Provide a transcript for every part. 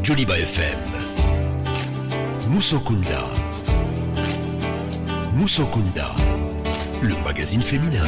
Joliba FM. Musokunda. Musokunda, le magazine féminin.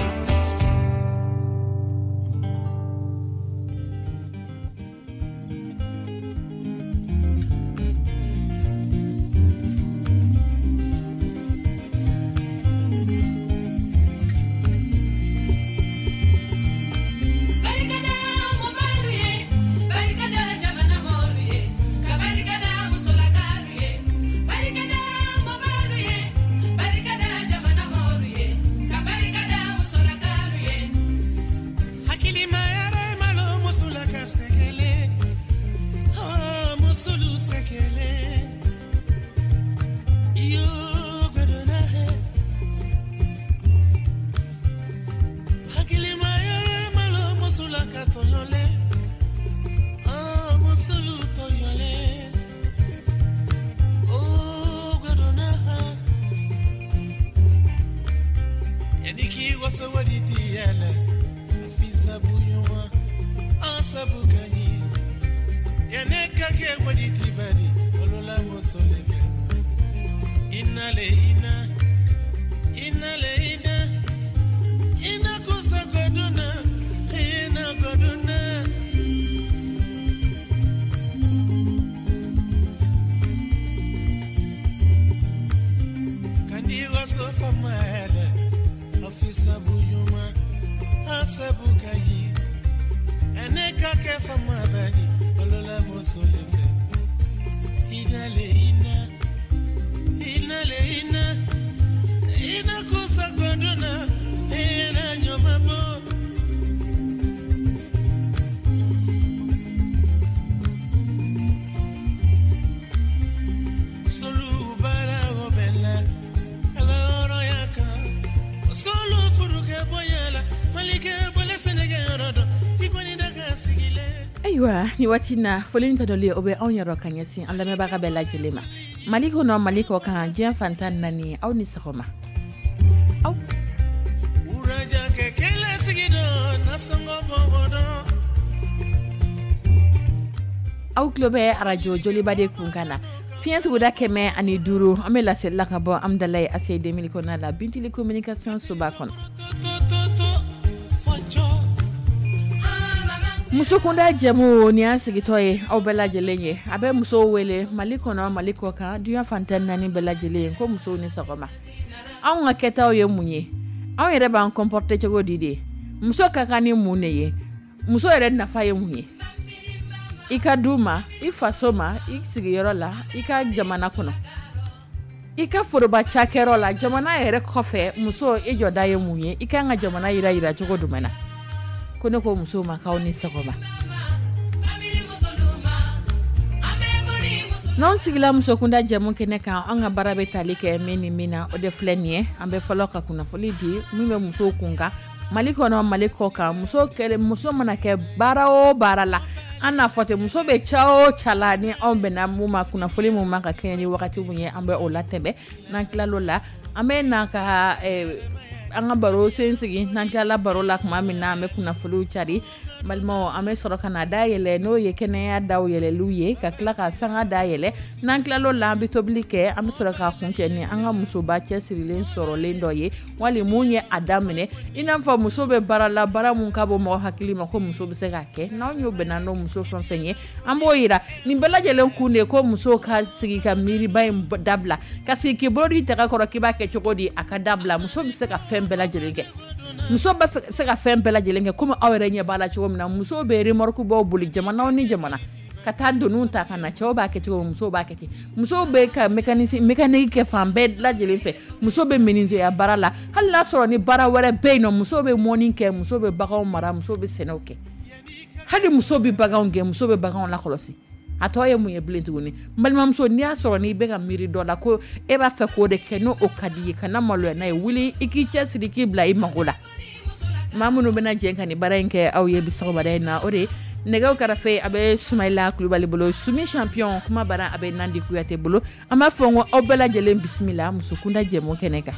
Ayiwa, ni waati na foli ta dɔli o bɛ anw yɔrɔ ka ɲɛsin an lamɛnbaga bɛɛ lajɛlen ma, Mali kɔnɔ, Mali kɔ kan, diɲɛ fantan naani, aw ni sɔgɔma. Aw aw tulo bɛ arajo Joliba de kunkan na, fiɲɛ tuguda 105. An bɛ laselila ka bɔ Amidalayi ACI 2000 kɔnɔna la, Bintili communication soba kɔnɔ. Musokunda jɛmu ni y'an sigitɔ ye aw bɛɛ lajɛlen ye. A bɛ musow wele Mali kɔnɔ, Mali kɔ kan, diɲɛ fantan naani bɛɛ lajɛlen, ko musow ni sɔgɔma. Anw ka kɛtaw ye mun ye? Anw yɛrɛ b'an comporter cogo di de? Muso ka kan ni mun de ye? Muso yɛrɛ nafa ye mun ye i ka du ma, i faso ma, i sigiyɔrɔ la, i ka jamana kɔnɔ, i ka foroba cakɛyɔrɔ la, jamana yɛrɛ kɔfɛ, muso i jɔda ye mun ye? I ka kan ka jamana yira yira cogo jumɛn na? Ko ne ko musow ma k'aw ni sɔgɔma. N'anw sigila musokunda jɛmu kɛnɛ kan, an ka baara bɛ tali kɛ min ni min na, o de filɛ nin ye. An bɛ fɔlɔ ka kunnafoni di min bɛ musow kun kan, Mali kɔnɔ, Mali kɔ kan. Muso kɛlɛ, muso mana kɛ baara o baara la, an n'a fɔ ten, muso bɛ ca o ca la, ni anw bɛnna mun ma, kunnafoni mun ma ka kɛɲɛ ni wagati mun ye, an bɛ o latɛmɛ. N'an tilal'o la, an bɛ na ka an ka baro sen sigi. N'an tilala baro la tuma min na, an bɛ kunnafoniw cari, balimaw, an bɛ sɔrɔ ka na dayɛlɛ, n'o ye kɛnɛya daw yɛlɛliw ye, ka tila ka sanga dayɛlɛ. N'an tilal'o la, an bɛ tobili kɛ. An bɛ sɔrɔ ka kuncɛ ni an ka musoba cɛsirilen sɔrɔlen dɔ ye, wali mun ye a daminɛ, i n'a fɔ muso bɛ baara la, baara mun ka bɔ mɔgɔ hakili ma ko muso bɛ se k'a kɛ. N'anw y'o bɛnna n'o muso fɛn fɛn ye, an b'o yira. Nin bɛɛ lajɛlen kun de ko muso ka sigi ka miiriba in dabila, ka sigi k'i bolo di daga kɔrɔ k'i b'a kɛ cogo di, a ka dabila. Muso bɛ se ka fɛn bɛɛ lajɛlen kɛ. Muso bɛ se ka fɛn bɛɛ lajɛlen kɛ, komi aw yɛrɛ ɲɛ b'a la cogo min na. Musow bɛ remorque baw boli jamana ni jamana ka taa doniw ta ka na. Cɛw b'a kɛ cogo min, musow b'a kɛ ten. Musow bɛ ka mécanique kɛ fan bɛɛ lajɛlen fɛ. Muso bɛ menuisier baara la, hali n'a sɔrɔ ni baara wɛrɛ bɛ yen nɔ. Muso bɛ mɔni kɛ, muso bɛ baganw mara, muso bɛ sɛnɛw kɛ, hali muso bɛ baganw gɛn, muso bɛ baganw lakɔlɔsi. A tɔ ye mun ye bilen tuguni? N balimamuso, n'i y'a sɔrɔ n'i bɛ ka miiri dɔ la ko e b'a fɛ k'o de kɛ, n'o o ka di i ye, kana maloya n'a ye. Wuli i k'i cɛsiri k'i bila i mago la. Maa minnu bɛna jɛ ka nin baara in kɛ aw ye bi sɔgɔmada in na, o de ye nɛgɛw karafe a bɛ Sumayila Kulubali bolo, Sumi champion, kuma bara a bɛ Nandi Kuyate bolo. An b'a fɔ n ko aw bɛɛ lajɛlen bisimila musokunda jɛmu kɛnɛ kan.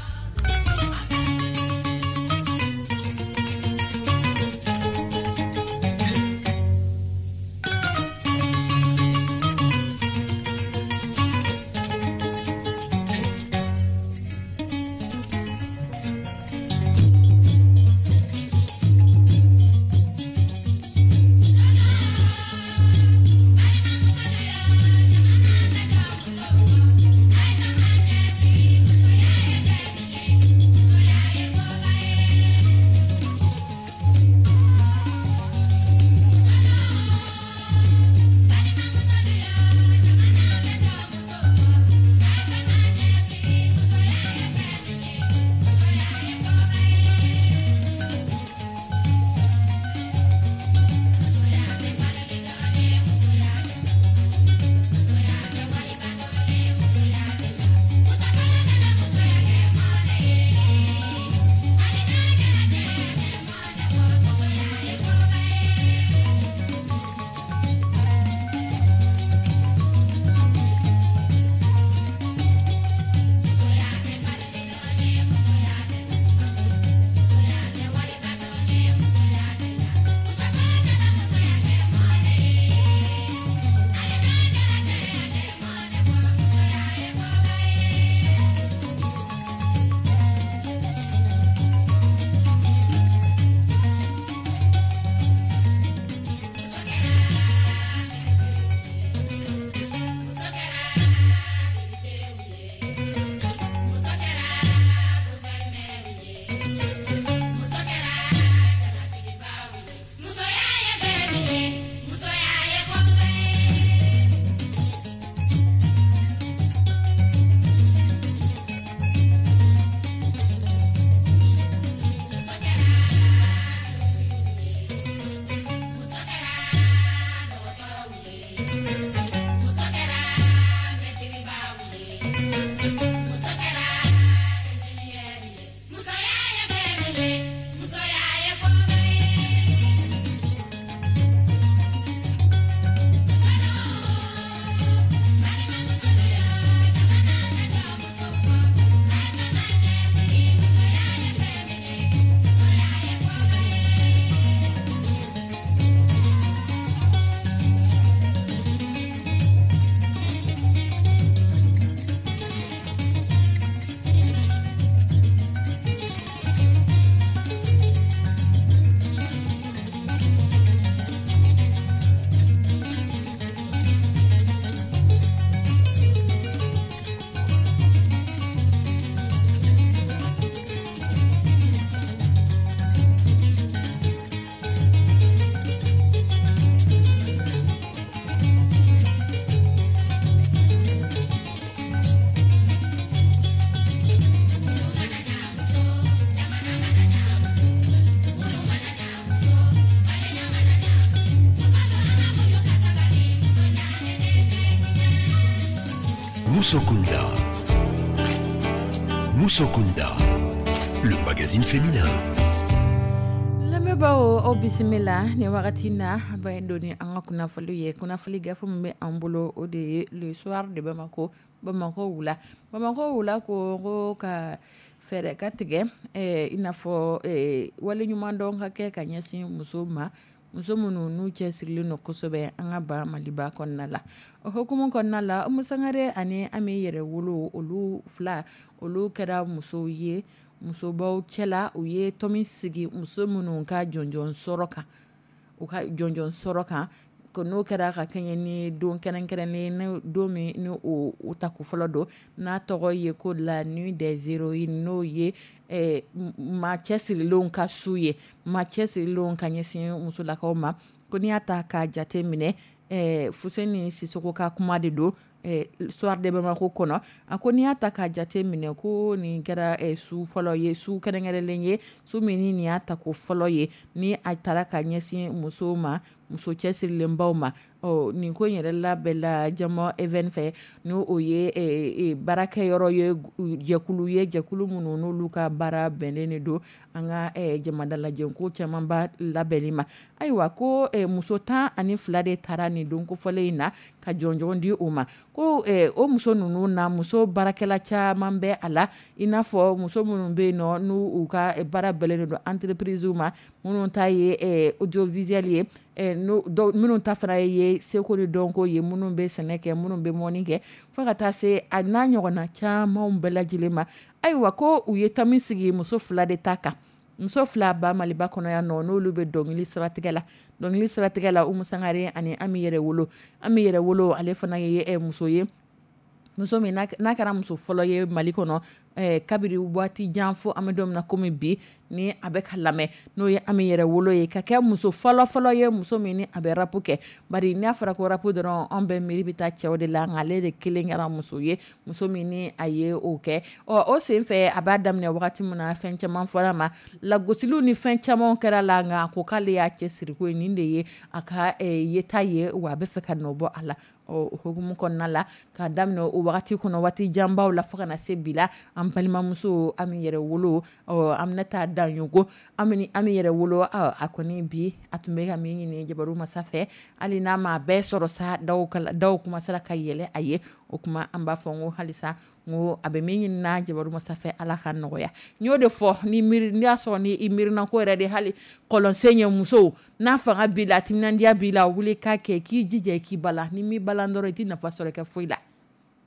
Musokunda. Musokunda, le magazine féminin. Lamɛnbaaw, aw bisimila nin wagati na ba don ni an ka kunnafoni ye. Kunnafoni gafe min bɛ an bolo, o de ye Le Soir de Bamako, Bamakɔ wula. Bamakɔ wula ko ka fɛɛrɛ ka tigɛ, i n'a fɔ waleɲuman dɔn ka kɛ ka ɲɛsin musow ma, muso minnu n'u cɛsirilen don kosɛbɛ an ka ba Maliba kɔnɔna la. O hukumu kɔnɔna la, Umu Sangare ani Ami Yɛrɛwolo, olu fila, olu kɛra musow ye musobaw cɛla. U ye tɔn sigi muso minnu ka jɔnjɔn sɔrɔ kan, u ka jɔnjɔn sɔrɔ kan ko n'o kɛra ka kɛɲɛ ni don kɛrɛnkɛrɛnnen don min ni o tako fɔlɔ don, n'a tɔgɔ ye ko la nuit des héroïnes, n'o ye maa cɛsirilenw ka su ye, maa cɛsirilenw ka ɲɛsin musolakaw ma. Ko n'i y'a ta k'a jate minɛ, Fuseni Sisoko ka kuma de don Soir de Bamako kɔnɔ. A ko n'i y'a ta k'a jate minɛ, ko nin kɛra su fɔlɔ ye, su kɛrɛnkɛrɛnlen ye, su min ni nin y'a tako fɔlɔ ye ni a taara ka ɲɛsin musow ma, muso cɛsirilenbaw ma. Ɔ nin ko in yɛrɛ labɛnla Jama Even fɛ, n'o o ye baarakɛyɔrɔ ye, jɛkulu ye, jɛkulu minnu n'olu ka baara bɛnnen de don an ka jamana lajɛko camanba labɛnni ma. Ayiwa, ko muso 12 de taara nin don kofɔlen in na ka jɔnjɔn di o ma. Ko o muso ninnu na, muso baarakɛla caman bɛ a la, i n'a fɔ muso minnu bɛ yen nɔ n'u u ka baara bɛnnen don entreprise ma, minnu ta ye audiovisuel ye, minnu ta fana ye seko ni dɔnko ye, minnu bɛ sɛnɛ kɛ, minnu bɛ mɔni kɛ, fo ka taa se a n'a ɲɔgɔnna camanw bɛɛ lajɛlen ma. Ayiwa, ko u ye tami sigi muso fila de ta kan, muso fila ba Maliba kɔnɔ yan nɔ, n'olu bɛ dɔnkili siratigɛ la. Dɔnkili siratigɛ la, Umu Sangare ani Ami Yɛrɛwolo. Ami Yɛrɛwolo, ale fana ye muso ye, muso min n'a kɛra muso fɔlɔ ye Mali kɔnɔ kabiri waati jan fo an bɛ don min na komi bi, ni a bɛ ka lamɛn, n'o ye Ami Yɛrɛwolo ye, ka kɛ muso fɔlɔ fɔlɔ ye, muso min ni a bɛ rap kɛ. Bari n'a fɔra ko rap dɔrɔn, an bɛɛ miiri bɛ taa cɛw de la, nka ale de kelen kɛra muso ye, muso min ni a ye o kɛ. Ɔ o sen fɛ, a b'a daminɛ wagati min na, fɛn caman fɔra ma, lagosiliw ni fɛn caman kɛra la, nka a ko k'ale y'a cɛsiri ko ye nin de ye a ka yeta ye, wa a bɛ fɛ ka nɔ bɔ a la. Ɔ hukumu kɔnɔna la, k'a daminɛ o wagati kɔnɔ, waati janbaw la, fo ka na se bi la, an balimamuso Ami Yɛrɛwolo, ɔ Aminata Daɲogo, Ami Yɛrɛwolo, a kɔni bi a tun bɛ ka min ɲini jabaru masa fɛ, hali n'a ma bɛɛ sɔrɔ sa, daw kuma sera ka yɛlɛ a ye. O kuma an b'a fɔ n ko halisa, n ko a bɛ min ɲini na jabaru masa fɛ, Ala ka nɔgɔya. N y'o de fɔ, ni miiri n'i y'a sɔrɔ ni i miirinako yɛrɛ de, hali kɔlɔnsen ye, musow n'a fanga b'i la, timinandiya b'i la, wuli k'a kɛ, k'i jija k'i bala. Ni m'i balan dɔrɔn, i t'i nafa sɔrɔ kɛ foyi la.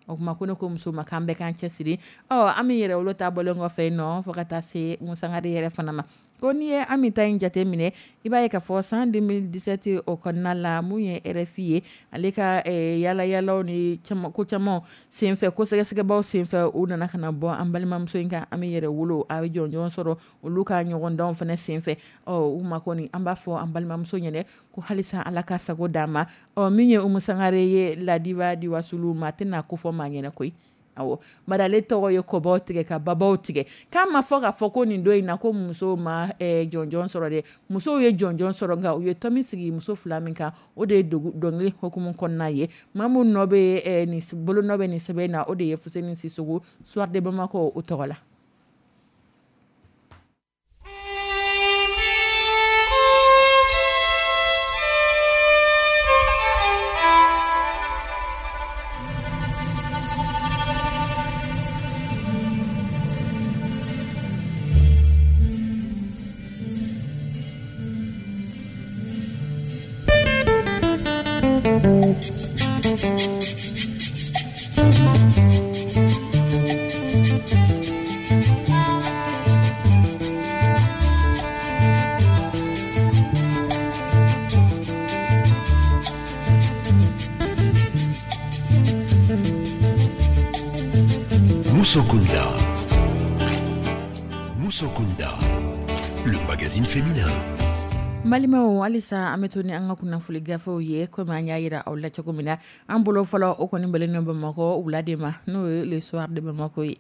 O kuma ko ne ko muso ma k'an bɛɛ k'an cɛsiri. Ɔ Ami Yɛrɛwolo ta bɔlen kɔfɛ yen nɔ, fo ka taa se Umu Sangare yɛrɛ fana ma. Ko n'i ye Ami ta in jate minɛ, i b'a ye k'a fɔ san 2017 o kɔnɔna la, mun ye RFI ye, ale ka yala yalaw ni ko caman senfɛ, ko sɛgɛsɛgɛbaw senfɛ, u nana ka na bɔ an balimamuso in kan, Ami Yɛrɛwolo, a ye jɔnjɔn sɔrɔ olu ka ɲɔgɔndanw fana senfɛ. Ɔ u ma kɔni, an b'a fɔ an balimamuso ɲɛnɛ ko halisa Ala ka sago d'a ma. Ɔ min ye Umu Sangare ye, la diva di wasulu, maa tɛna ko fɔ maa ɲɛnɛ koyi. Awɔ, bari ale tɔgɔ ye kɔbaw tigɛ ka babaw tigɛ. K'a ma fɔ k'a fɔ ko nin don in na ko musow ma jɔnjɔn sɔrɔ dɛ. Musow ye jɔnjɔn sɔrɔ, nka u ye tɔmi sigi muso fila min kan, o de ye dɔnkili hukumu kɔnɔna ye. Maa min nɔ bɛ nin bolo nɔ bɛ nin sɛbɛn na, o de ye Fuseni Sisoko, Soir de Bamako o tɔgɔ la. Musokunda. Musokunda, le magazine féminin. Balimaw, halisa an bɛ to ni an ka kunnafoni gafew ye. Komi an y'a yira aw la cogo min na, an bolo fɔlɔ, o kɔni bɛnnen don Bamakɔ wula de ma, n'o ye Le Soir de Bamako ye.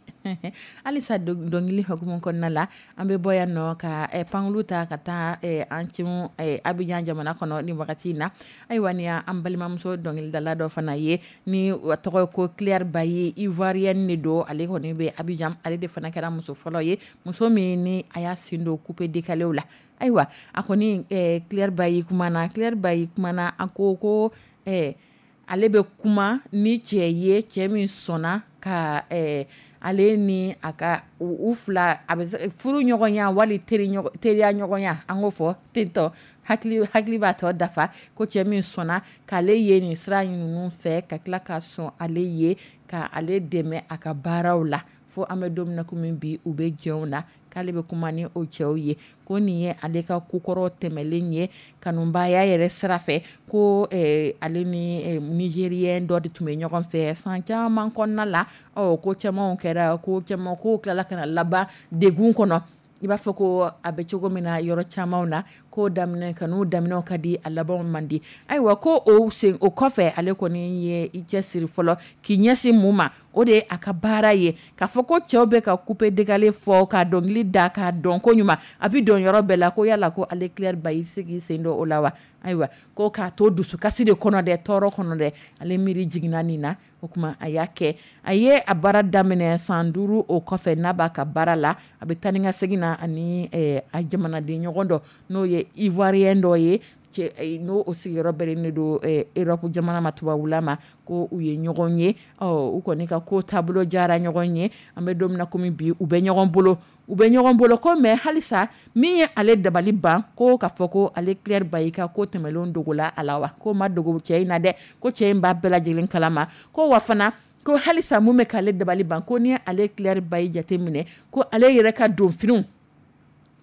Halisa dɔnkili hukumu kɔnɔna la, an bɛ bɔ yan nɔ ka pankulu ta ka taa an cun Abidjan jamana kɔnɔ nin wagati in na. Ayiwa, ni an balimamuso dɔnkilidala dɔ fana ye, ni a tɔgɔ ye ko Claire Bailly, Ivoirienne de don. Ale kɔni bɛ Abidjan. Ale de fana kɛra muso fɔlɔ ye, muso min ni a y'a sen don coupé décalé la. Ayiwa, a kɔni Claire Bailly kumana, Claire Bailly kumana. A ko ko ale bɛ kuma ni cɛ ye, cɛ min sɔnna ka ale ni a ka u fila a bɛ furu ɲɔgɔnya wali teriya ɲɔgɔnya, an k'o fɔ tentɔ, hakili b'a tɔ dafa, ko cɛ min sɔnna k'ale ye nin sira ninnu fɛ, ka tila ka sɔn ale ye, ka ale dɛmɛ a ka baaraw la, fo an bɛ don min na komi bi, u bɛ jɛw na, k'ale bɛ kuma ni o cɛw ye. Ko nin ye ale ka kokɔrɔ tɛmɛlen ye kanubaya yɛrɛ sira fɛ, ko ale ni Nigérien dɔ de tun bɛ ɲɔgɔn fɛ san caman kɔnɔna la. Ɔ, ko camanw kɛra, ko caman ko tilala ka na laban degun kɔnɔ, i b'a fɔ ko a bɛ cogo min na yɔrɔ caman na, ko daminɛ kanu daminɛw ka di, a labanw man di. Ayiwa, ko o sen o kɔfɛ, ale kɔni ye i cɛsiri fɔlɔ k'i ɲɛsin mun ma, o de ye a ka baara ye. K'a fɔ ko cɛw bɛ ka coupé décalé fɔ ka dɔnkili da k'a dɔn ko ɲuman, a bɛ dɔn yɔrɔ bɛɛ la, ko yala ko ale Claire Bailly se k'i sen don o la wa? Ayiwa, ko k'a to dusukasi de kɔnɔ dɛ, tɔɔrɔ kɔnɔ dɛ, ale miiri jiginna nin na. O tuma a y'a kɛ, a ye a baara daminɛ san 5 o kɔfɛ. N'a b'a ka baara la, a bɛ taa ni ka segin na ani a jamanaden ɲɔgɔn dɔ, n'o ye Ivoirien dɔ ye, cɛ n'o o sigiyɔrɔ bɛnnen don Europe jamana ma, tubabula ma, ko u ye ɲɔgɔn ye. Ɔ, u kɔni ka ko taabolo diyara ɲɔgɔn ye. An bɛ don min na komi bi, u bɛ ɲɔgɔn bolo, u bɛ ɲɔgɔn bolo ko. Mais halisa min ye ale dabali ban, ko k'a fɔ ko ale Claire Bailly ka ko tɛmɛnlenw dogola a la wa? Ko ma dogo cɛ in na dɛ, ko cɛ in b'a bɛɛ lajɛlen kalama. Ko wa fana, ko halisa mun bɛ k'ale dabali ban, ko ni ale Claire Bailly jateminɛ, ko ale yɛrɛ ka donfiniw,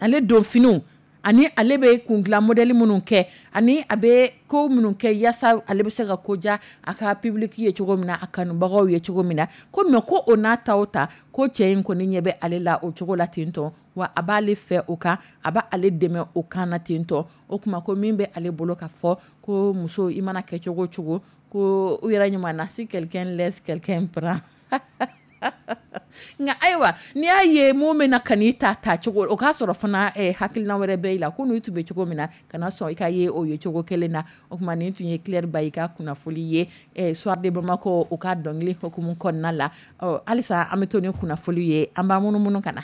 ale donfiniw ani ale bɛ kundilan modèle minnu kɛ, ani a bɛ ko minnu kɛ yaasa ale bɛ se ka ko diya a ka public ye cogo min na, a kanubagaw ye cogo min na, ko mais ko o n'a ta o ta, ko cɛ in kɔni ɲɛ bɛ ale la o cogo la ten tɔ, wa a b'ale fɛ o kan, a b'ale dɛmɛ o kan na ten tɔ. O tuma ko min bɛ ale bolo ka fɔ, ko muso, i mana kɛ cogo o cogo, ko u yɛrɛ ɲuman na, si quelqu'un laisse, quelqu'un prend. Nka ayiwa, n'i y'a ye mun bɛna ka n'i ta cogo, o k'a sɔrɔ fana hakilina wɛrɛ bɛ i la, ko n'u tun bɛ cogo min na, kana sɔn i ka ye o ye cogo kelen na. O tuma nin tun ye Claire Bailly ka kunnafoli ye, Soir de Bamako o ka dɔnkili hukumu kɔnɔna la. Ɔ, halisa an bɛ to ni kunnafoli ye, an b'an munumunu ka na.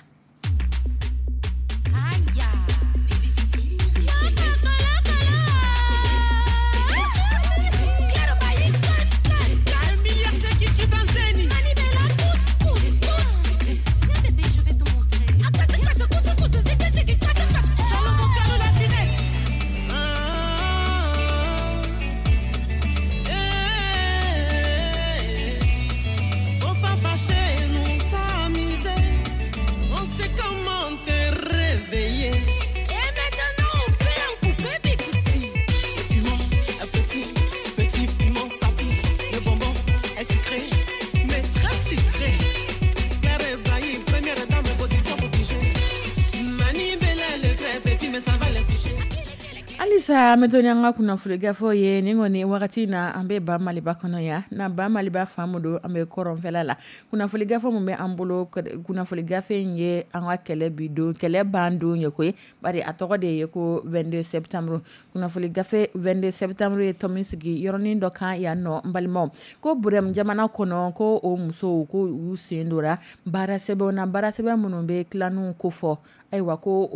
Halisa an bɛ to ni an ka kunnafoni gafew ye. Nin kɔni wagati na, an bɛ ba Maliba kɔnɔ yan na, ba Maliba fan don, an bɛ kɔrɔnfɛla la. Kunnafoni gafe min bɛ an bolo, kunnafoni gafe in ye an ka kɛlɛ bi don, kɛlɛ ban don ye koyi, bari a tɔgɔ de ye ko 22 septembre. Kunnafoni gafe 22 septembre ye tɔmi sigi yɔrɔnin dɔ kan yan nɔ. N balimaw, ko Burɛmu jamana kɔnɔ, ko o musow ko u sen dora baara sɛbɛnw na, baara sɛbɛn minnu bɛ tilaninw ko fɔ. Ayiwa, ko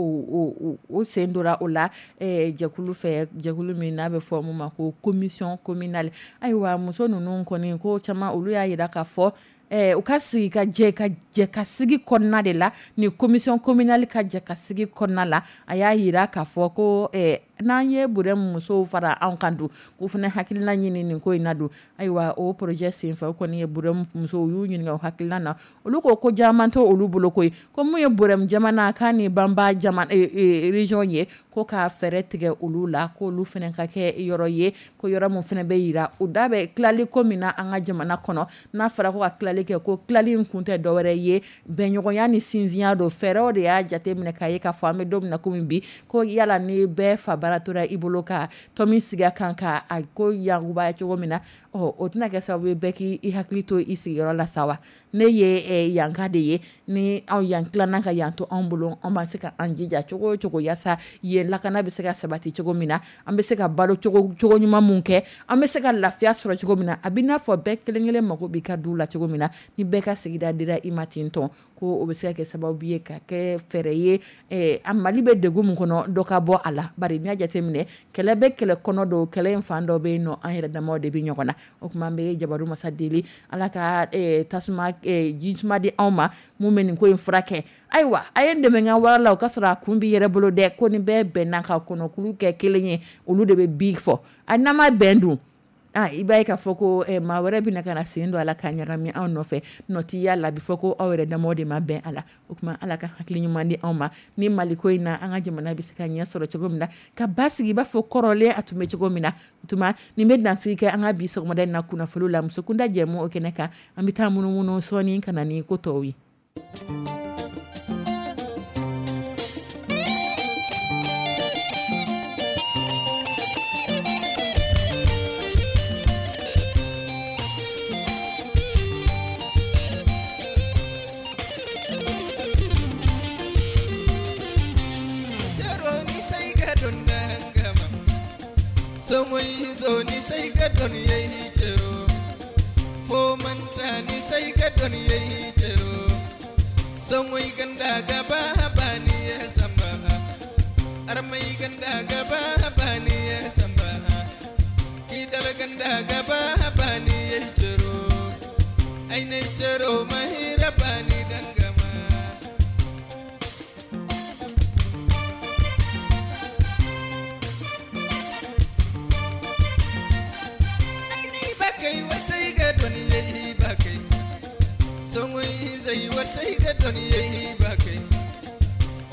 o sen dora o la jɛkulu fɛ, jɛkulu min n'a bɛ fɔ mun ma ko commission communale. Ayiwa, muso ninnu kɔni ko caman, olu y'a jira k'a fɔ u ka sigi ka jɛ ka jɛ ka sigi kɔnɔna de la. Ni commission communale ka jɛ ka sigi kɔnɔna la, a y'a jira k'a fɔ ko n'an ye Burɛmu musow fara anw kan don, k'u fana hakilina ɲini nin ko in na don. Ayiwa, o projet senfɛ, o kɔni ye Burɛmu musow y'u ɲininka o hakilina na. Olu ko caman to olu bolo koyi, ko mun ye Burɛmu jamana k'a ni Banba jamana région ye, ko ka fɛɛrɛ tigɛ olu la, k'olu fana ka kɛ yɔrɔ ye, ko yɔrɔ min fana bɛ yira u da bɛ tilali ko min na an ka jamana kɔnɔ. N'a fɔra ko ka tilali kɛ, ko tilali in kun tɛ dɔwɛrɛ ye, bɛnɲɔgɔnya ni sinsinya don. Fɛɛrɛw de y'a jate minɛ k'a ye k'a fɔ an bɛ don min na komi bi, ko yala ni bɛɛ fa bara tora i bolo ka tɔmi sigi a kan ka a ko yakubaya cogo min na, ɔ o tɛna kɛ sababu ye bɛɛ k'i hakili to i sigiyɔrɔ la sa wa. Ne ye yanka de ye, ni anw yan tilanna ka yan to anw bolo, an b'a se ka an jija cogo o cogo yaasa yen lakana bɛ se ka sabati cogo min na, an bɛ se ka balo cogo ɲuman mun kɛ, an bɛ se ka lafiya sɔrɔ cogo min na. A bɛ n'a fɔ bɛɛ kelen kelen mako b'i ka du la cogo min na, ni bɛɛ ka sigida dira i ma ten tɔn, ko o bɛ se ka kɛ sababu ye ka kɛ fɛɛrɛ ye a Mali bɛ degun min kɔnɔ, dɔ ka bɔ a la. Bari n'i y'a jateminɛ, kɛlɛ bɛ kɛlɛ kɔnɔ don, kɛlɛ in fan dɔ bɛ yen nɔ, an yɛrɛ damaw de bɛ ɲɔgɔn na. O tuma an bɛ jabaru masa deli, Ala ka tasuma ji suma di anw ma mun bɛ nin ko in furakɛ. Ayiwa, a ye n dɛmɛ ka wara la, o ka sɔrɔ a kun b'i yɛrɛ bolo dɛ. Ko ni bɛɛ bɛnna ka kɔnɔkulu kɛ kelen ye, olu de bɛ bi fɔ. A n'an ma bɛn dun, i b'a ye k'a fɔ ko maa wɛrɛ bɛna ka na sen don a la ka ɲagami anw nɔfɛ, nɔ t'i y'a la, a bɛ fɔ ko aw yɛrɛ damaw de ma bɛn a la. O tuma Ala ka hakili ɲuman di anw ma ni Maliko in na, an ka jamana bɛ se ka ɲɛ sɔrɔ cogo min na, ka ba sigi i b'a fɔ kɔrɔlen a tun bɛ cogo min na. O tuma nin bɛ dansigi kɛ an ka bi sɔgɔmada in na kunnafoni la musokunda jɛmu o kɛnɛ kan. An bɛ taa munumunu sɔɔni ka na ni ko tɔw ye. Ni sai ka don yayi tero fo manta ni sai ka don yayi tero songoy ganda gaba bani ya samba armai ganda gaba bani ya samba kidal ganda gaba bani yayi tero ainai tero mahira bani dangama. Zai wasai ga don yayi ba kai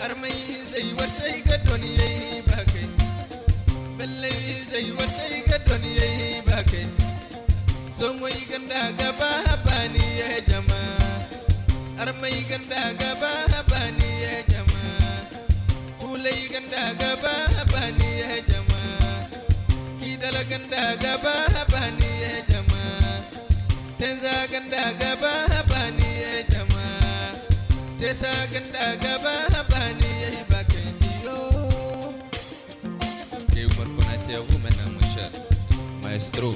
armai zai wasai ga don yayi ba kai balle zai wasai ga don yayi ba kai songoy ganda gaba bani ya jama armai ganda gaba bani ya jama kulai ganda gaba bani ya jama kidala ganda gaba bani ya jama tenza ganda gaba bani ya jama tesa ganda gaba bani ya bakai yo. Et Oumar Konaté à vous maintenant, mon cher maestro.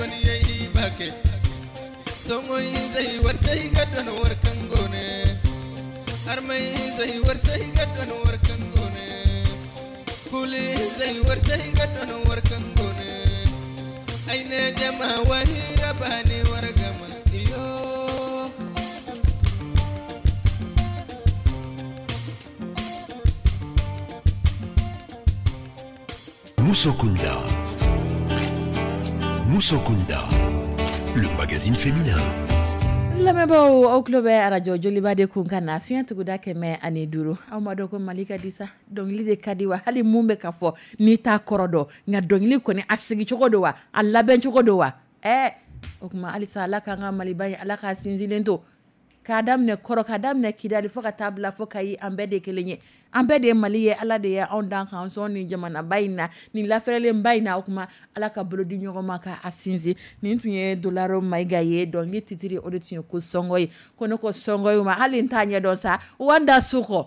Doni bake Songo zai warsai ga don warkan gone Armai zai warsai ga don warkan gone Kuli zai warsai ga don warkan gone Aine jama wahira bani wargama iyo. Musokunda. Musokunda, le magazine féminin. Lamɛnbaaw, aw tulo bɛ arajo Joliba de kun kan na, fiɲɛ tuguda 105. Aw ma dɔn ko Mali ka di sa, dɔnkili de ka di wa? Hali mun bɛ ka fɔ n'i t'a kɔrɔ dɔn, nka dɔnkili kɔni a sigi cogo don wa, a labɛn cogo don wa? O tuma halisa Ala k'an ka Maliba in, Ala k'a sinsinlen to, k'a daminɛ kɔrɔ, k'a daminɛ Kidali fo ka taa bila fo Kayi, an bɛɛ de kelen ye, an bɛɛ de ye Mali ye. Ala de ye anw dan k'an sɔn nin jamanaba in na, nin lafɛrɛlenba in na. O tuma Ala ka bolo di ɲɔgɔn ma k'a sinsin. Nin tun ye Dolaro Mayiga ye, dɔnkili titiri o de tun ye ko sɔngɔ ye. Ko ne ko sɔngɔ ye ma, hali n t'a ɲɛdɔn sa, wanda sukɔ.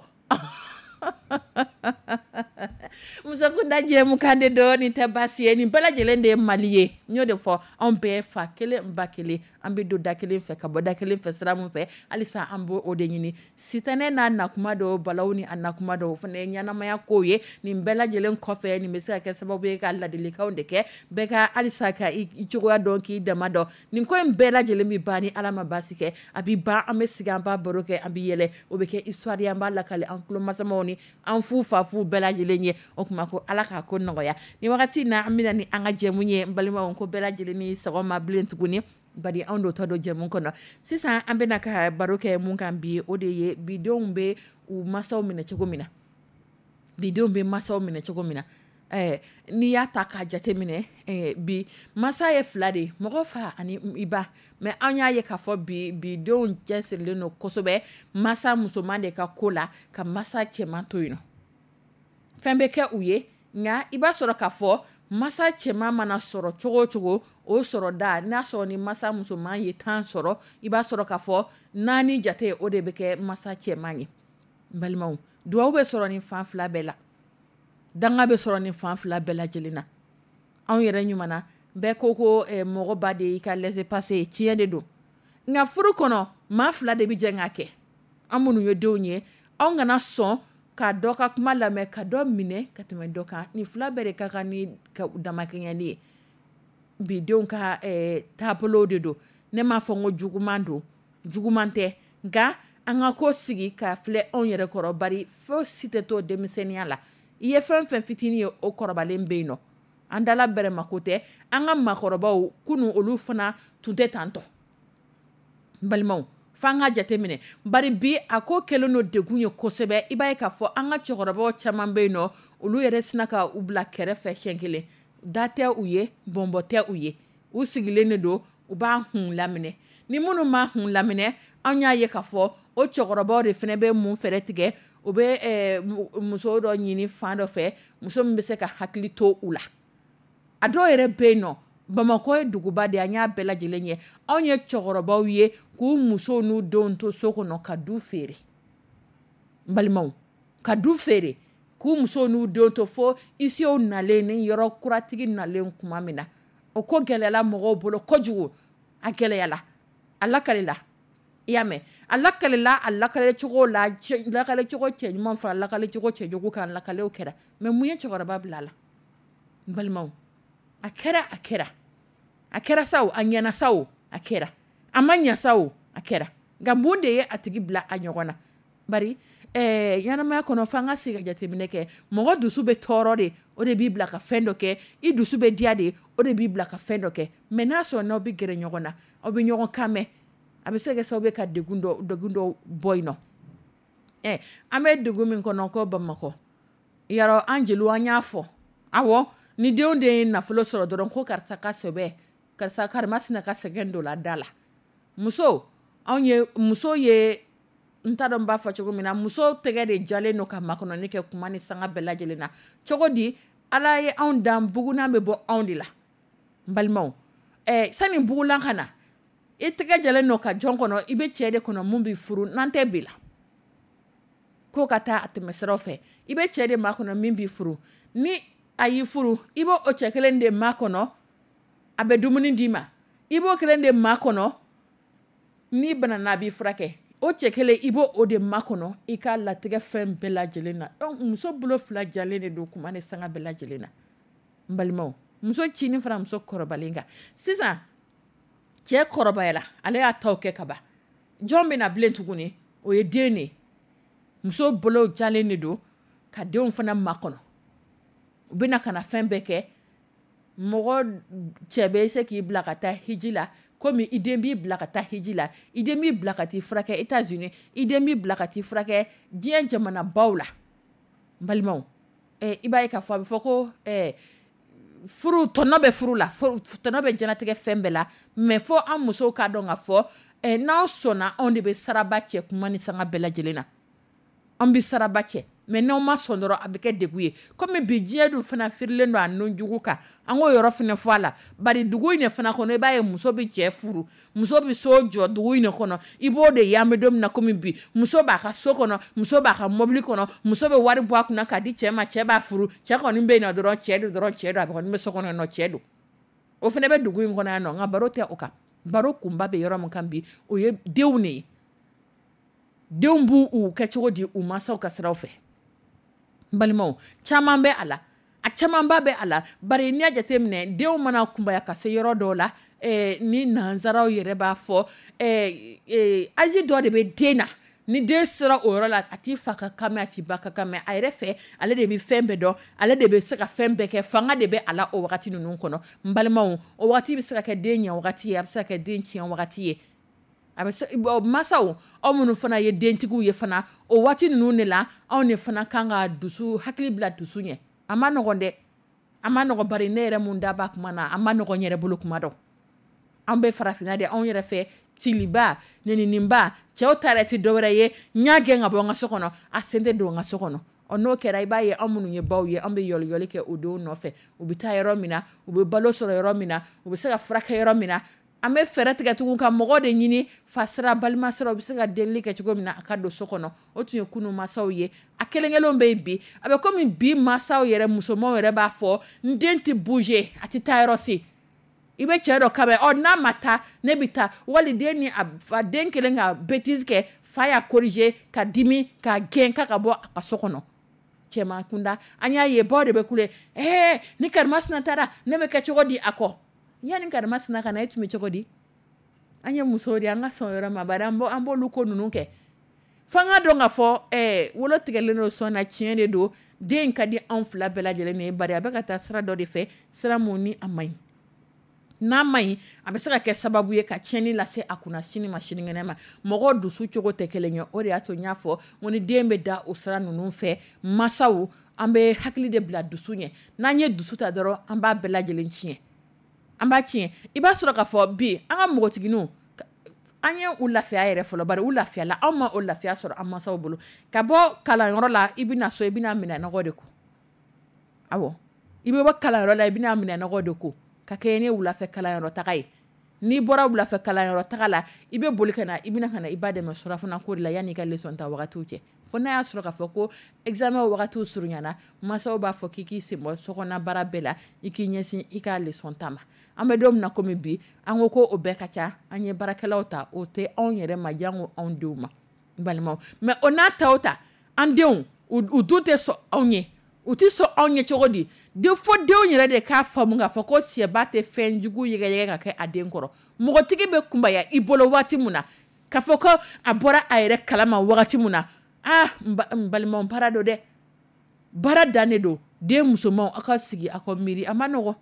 Musokunda jɛmukan de don, nin tɛ baasi ye, nin bɛɛ lajɛlen de ye Mali ye. N y'o de fɔ, anw bɛɛ fa kelen ba kelen, an bɛ don da kelen fɛ ka bɔ da kelen fɛ sira min fɛ, halisa an b'o de ɲini. Sitanɛ n'a nakuma dɔw, balaw ni a nakuma dɔw, o fana ye ɲɛnamaya kow ye. Nin bɛɛ lajɛlen kɔfɛ, nin bɛ se ka kɛ sababu ye ka ladilikanw de kɛ bɛɛ ka halisa ka i cogoya dɔn, k'i dama dɔn. Nin ko in bɛɛ lajɛlen bɛ ban ni Ala ma baasi kɛ, a bɛ ban, an bɛ sigi, an b'a baro kɛ, an bɛ yɛlɛ, o bɛ kɛ histoire ye, an b'a lakale an tulomasamaw ni an fu fa fu bɛɛ lajɛlen ye. O tuma ko Ala k'a ko nɔgɔya. Ni wagati in na, an bɛna ni an ka jɛmu ye, n balimaw, ko bɛɛ lajɛlen ni sɔgɔma bilen tuguni, bari anw dontɔ don jɛmu kɔnɔ. Sisan an bɛna ka baro kɛ mun kan bi, o de ye bidenw bɛ u masaw minɛ cogo min na. Bidenw bɛ masaw minɛ cogo min na. N'i y'a ta k'a jate minɛ, bi masa ye fila de ye, mɔgɔ fa ani i ba. Mais an y'a ye k'a fɔ bi bidenw cɛsirilen don kosɛbɛ masa musoman de ka ko la, ka masa cɛman to yen nɔ. Fɛn bɛ kɛ u ye, nka i b'a sɔrɔ k'a fɔ masa cɛman mana sɔrɔ cogo o cogo, o sɔrɔ da, n'a sɔrɔ ni masa musoman ye 10 sɔrɔ, i b'a sɔrɔ k'a fɔ 4 jate o de bɛ kɛ masa cɛman ye. N balimaw, duwawu bɛ sɔrɔ nin fan fila bɛɛ la, danga bɛ sɔrɔ nin fan fila bɛɛ lajɛlen na. Anw yɛrɛ ɲuman na, bɛɛ ko ko mɔgɔ ba de y'i ka laissez-passer ye, tiɲɛ de don. Nka furu kɔnɔ, maa fila de bɛ jɛ k'a kɛ. An minnu ye denw ye, anw kana sɔn ka dɔ ka kuma lamɛn, ka dɔ minɛ ka tɛmɛ dɔ kan. Nin fila bɛɛ de ka kan ni damakɛɲɛli ye. Bi denw ka taabolo de don. Ne m'a fɔ n ko juguman don, juguman tɛ, nka an ka ko sigi ka filɛ anw yɛrɛ kɔrɔ, bari fo si tɛ to denmisɛnninya la. I ye fɛn fɛn fitinin ye, o kɔrɔbalen bɛ yen nɔ. An dala bɛrɛma ko tɛ, an ka maakɔrɔbaw kunun olu fana tun tɛ tantɔ. N balimaw, f'an ka jateminɛ, bari bi a ko kɛlen don degun ye kosɛbɛ. I b'a ye k'a fɔ an ka cɛkɔrɔbaw caman bɛ yen nɔ, olu yɛrɛ sina ka u bila kɛrɛfɛ siɲɛ kelen. Da tɛ u ye, bɔnbɔ tɛ u ye, u sigilen de don, u b'a hun laminɛ. Ni minnu ma hun laminɛ, an y'a ye k'a fɔ o cɛkɔrɔbaw de fana bɛ mun fɛɛrɛ tigɛ, u bɛ muso dɔ ɲini fan dɔ fɛ, muso min bɛ se ka hakili to u la. A dɔw yɛrɛ bɛ yen nɔ, Bamakɔ ye duguba de ye, an y'a bɛɛ lajɛlen ye. Anw ye cɛkɔrɔbaw ye k'u musow n'u denw to so kɔnɔ ka du feere. N balimaw, ka du feere k'u musow n'u denw to fo isiw nalen ni yɔrɔ kuratigi nalen tuma min na, o ko gɛlɛyala mɔgɔw bolo kojugu. A gɛlɛyala, a lakalila, i y'a mɛn, a lakalila, a lakale cogo la, lakale cogo cɛ ɲuman fara lakale cogo cɛjugu kan, lakalew kɛra. Mais mun ye cɛkɔrɔba bila a la? N balimaw, a kɛra, a kɛra, a kɛra sa o, a ɲɛna sa o, a kɛra, a ma ɲɛ sa o, a kɛra. Nka mun de ye a tigi bila a ɲɔgɔn na? Bari ɲɛnamaya kɔnɔ, f'an ka sigi ka jateminɛ kɛ. Mɔgɔ dusu bɛ tɔɔrɔ de, o de b'i bila ka fɛn dɔ kɛ. I dusu bɛ diya de, o de b'i bila ka fɛn dɔ kɛ. Mais n'a sɔrɔ n'aw bɛ gɛrɛ ɲɔgɔn na, aw bɛ ɲɔgɔn kan mɛn, a bɛ se ka kɛ sababu ye ka degun dɔ bɔ yen nɔ. An bɛ degun min kɔnɔ ko Bamakɔ, yarɔ an jeliw an y'a fɔ, awɔ, ni denw de ye nafolo sɔrɔ dɔrɔn ko karisa ka sɛbɛ, karisa karimasina ka sɛgɛn don la da la. Muso, anw ye muso ye, n t'a dɔn n b'a fɔ cogo min na, muso tɛgɛ de jalen don ka makɔnɔni kɛ kuma ni sanga bɛɛ lajɛlen na. Cogo di? Ala ye anw dan, bugunan bɛ bɔ anw de la. N balimaw, sani bugulan ka na, i tɛgɛ jalen don ka jɔn kɔnɔ, i bɛ cɛ de kɔnɔ mun b'i furu, n'an tɛ bi la. Ko ka taa a tɛmɛ siraw fɛ, i bɛ cɛ de makɔnɔ min b'i furu. Ni a y'i furu, i b'o o cɛ kelen de makɔnɔ. A bɛ dumuni d'i ma, i b'o kelen de makɔnɔ. N'i banana, a b'i furakɛ. O cɛ kelen, i b'o o de makɔnɔ i ka latigɛ fɛn bɛɛ lajɛlen na. Donc muso bolo fila jalen de don kuma ni sanga bɛɛ lajɛlen na. N balimaw, muso cinin fara muso kɔrɔbalen kan sisan, cɛ kɔrɔbayala, ale y'a taw kɛ ka ban, jɔn bɛna bilen tuguni? O ye den de ye. Muso bolo jalen de don ka denw fana makɔnɔ. U bɛna ka na fɛn bɛɛ kɛ. Mɔgɔ cɛ bɛ se k'i bila ka taa hiji la komi i den b'i bila ka taa hiji la, i den b'i bila ka t'i furakɛ États-Unis, i den b'i bila ka t'i furakɛ diɲɛ jamanabaw la. N balimaw, i b'a ye k'a fɔ a bɛ fɔ ko furu tɔnɔ bɛ furu la, tɔnɔ bɛ diɲɛlatigɛ fɛn bɛɛ la, mais fo an musow k'a dɔn k'a fɔ n'aw sɔnna, anw de bɛ saraba cɛ kuma ni sanga bɛɛ lajɛlen na. An bɛ saraba cɛ, mais n'aw ma sɔn dɔrɔn, a bɛ kɛ degun ye. Komi bi diɲɛ dun fana firilen don a nunjugu kan, an k'o yɔrɔ fana fɔ a la. Bari dugu in de fana kɔnɔ, i b'a ye muso bɛ cɛ furu, muso bɛ so jɔ dugu in de kɔnɔ. I b'o de ye an bɛ don min na komi bi, muso b'a ka so kɔnɔ, muso b'a ka mobili kɔnɔ, muso bɛ wari bɔ a kunna k'a di cɛ ma, cɛ b'a furu. Cɛ kɔni bɛ yen nɔ dɔrɔn, cɛ don dɔrɔn, cɛ don, a kɔni bɛ so kɔnɔ nɔ, cɛ don. O fana bɛ dugu in kɔnɔ yan nɔ. Nka baro tɛ o kan. Baro kunba bɛ yɔrɔ min kan bi, o ye denw de ye. Denw b'u u kɛ cogo di u mansaw ka siraw fɛ? N balimaw, caman bɛ a la, a camanba bɛ a la. Bari n'i y'a jateminɛ, denw mana kunbaya ka se yɔrɔ dɔw la, ni nansaraw yɛrɛ b'a fɔ, âge dɔ de bɛ den na, ni den sera o yɔrɔ la, a t'i fa ka kan mɛn, a t'i ba ka kan mɛn. A yɛrɛ fɛ, ale de bɛ fɛn bɛɛ dɔn, ale de bɛ se ka fɛn bɛɛ kɛ, fanga de bɛ a la o wagati ninnu kɔnɔ. N balimaw, o wagati bɛ se ka kɛ den ɲɛ wagati ye, a bɛ se ka kɛ den tiɲɛ wagati ye. A bɛ se masaw, aw minnu fana ye dentigiw ye fana, o waati ninnu de la, anw de fana kan ka dusu hakili bila dusu ɲɛ. A ma nɔgɔn dɛ, a ma nɔgɔn. Bari ne yɛrɛ mun da b'a kuma na, a ma nɔgɔn n yɛrɛ bolo kuma dɔn. An bɛ farafinna de, anw yɛrɛ fɛ, ciliba nɛnininba, cɛw ta yɛrɛ tɛ dɔwɛrɛ ye, n y'a gɛn ka bɔ n ka so kɔnɔ, a sen tɛ don n ka so kɔnɔ. Ɔ, n'o kɛra, i b'a ye anw minnu ye baw ye, an bɛ yɔliyɔli kɛ o denw nɔfɛ. U bɛ taa yɔrɔ min na, u bɛ balo sɔrɔ yɔrɔ min na, u bɛ se ka furakɛ yɔrɔ min na, an bɛ fɛɛrɛ tigɛ tugun ka mɔgɔ de ɲini, fa sira, balima sira, u bɛ se ka delili kɛ cogo min na a ka don so kɔnɔ. O tun ye kunun masaw ye. A kelen kelenw bɛ yen bi. A bɛ komi bi masaw yɛrɛ musomanw yɛrɛ b'a fɔ n den tɛ bouger, a tɛ taa yɔrɔ si. I bɛ cɛ dɔ kabɛ, ɔ, n'a ma taa, ne bɛ taa. Wali den ni a fa, den kelen ka bêtise kɛ, fa y'a corriger ka dimi ka gɛn k'a ka bɔ a ka so kɔnɔ. Cɛman kunda, an y'a ye baw de bɛ kule, ɛɛ, ni karimasina taara, ne bɛ kɛ cogo di a kɔ? Yanni karimasina ka na, e tun bɛ cogo di? An ye musow de ye, an ka sɔn yɔrɔ ma. Bari an b'olu ko ninnu kɛ. F'an ka dɔn k'a fɔ wolo tigɛlen don sɔn na, tiɲɛ de don. Den ka di anw fila bɛɛ lajɛlen ye, bari a bɛ ka taa sira dɔ de fɛ, sira mun ni a man ɲi. N'a ma ɲi, a bɛ se ka kɛ sababu ye ka tiɲɛni lase a kunna sini ma, sinikɛnɛ ma. Mɔgɔ dusu cogo tɛ kelen ye. O de y'a to n y'a fɔ ko ni den bɛ da o sira ninnu fɛ, masaw, an bɛ hakili de bila dusu ɲɛ. N'an ye dusu ta dɔrɔn, an b'a bɛɛ lajɛlen tiɲɛ, an b'a tiɲɛ. I b'a sɔrɔ k'a fɔ bi an ka npogotigininw, an ye u lafiya yɛrɛ fɔlɔ, bari u lafiyala. Anw ma o lafiya sɔrɔ an mansaw bolo. Ka bɔ kalanyɔrɔ la, i bɛna so, i bɛna minɛnɔgɔ de ko. Awɔ, i bɛ bɔ kalanyɔrɔ la, i bɛna minɛnɔgɔ de ko ka kɛ ne wulafɛ kalanyɔrɔ taga ye. N'i bɔra wulafɛ kalanyɔrɔ taga la, i bɛ boli ka na, i bɛna ka na i ba dɛmɛ surafana ko de la yanni i ka leçon ta wagatiw cɛ. Fo n'a y'a sɔrɔ k'a fɔ ko examen wagatiw surunyana, mansaw b'a fɔ k'i k'i sen bɔ sokɔnɔ baara bɛɛ la, i k'i ɲɛsin i ka leçon ta ma. An bɛ don min na komi bi, an ko ko o bɛɛ ka ca. An ye baarakɛlaw ta, o tɛ anw yɛrɛ ma, jango anw denw ma. N balimaw, mais o n'a ta o ta, an denw u dun tɛ sɔn anw ye. U tɛ sɔn anw ye cogo di? De fo denw yɛrɛ de k'a faamu k'a fɔ ko sɛba tɛ fɛn jugu yɛgɛyɛgɛ ka kɛ a den kɔrɔ. Mɔgɔtigi bɛ kunbaya i bolo waati min na, k'a fɔ ko a bɔra a yɛrɛ kalama wagati min na, aa, n balimaw, baara don dɛ, baara dan de don. Den musomanw, aw ka sigi, aw ka miiri, a ma nɔgɔn.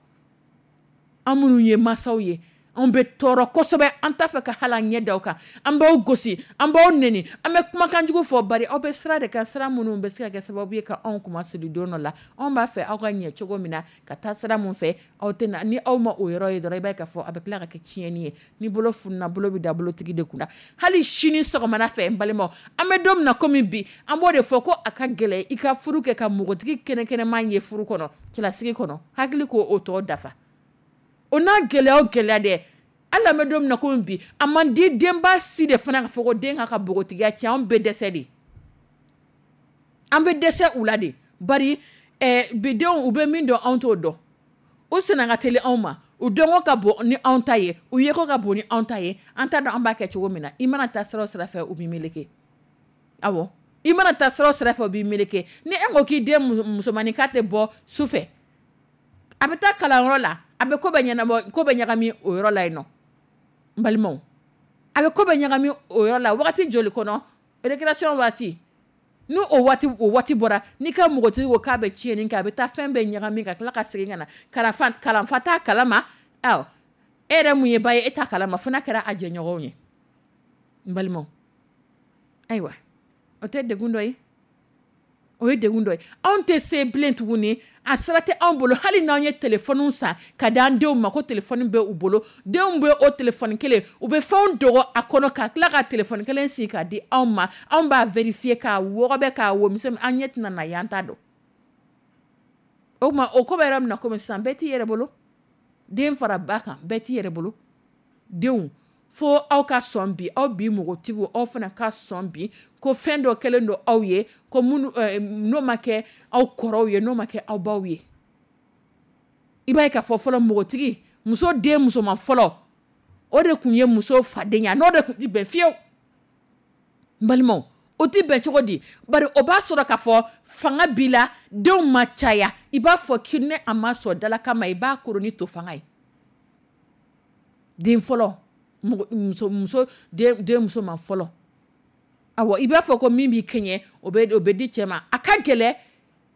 An minnu ye mansaw ye, anw bɛ tɔɔrɔ kosɛbɛ. An t'a fɛ ka hali an ɲɛ da aw kan. An b'aw gosi, an b'aw neni, an bɛ kumakan jugu fɔ. Bari aw bɛ sira de kan, sira minnu bɛ se ka kɛ sababu ye ka anw kuma siri don dɔ la. Anw b'a fɛ aw ka ɲɛ cogo min na ka taa sira mun fɛ, aw tɛ na. Ni aw ma o yɔrɔ ye dɔrɔn, i b'a ye k'a fɔ a bɛ tila ka kɛ tiɲɛni ye. Ni bolo fununa, bolo bɛ da bolotigi de kunna. Hali sini sɔgɔmada fɛ, n balimaw, an bɛ don min na komi bi, an b'o de fɔ ko a ka gɛlɛn i ka furu kɛ ka npogotigi kɛnɛkɛnɛman ye furu kɔnɔ, cɛlasigi kɔnɔ, hakili k'o o tɔ dafa. O n'a gɛlɛya o gɛlɛya dɛ, hali an bɛ don min na komi bi, a man di denba si de fana ka fɔ ko den ka npogotigiya tiɲɛ. Anw bɛ dɛsɛ de, an bɛ dɛsɛ u la de. Bari bidenw, u bɛ min dɔn, anw t'o dɔn. U senna ka teli anw ma, u dɔnko ka bon ni anw ta ye, u yeko ka bon ni anw ta ye. An t'a dɔn an b'a kɛ cogo min na. I mana taa sira o sira fɛ, u b'i meleke. Awɔ, i mana taa sira o sira fɛ, u b'i meleke. Ni e ko k'i den musomannin k'a tɛ bɔ su fɛ, a bɛ taa kalanyɔrɔ la, a bɛ ko bɛɛ ɲɛnabɔ, ko bɛ ɲagami o yɔrɔ la yen nɔ. N balimaw, a bɛ ko bɛ ɲagami o yɔrɔ la. Wagati joli kɔnɔ? Récréation waati, n'o o waati o waati bɔra, n'i ka npogotigi ko k'a bɛ tiɲɛni kɛ, a bɛ taa fɛn bɛɛ ɲagami ka tila ka segin ka na. Kalanfa t'a kalama, awɔ, e yɛrɛ mun ye ba ye, e t'a kalama, fo n'a kɛra a jɛɲɔgɔnw ye. N balimaw, ayiwa, o tɛ degun dɔ ye? O ye degun dɔ ye. Anw tɛ se bilen tuguni, a sira tɛ anw bolo. Hali n'anw ye telefɔniw san ka di an denw ma, ko telefɔni bɛ u bolo, denw bɛ o telefɔni kelen, u bɛ fɛnw dogo a kɔnɔ ka tila ka telefɔni kelen sigi ka di anw ma. Anw b'a vérifier k'a wɔgɔbɛ k'a wo misɛn, an ɲɛ tɛna na ye, an t'a dɔn. O tuma, o ko bɛ yɔrɔ min na komi sisan, bɛɛ t'i yɛrɛ bolo. Den fara ba kan, bɛɛ t'i yɛrɛ bolo. Denw, fo aw ka sɔn bi, aw bi npogotigiw, aw fana ka sɔn bi ko fɛn dɔ kɛlen don aw ye, ko minnu n'o ma kɛ aw kɔrɔw ye, n'o ma kɛ aw baw ye. I b'a ye k'a fɔ fɔlɔ, npogotigi muso den musoman fɔlɔ, o de tun ye muso fadenya, n'o de tun tɛ bɛn fiyewu. N balimaw, o tɛ bɛn cogo di? Bari o b'a sɔrɔ k'a fɔ fanga b'i la, denw ma caya. I b'a fɔ k'i ni a ma sɔn dalakan ma, i b'a koro ni to fanga ye. Den fɔlɔ, muso muso den musoman fɔlɔ, awɔ, i b'a fɔ ko min b'i kɛɲɛ, o bɛ di cɛ ma. A ka gɛlɛ,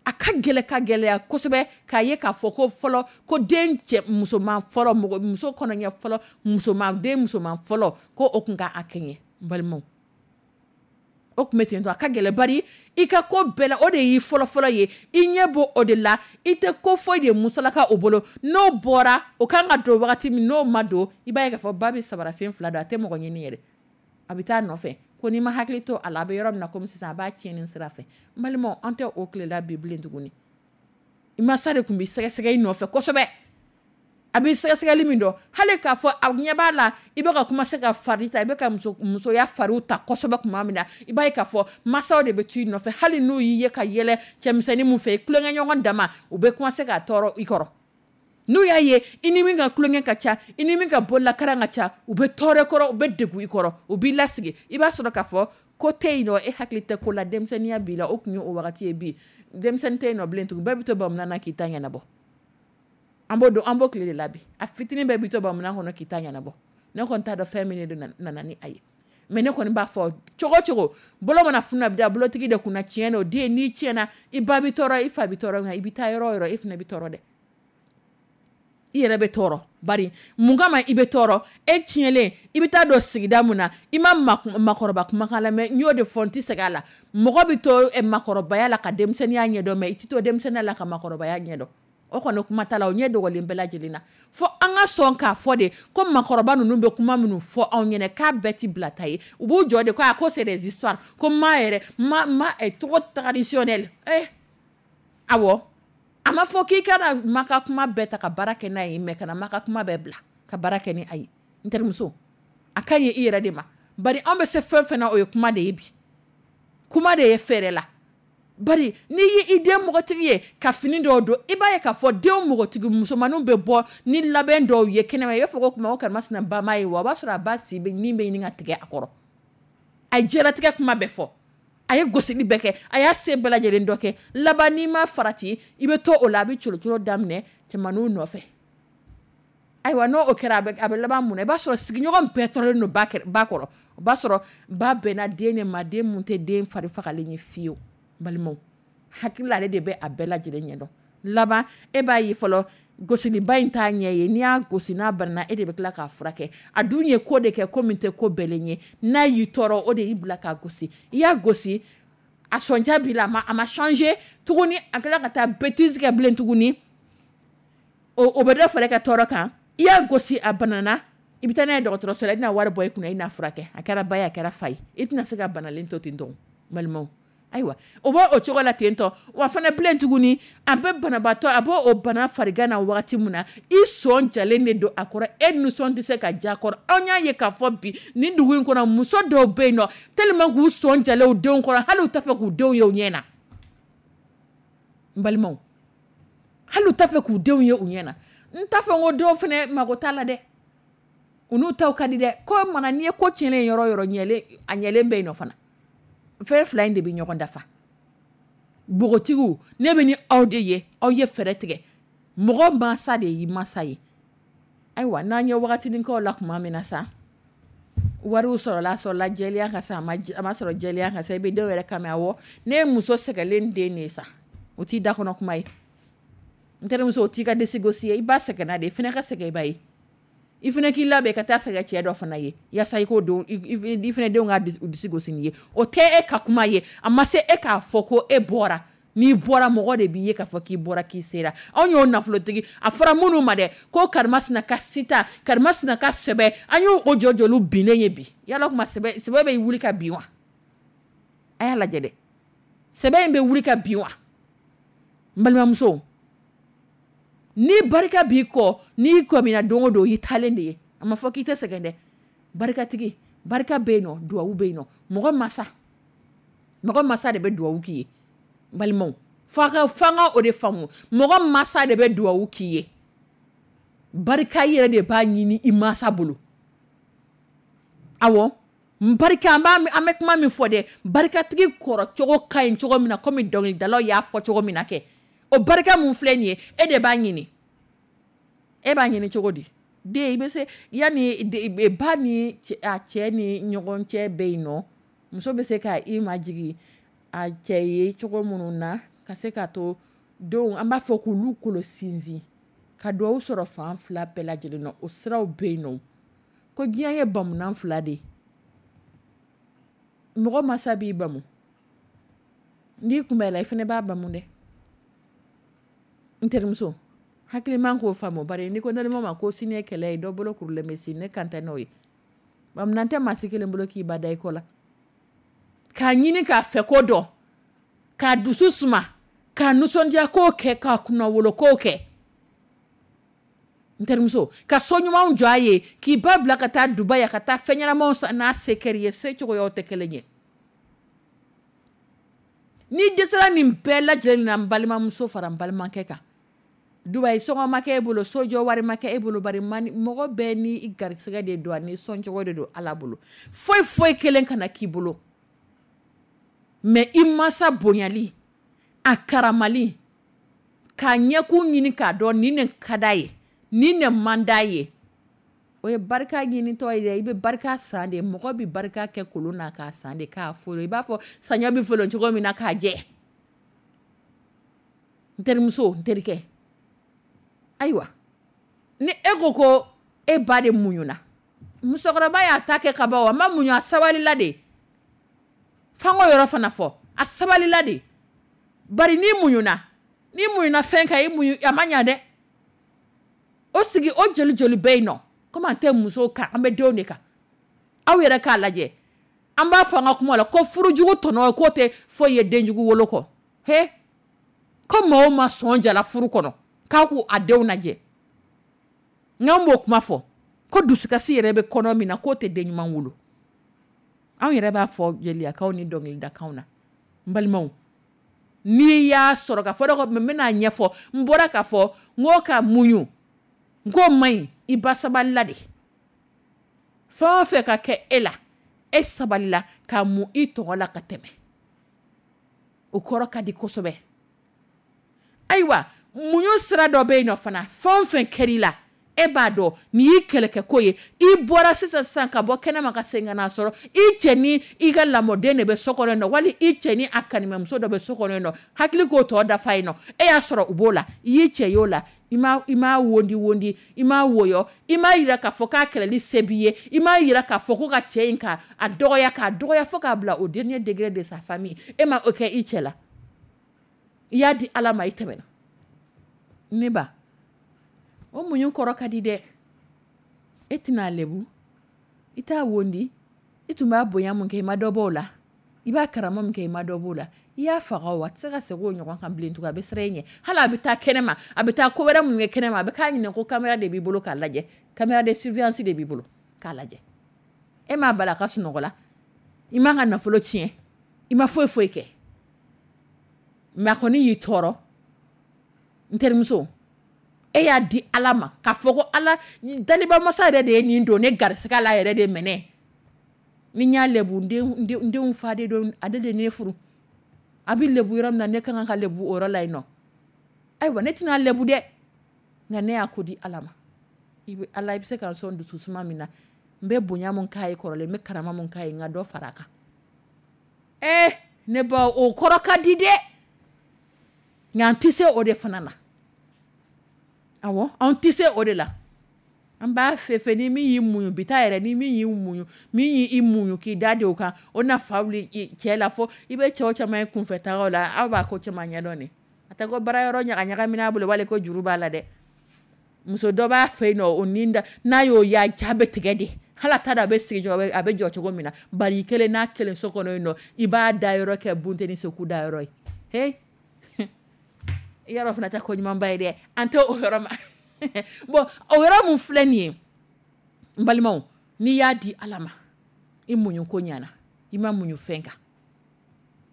a ka gɛlɛ ka gɛlɛya kosɛbɛ k'a ye k'a fɔ ko fɔlɔ, ko den cɛ musoman fɔlɔ, mɔgɔ muso kɔnɔɲɛ fɔlɔ, musoman den musoman fɔlɔ, ko o tun ka a kɛɲɛ. N balimaw, o tun bɛ ten to. A ka gɛlɛ, bari i ka ko bɛɛ la, o de y'i fɔlɔfɔlɔ ye, i ɲɛ b'o o de la, i tɛ ko foyi de musalaka o bolo. N'o bɔra, o kan ka don wagati min, n'o ma don, i b'a ye k'a fɔ ba bɛ sabara sen fila don, a tɛ mɔgɔ ɲini yɛrɛ, a bɛ taa nɔfɛ. Ko n'i ma hakili to a la, a bɛ yɔrɔ min na komi sisan, a b'a tiɲɛni sira fɛ. N balimaw, an tɛ o tile la bi bilen tuguni. I masa de tun bɛ sɛgɛsɛgɛ i nɔfɛ kosɛbɛ. A bɛ sɛgɛsɛgɛli min dɔn, hali k'a fɔ a ɲɛ b'a la, i bɛ ka commencer ka fari ta, i bɛ ka musoya fariw ta kosɛbɛ tuma min na, i b'a ye k'a fɔ masaw de bɛ t'i nɔfɛ. Hali n'u y'i ye ka yɛlɛ cɛmisɛnnin mun fɛ, i tulonkɛɲɔgɔn dama, u bɛ commencer ka tɔɔrɔ i kɔrɔ. N'u y'a ye i ni min ka tulonkɛ ka ca, i ni min ka bololakaran ka ca, u bɛ tɔɔrɔ kɔrɔ, u bɛ degun i kɔrɔ, u b'i lasigi. I b'a sɔrɔ k'a fɔ ko tɛ yen nɔ, e hakili tɛ ko la, denmisɛnninya b'i la. O tun ye o wagati ye. Bi denmisɛnnin tɛ yen nɔ bilen tugun, bɛɛ bɛ to bamunan na k'i ta ɲɛnabɔ. An b'o dɔn, an b'o tile de la bi. A fitinin bɛɛ bɛ to bamunan kɔnɔ k'i ta ɲɛnabɔ. Ne kɔni t'a dɔn fɛn min de nana ni a ye, mais ne kɔni b'a fɔ cogo cogo, bolo mana funu a bɛ da bolotigi de kunna. Tiɲɛ don, den, n'i tiɲɛna, i ba bɛ tɔɔrɔ, i fa bɛ tɔɔrɔ, nka i bɛ taa yɔrɔ o yɔrɔ, e fana bɛ tɔɔrɔ dɛ. I yɛrɛ bɛ tɔɔrɔ. Bari mun kama i bɛ tɔɔrɔ? E tiɲɛlen, i bɛ taa don sigida mun na, i ma makɔrɔba kumakan lamɛn. N y'o de fɔ, n tɛ segin a la. Mɔgɔ bɛ to makɔrɔbaya la ka denmisɛnninya ɲɛdɔn, mais i tɛ to denmisɛnninya la ka makɔrɔbaya ɲɛdɔn. O kɔni kuma t'a la, o ɲɛ dogolen bɛɛ lajɛlen na. Fo an ka sɔn k'a fɔ de ko makɔrɔba ninnu bɛ kuma minnu fɔ anw ɲɛna, k'a bɛɛ ti bila ta ye. U b'u jɔ de ko a ko c'est des histoires, ko ma yɛrɛ ma ma trop traditionnel. Awɔ, a ma fɔ k'i kana ma ka kuma bɛɛ ta ka baara kɛ n'a ye, mais kana ma ka kuma bɛɛ bila ka baara kɛ ni a ye. N terimuso, a ka ɲi i yɛrɛ de ma. Bari anw bɛ se fɛn fɛn na, o ye kuma de ye bi. Kuma de ye fɛɛrɛ la. Bari n'i ye i den npogotigi ye ka fini dɔw don, i b'a ye k'a fɔ den npogotigi musomaninw bɛ bɔ ni labɛn dɔw ye kɛnɛma, i b'a fɔ ko kuma o karimasina ba ma ye wa, o b'a sɔrɔ a ba si bɛ min bɛ ɲini ka tigɛ a kɔrɔ. A ye diɲɛlatigɛ kuma bɛɛ fɔ, a ye gosili bɛɛ kɛ, a y'a se bɛɛ lajɛlen dɔ kɛ. Laban, n'i ma farati, i bɛ to o la, a bɛ colocolo daminɛ cɛmaninw nɔfɛ. Ayiwa, n'o kɛra, a bɛ laban mun na? I b'a sɔrɔ sigiɲɔgɔn bɛɛ tɔɔrɔlen don ba kɔrɔ. O b'a sɔrɔ ba bɛnna den de ma, den mun tɛ den fari fagalen ye fiyewu. Balimaw, hakili ale de bɛ a bɛɛ lajɛlen ɲɛdɔn. Laban, e b'a ye fɔlɔ, gosiliba in t'a ɲɛ ye. N'i y'a gosi n'a banna, e de bɛ tila k'a furakɛ. A dun ye ko de kɛ, ko min tɛ ko bɛlen ye. N'a y'i tɔɔrɔ, o de y'i bila k'a gosi. I y'a gosi, a sɔnja b'i la, a ma changer tuguni, a tila ka taa bêtise kɛ bilen tuguni. O bɛ dɔ fara e ka tɔɔrɔ kan. I y'a gosi, a banana, i bɛ taa n'a ye dɔgɔtɔrɔso la, i bɛna wari bɔ i kunna, i n'a furakɛ. A kɛra ba ye, a kɛra fa ye, i tɛna se ka banalen to ten tɔ, balimaw. Ayiwa, o b'o o cogo la ten tɔ. Wa fana bilen tuguni, a bɛ banabaatɔ, a b'o o bana farigan na wagati min na, i sɔn jalen de don a kɔrɔ, e nisɔn tɛ se ka ja a kɔrɔ. Anw y'a ye k'a fɔ bi nin dugu in kɔnɔ, muso dɔw bɛ yen nɔ, tellement k'u sɔn jalen u denw kɔrɔ, hali u t'a fɛ k'u denw ye u ɲɛ na. N balimaw, hali u t'a fɛ k'u denw ye u ɲɛ na. N t'a fɔ ko dɔw fana mago t'a la dɛ, u n'u taw ka di dɛ. Ko mana n'i ye ko tiɲɛnen yɔrɔ o yɔrɔ, ɲɛlen a ɲɛlen bɛ yen nɔ fana. Fɛn fila in de bɛ ɲɔgɔn dafa. Npogotigiw, ne bɛ ni aw de ye, aw ye fɛɛrɛ tigɛ. Mɔgɔ mansa de y'i mansa ye. Ayiwa, n'an ye wagatinin kɛ o la tuma min na sa, wariw sɔrɔla, sɔrɔla jɛlenya kan sa, a ma sɔrɔ jɛlenya kan sa, i bɛ dɔw yɛrɛ kan mɛn. Awɔ, ne ye muso sɛgɛnlen den de ye sa. O t'i da kɔnɔ kuma ye, n terimuso. O t'i ka disi gosi ye. I ba sɛgɛnna de, i fana ka sɛgɛn i ba ye. I fana k'i labɛn ka taa sɛgɛn cɛ dɔ fana ye, yaasa i k'o don i fana denw ka disi gosi n'i ye. O tɛ e ka kuma ye. A ma se e k'a fɔ ko e bɔra. N'i bɔra, mɔgɔ de b'i ye k'a fɔ k'i bɔra, k'i sera. Anw y'o nafolotigi, a fɔra minnu ma dɛ ko karimasina ka sita, karimasina ka sɛbɛ, an y'o o jɔ jɔliw binnen ye bi. Yala kuma sɛbɛ, sɛbɛ bɛ wuli ka bin wa? A y'a lajɛ dɛ, sɛbɛ in bɛ wuli ka bin wa? N balimamuso, ni barika b'i kɔ, n'i kɔmina don o don, i taalen de ye. A ma fɔ k'i tɛ sɛgɛn dɛ. Barikatigi, barika bɛ yen nɔ, duwawu bɛ yen nɔ. Mɔgɔ masa, mɔgɔ masa de bɛ duwawu k'i ye. N balimaw, f'a ka f'an ka o de faamu. Mɔgɔ masa de bɛ duwawu k'i ye. Barika yɛrɛ de b'a ɲini i masa bolo. Awɔ, barika, an b'a an bɛ kuma min fɔ dɛ, barikatigi kɔrɔ cogo ka ɲi cogo min na, komi dɔnkilidalaw y'a fɔ cogo min na kɛ, o barika mun filɛ nin ye, e de b'a ɲini. E b'a ɲini cogo di? Den, i bɛ se yanni ba ni a cɛ ni ɲɔgɔn cɛ bɛ yen nɔ, muso bɛ se ka i majigin a cɛ ye cogo minnu na, ka se k'a to denw, an b'a fɔ k'olu kolo sinsin, ka duwawu sɔrɔ fan fila bɛɛ lajɛlen nɔ. O siraw bɛ yen nɔ. Ko diɲɛ ye bamunan fila de ye. Mɔgɔ masa b'i bamu, n'i kun b'a la, i fana b'a bamu dɛ. N terimuso, hakiliman k'o faamu. Bari n'i ko naloma ma ko sini ye kɛlɛ ye, dɔ bolo kurulen bɛ sini, ne kan tɛ n'o ye. Bamunan tɛ maa si kelen bolo k'i ba da i kɔ la k'a ɲini k'a fɛ ko dɔn, k'a dusu suma, k'a nisɔndiya k'o kɛ, k'a kunnawolo k'o kɛ. N terimuso, ka so ɲumanw jɔ a ye, k'i ba bila ka taa Dubaï ka taa fɛn ɲɛnamaw san n'a se kɛr'i ye. Se cogoyaw tɛ kelen ye. N'i dɛsɛra nin bɛɛ lajɛlen na, n balimamuso fara n balimakɛ kan, Dubaï sɔngɔ ma kɛ e bolo, sojɔ wari ma kɛ e bolo, bari mɔgɔ bɛɛ ni garisɛgɛ de don, ani sɔncogo de don Ala bolo. Foyi foyi kelen kana k'i bolo, mais i mansa bonyali, a karamali, k'a ɲɛkun ɲini k'a dɔn nin de ka d'a ye, nin de man d'a ye, o ye barika ɲinitɔ ye dɛ. I bɛ barika san de. Mɔgɔ bɛ barika kɛ kolon na k'a san de, k'a folo i b'a fɔ saɲɔ bɛ folo cogo min na k'a jɛ. N terimuso, n terikɛ, ayiwa, ni e ko ko e ba de muɲuna, musokɔrɔba y'a ta kɛ ka ban, o ma muɲu, a sabalila de. F'an k'o yɔrɔ fana fɔ, a sabalila de. Bari n'i muɲuna, n'i muɲuna fɛn kan, i muɲu a ma ɲa dɛ. O sigi o joli joli bɛ yen nɔ, komi an tɛ musow kan, an bɛ denw de kan. Aw yɛrɛ k'a lajɛ, an b'a fɔ an ka kuma la ko furujugu tɔnɔ k'o tɛ foyi ye denjugu wolo kɔ. He, ko maa o maa sɔn jala furu kɔnɔ k'a k'u a denw lajɛ, n'an b'o kuma fɔ ko dusukasi yɛrɛ bɛ kɔnɔ min na, k'o tɛ den ɲuman wolo. Anw yɛrɛ b'a fɔ jeliyakaw ni dɔnkilidakaw na. N balimaw, n'i y'a sɔrɔ ka fɔ dɔ, n bɛna ɲɛfɔ. N bɔra k'a fɔ n ko ka muɲu, n k'o man ɲi. I ba sabalila de. Fɛn o fɛn ka kɛ e la, e sabalila ka mun i tɔgɔ la ka tɛmɛ, o kɔrɔ ka di kosɛbɛ. Ayiwa, muɲu sira dɔ bɛ yen nɔ fana. Fɛn o fɛn kɛr'i la, e b'a dɔn nin y'i kɛlɛkɛko ye. I bɔra sisan sisan ka bɔ kɛnɛma ka segin ka n'a sɔrɔ i cɛ ni i ka lamɔden de bɛ so kɔnɔ yen nɔ, wali i cɛ ni a kanimɛmuso dɔ bɛ so kɔnɔ yen nɔ, hakili k'o tɔ dafa yen nɔ. E y'a sɔrɔ u b'o la, i y'i cɛ y'o la, i m'a wondi wondi, i m'a woyɔ, i m'a yira k'a fɔ k'a kɛlɛli se b'i ye, i m'a yira k'a fɔ ko ka cɛ in ka a dɔgɔya, k'a dɔgɔya fo k'a bila au dernier degré de sa famille. E ma o kɛ i cɛ la, i y'a di Ala ma, i tɛmɛna. Ne ba, o muɲu kɔrɔ ka di dɛ. E tɛna a lebu, i t'a wondi. I tun b'a bonya mun kɛ, i ma dɔ b'o la. I b'a karama mun kɛ, i ma dɔ b'o la. I y'a faga o, a tɛ se ka segin o ɲɔgɔn kan bilen tugun. A bɛ siran e ɲɛ. Hali a bɛ taa kɛnɛma, a bɛ taa ko wɛrɛ mun kɛ kɛnɛma, a bɛ k'a ɲininka ko caméra de b'i bolo k'a lajɛ, caméra de surveillance de b'i bolo k'a lajɛ. E m'a bala a ka sunɔgɔ la, i m'a ka nafolo tiɲɛ, i ma foyi foyi kɛ, mais a kɔni y'i tɔɔrɔ. N terimuso, e E y'a di Ala ma k'a fɔ ko Ala dalibamasa yɛrɛ de ye nin don ne garisɛgɛ la yɛrɛ de minɛ. Ni n y'a lebu n denw fa de don, ale de ne furu. A bɛ lebu yɔrɔ min na, ne ka kan ka lebu o yɔrɔ la yen nɔ. Ayiwa, ne tɛna lebu dɛ, nka ne y'a ko di Ala ma. I bɛ Ala, i bɛ se ka sɔn dusu suma min na, n bɛ bonya mun k'a ye kɔrɔlen, n bɛ karama mun k'a ye, n ka dɔ fara a kan. Ne ba, o kɔrɔ ka di dɛ, nka an tɛ se o de fana na. Awɔ, an tɛ se o de la. An b'a fɛ ni min y'i muɲu bi taa yɛrɛ, ni min y'i muɲu, min y'i muɲu k'i da de o kan, o na fa wuli cɛ la fo i bɛ cɛw caman ye kunfɛ tagaw la, aw b'a ko caman ɲɛdɔn de. A tɛ ko baara yɔrɔ ɲaga ɲagamina bolo wali ko juru b'a la dɛ. Muso dɔ b'a fɛ yen nɔ, o ni da, n'a y'o ye, a ja bɛ tigɛ de. Hali a t'a dɔn a bɛ sigi jɔ, a bɛ jɔ cogo min na. Bari i kelen n'a kelen so kɔnɔ yen nɔ, i b'a da yɔrɔ kɛ bunteni seku da yɔrɔ ye. He, i y'a dɔn fana tɛ ko ɲumanba ye dɛ. An tɛ o yɔrɔ ma. Bon, o yɔrɔ mun filɛ nin ye, n balimaw, n'i y'a di Ala ma, i muɲu ko ɲana, i ma muɲu fɛn kan.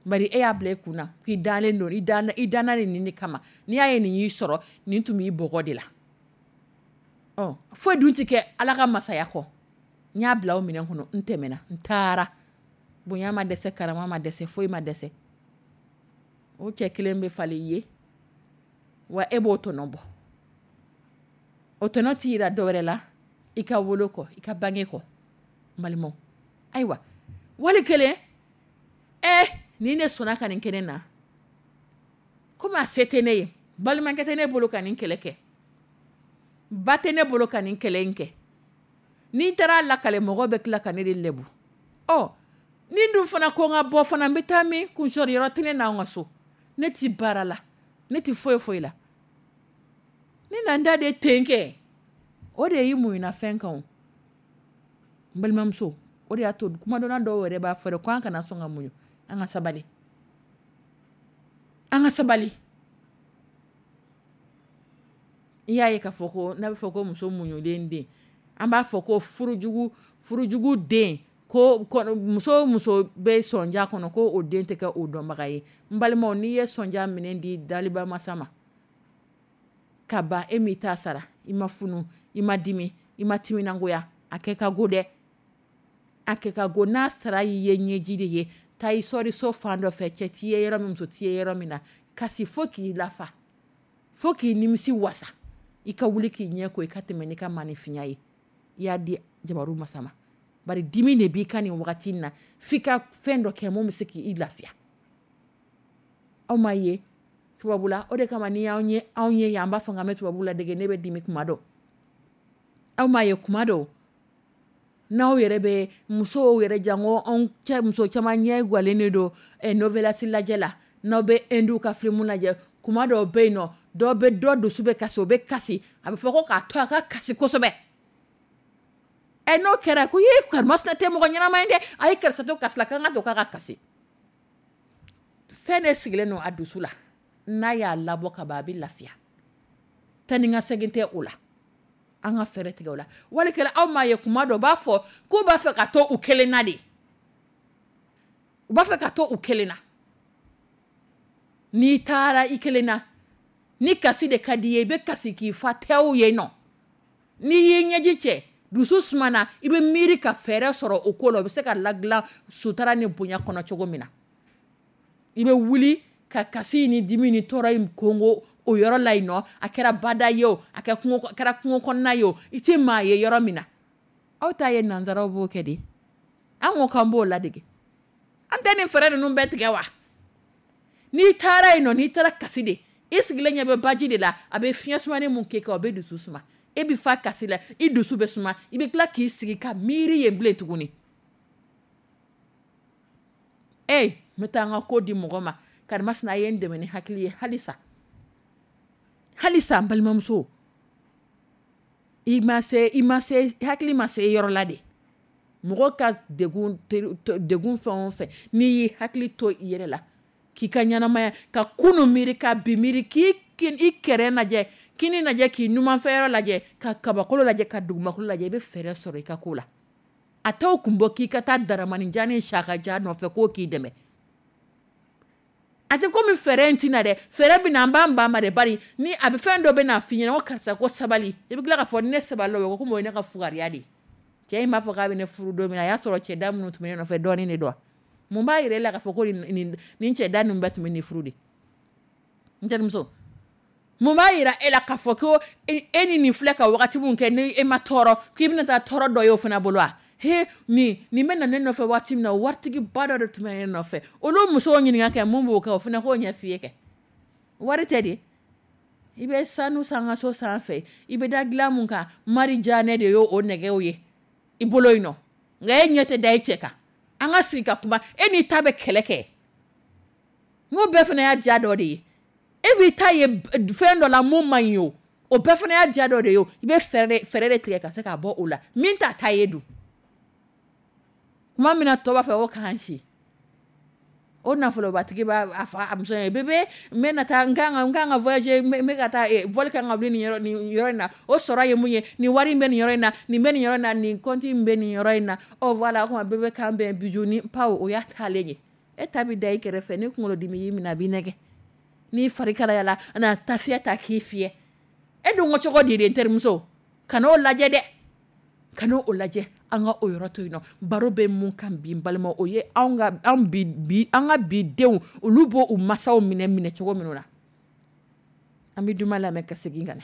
Bari e y'a bila i kun na k'i dalen don, i danna nin de kama. N'i y'a ye nin y'i sɔrɔ, nin tun b'i bɔgɔ de la. Ɔ, foyi dun tɛ kɛ Ala ka masaya kɔ. N y'a bila o minɛn kɔnɔ, n tɛmɛna, n taara. Bonya ma dɛsɛ, karama ma dɛsɛ, foyi ma dɛsɛ. O cɛ kelen bɛ falen i ye, wa e b'o tɔnɔ bɔ. O tɔnɔ t'i yira dɔwɛrɛ la, i ka wolo kɔ, i ka bange kɔ, n balimaw. Ayiwa, wali kelen, nin de sɔnna ka nin kɛ ne na. Komi a se tɛ ne ye, balimakɛ tɛ ne bolo ka nin kɛlɛ kɛ, ba tɛ ne bolo ka nin kɛlɛ in kɛ. N'i taara lakale, mɔgɔ bɛ tila ka ne de lebu. Ɔ, ni dun fana ko n ka bɔ fana, n bɛ taa min? Kunsɔrɔ yɔrɔ tɛ ne n'anw ka so. Ne ti baara la, ne ti foyi foyi la. Ne na n da de ten kɛ. O de y'i muɲuna fɛn kan o. N balimamuso, o de y'a to kumadonna dɔw yɛrɛ b'a fɔ dɛ, ko an kana sɔn ka muɲu, an ka sabali. An ka sabali. I y'a ye k'a fɔ ko n'a bɛ fɔ ko muso muɲulen den, an b'a fɔ ko furujugu den, ko muso muso bɛ sɔnja kɔnɔ, ko o den tɛ kɛ o dɔnbaga ye. N balimaw, n'i ye sɔnja minɛ di daliba masa ma, ka ban e m'i ta sara, i ma funu, i ma dimi, i ma timinangoya, a kɛ ka go dɛ. A kɛ ka go. N'a sara y'i ye ɲɛji de ye, taa i sɔri so fan dɔ fɛ, cɛ t'i ye yɔrɔ min, muso t'i ye yɔrɔ min na, kasi fo k'i lafa, fo k'i nimisi wasa, i ka wuli k'i ɲɛ ko, i ka tɛmɛ n'i ka maanifinya ye. I y'a di jabaru masa ma. Bari dimi de b'i ka nin wagati in na, f'i ka fɛn dɔ kɛ mun bɛ se k'i lafiya. Aw m'a ye tubabula, o de kama ni y'anw ye, anw ye yan, an b'a fɔ k'an bɛ tubabu ladege, ne bɛ dimi kuma dɔ. Aw m'a ye kuma dɔw, n'aw yɛrɛ bɛ musow yɛrɛ jango anw cɛ, muso caman ɲɛ gwalen de don, novelas lajɛ la, n'aw bɛ Hindu ka film lajɛ, kuma dɔw bɛ yen nɔ, dɔw bɛ dɔ dusu bɛ kasi, o bɛ kasi, a bɛ fɔ ko k'a to a ka kasi kosɛbɛ. N'o kɛra ko ye karimasina tɛ mɔgɔ ɲɛnama ye dɛ, a ye karisa to kasi la, k'an ka to k'a ka kasi. Fɛn de sigilen don a dusu la, n'a y'a labɔ ka ban, a bɛ lafiya. Taa ni ka segin tɛ o la. An ka fɛɛrɛ tigɛ o la. Wali kɛlen, aw m'a ye kuma dɔ, u b'a fɔ k'u b'a fɛ ka to u kelen na de. U b'a fɛ ka to u kelen na. N'i taara i kelen na, ni kasi de ka di i ye, i bɛ kasi k'i fa tɛw yen nɔ. N'i y'i ɲɛji cɛ, dusu sumana, i bɛ miiri ka fɛɛrɛ sɔrɔ o ko la, o bɛ se ka ladilan sutara ni bonya kɔnɔ cogo min na. I bɛ wuli ka kasi ni dimi ni tɔɔrɔ in kongo o yɔrɔ la yen nɔ, a kɛra bada ye o, a kɛra kungo kɔnɔna ye o, i tɛ maa ye yɔrɔ min na. Aw ta ye nanzaraw b'o kɛ de. An ko k'an b'o ladege. An tɛ nin fɛɛrɛ ninnu bɛɛ tigɛ wa? N'i taara yen nɔ, n'i taara kasi de, i sigilen ɲɛ bɛ baji de la, a bɛ fiɲɛ sumani mun k'e kan, o bɛ dusu suma. E bɛ fa kasi la, i dusu bɛ suma, i bɛ tila k'i sigi ka miiri yen bilen tuguni. N bɛ taa n ka ko di mɔgɔ ma, karimasina ye n dɛmɛ ni hakili ye halisa. Halisa n balimamuso, i ma se, i ma se, hakili ma se yɔrɔ la de. Mɔgɔ ka degun fɛn o fɛn, n'i y'i hakili to i yɛrɛ la, k'i ka ɲɛnamaya, ka kunu miiri, ka bi miiri, k'i i kɛrɛ lajɛ, kini lajɛ, k'i numanfɛyɔrɔ lajɛ, ka kabakolo lajɛ, ka dugumakolo lajɛ, i bɛ fɛɛrɛ sɔrɔ i ka ko la. A t'o kun bɔ k'i ka taa daramani jan ni sakaja nɔfɛ k'o k'i dɛmɛ. A tɛ komi fɛɛrɛ in tɛna dɛ, fɛɛrɛ bɛ na, an b'an ban ma de. Bari ni a bɛ fɛn dɔ bɛ na f'i ɲɛna ko karisa ko sabali, i bɛ tila k'a fɔ ne sabali o ko komi o ye ne ka fugariya de ye. Cɛ in b'a fɔ k'a bɛ ne furu don min na, a y'a sɔrɔ cɛda minnu tun bɛ ne nɔfɛ dɔɔnin de don. Mun b'a yɛrɛ la k'a fɔ ko nin cɛda ninnu bɛɛ tun bɛ nin furu de? N terimuso, mun b'a yira e la k'a fɔ ko e ni nin filɛ ka wagati min kɛ ni e ma tɔɔrɔ, k'i bɛna taa tɔɔrɔ dɔ ye o fana bolo wa? He, nin bɛ na ne nɔfɛ waati min na, waritigiba dɔ de tun bɛ ne nɔfɛ. Olu musow ɲininka kɛ mun b'o kɛ, o fana k'o ɲɛ f'i ye kɛ. Wari tɛ de. I bɛ sanu sangaso sanfɛ, i bɛ da dilan mun kan, Mari Janɛ de y'o nɛgɛw ye i bolo yen nɔ. Nka e ɲɛ tɛ da e cɛ kan. An ka sigi ka kuma, e n'i ta bɛ kɛlɛ kɛ. N ko bɛɛ fana y'a diya dɔ de ye. E b'i ta ye fɛn dɔ la mun man ɲi o, o bɛɛ fana y'a diya dɔ de ye o. I bɛ fɛɛrɛ de tigɛ ka se k'a bɔ o la. Min t'a ta ye dun. Kuma min na tɔ b'a fɛ o k'an si. O nafolobatigi b'a fɔ a muso ye, bébé, n bɛ na taa, n kan ka voyager, n bɛ ka taa vol kan ka wuli nin yɔrɔ in na. O sɔrɔ ye mun ye? Nin wari in bɛ nin yɔrɔ in na, nin bɛ nin yɔrɔ in na, nin compte in bɛ nin yɔrɔ in na. Ɔ voilà, o kuma bébé k'an bɛn, bijou ni paw, o y'a taalen ye. E ta bɛ da i kɛrɛfɛ, ni kunkolodimi y'i minɛ a b'i nɛgɛ. N'i fari kalayala, a na ta fiyɛ ta k'i fiyɛ. E dun ko cogo di de n terimuso? Kan'o lajɛ dɛ. Kan'o lajɛ. An ka o yɔrɔ to yen nɔ. Baro bɛ mun kan bi n balima, o ye anw ka an bi bi an ka bi denw, olu b'o u masaw minɛ cogo minnu na. An bɛ duman lamɛn ka segin ka na.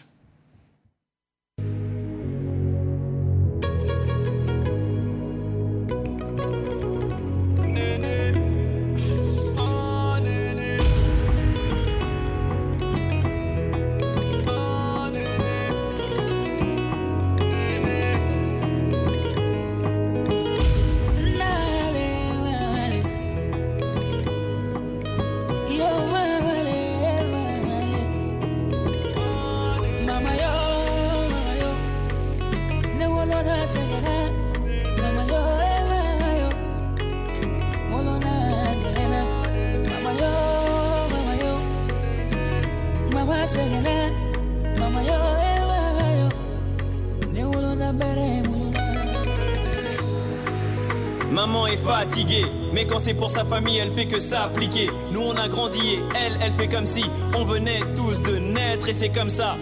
Maman est fatiguée, mais quand c'est pour sa famille, elle fait que s'appliquer. Nous on a grandi et elle, elle fait comme si on venait tous de naître et c'est comme ça.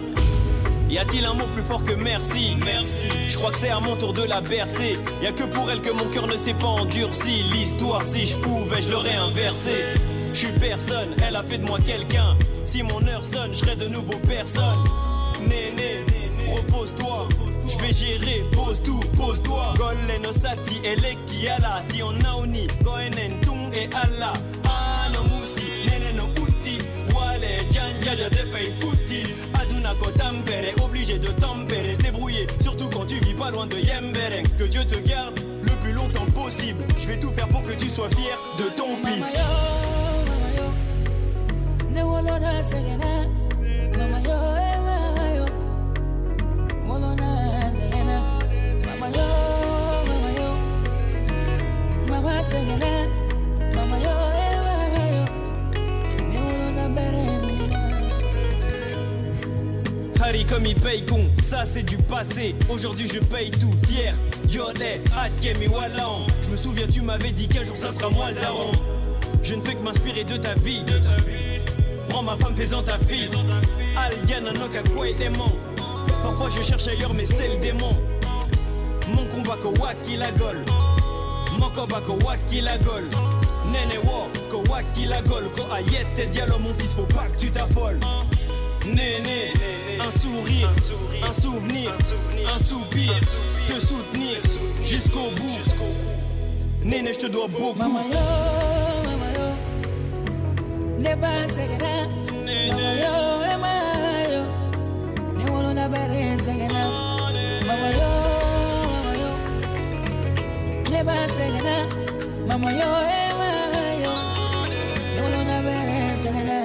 Y a-t-il un mot plus fort que merci? Merci. Je crois que c'est à mon tour de la bercer. Y a que pour elle que mon cœur ne s'est pas endurci. L'histoire, si je pouvais, je l'aurais inversée. Je suis personne, elle a fait de moi quelqu'un. Si mon heure sonne, je serai de nouveau personne. Néné, repose-toi. Je vais gérer, pose tout, pose-toi. Golle no sati, eleki ala. Si on naoni, koenen tung et Allah. Ano musi, nene no uti. Wale, janja, ja defei futi. Aduna ko tampere, obligé de tempérer, se débrouiller. Surtout quand tu vis pas loin de Yembereng. Que Dieu te garde le plus longtemps possible. Je vais tout faire pour que tu sois fier de ton fils. Harry comme il paye con, ça c'est du passé. Aujourd'hui je paye tout fier. Yolé, Akemi Wallan. Je me souviens tu m'avais dit qu'un jour ça sera moi le daron. Je ne fais que m'inspirer de ta vie. Prends ma femme, fais-en ta fille. Aldiana Noka démon. Parfois je cherche ailleurs mais c'est le démon. Mon combat ko waki la gol. Mon combat ko waki la gol. Nene wo ko waki la gol. Ko ayette diallo mon fils faut pas que tu t'affoles. Néné, un sourire, un souvenir, un soupir, te soutenir jusqu'au bout. Néné, je te dois beaucoup. Mama yo, ne ba segena. Mama yo, mama yo, ne wolo na bere segena. Mama yo, mama yo, ne ba segena. Mama yo, mama yo, ne wolo na bere segena.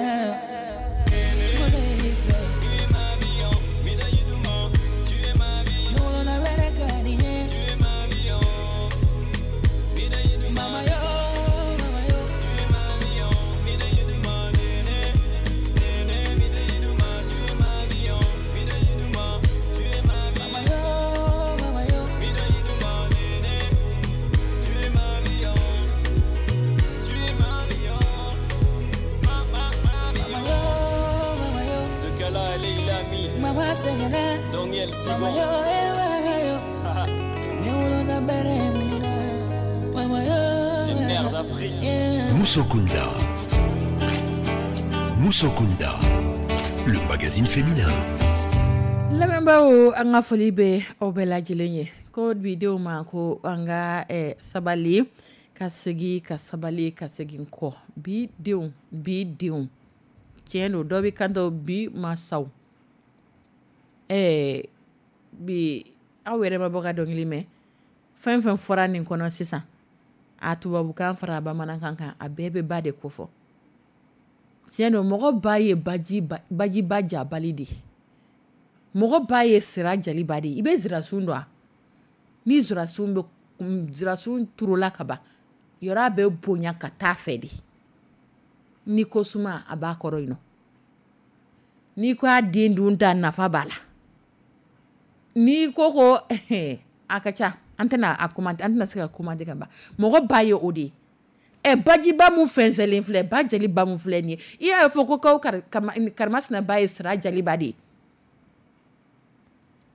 Lami, Mama sɛgɛnna. Daniel Mama Sigon. yo, eh, mama yo. Ne wolola bɛrɛ mun na? Mama yo, Les mères d'Afrique. yeah. Musokunda. Musokunda, le magazine féminin. Lamɛnbaaw, an ka foli bɛ aw bɛɛ lajɛlen ye. Ko bi denw ma ko an ka sabali ka segin, ka sabali ka segin kɔ. Bi denw, bi denw, tiɲɛ don, dɔ bɛ kanto bi masaw. Bi aw yɛrɛ ma bɔ ka dɔnkili mɛn. Fɛn fɛn fɔra nin kɔnɔ sisan, a tubabukan fara bamanankan kan, a bɛɛ bɛ ba de kofɔ. Tiɲɛ don, mɔgɔ ba ye bajiba jabali de ye. Mɔgɔ ba ye sira jaliba de ye. I bɛ zirasun dɔn wa? Ni zirasun bɛ zirasun turula ka ban, yɔrɔ a bɛ bonya ka taa fɛ de. N'i ko suma, a b'a kɔrɔ yen nɔ. N'i ko a den dun ta, nafa b'a la. N'i ko a ka ca, an tɛna a commenter, an tɛna se ka commenter ka ban. Mɔgɔ ba ye o de ye. Bajiba mun fɛnsɛnlen filɛ, ba jaliba mun filɛ nin ye, i y'a fɔ ko kaw karimasina ba ye sira jaliba de ye.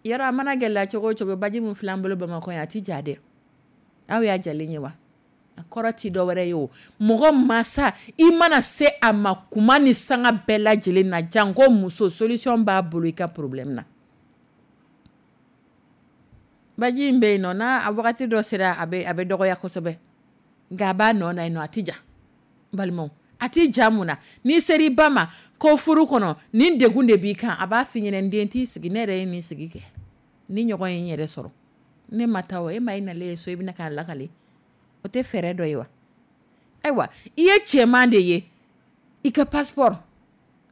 Yɔrɔ a mana gɛlɛya cogo o cogo, baji mun filɛ an bolo Bamakɔ yan, a ti ja dɛ. Aw y'a jalen ye wa? A kɔrɔ ti dɔ wɛrɛ ye o. Mɔgɔ masa, i mana se a ma kuma ni sanga bɛɛ lajɛlen na, janko muso, solution b'a bolo i ka problème na. Baji in bɛ yen nɔ, n'a a wagati dɔ sera, a bɛ dɔgɔya kosɛbɛ. Nka a b'a nɔ na yen nɔ, a ti ja. N balimaw, a ti ja mun na? N'i sera i ba ma ko furu kɔnɔ, nin degun de b'i kan, a b'a f'i ɲɛna, n den t'i sigi, ne yɛrɛ ye nin sigi kɛ. Ni ɲɔgɔn ye n yɛrɛ sɔrɔ. Ne ma taa o, e ma i nalen ye so, i bɛna k'a lakale. O tɛ fɛɛrɛ dɔ ye wa? Ayiwa, i ye cɛman de ye, i ka passeport,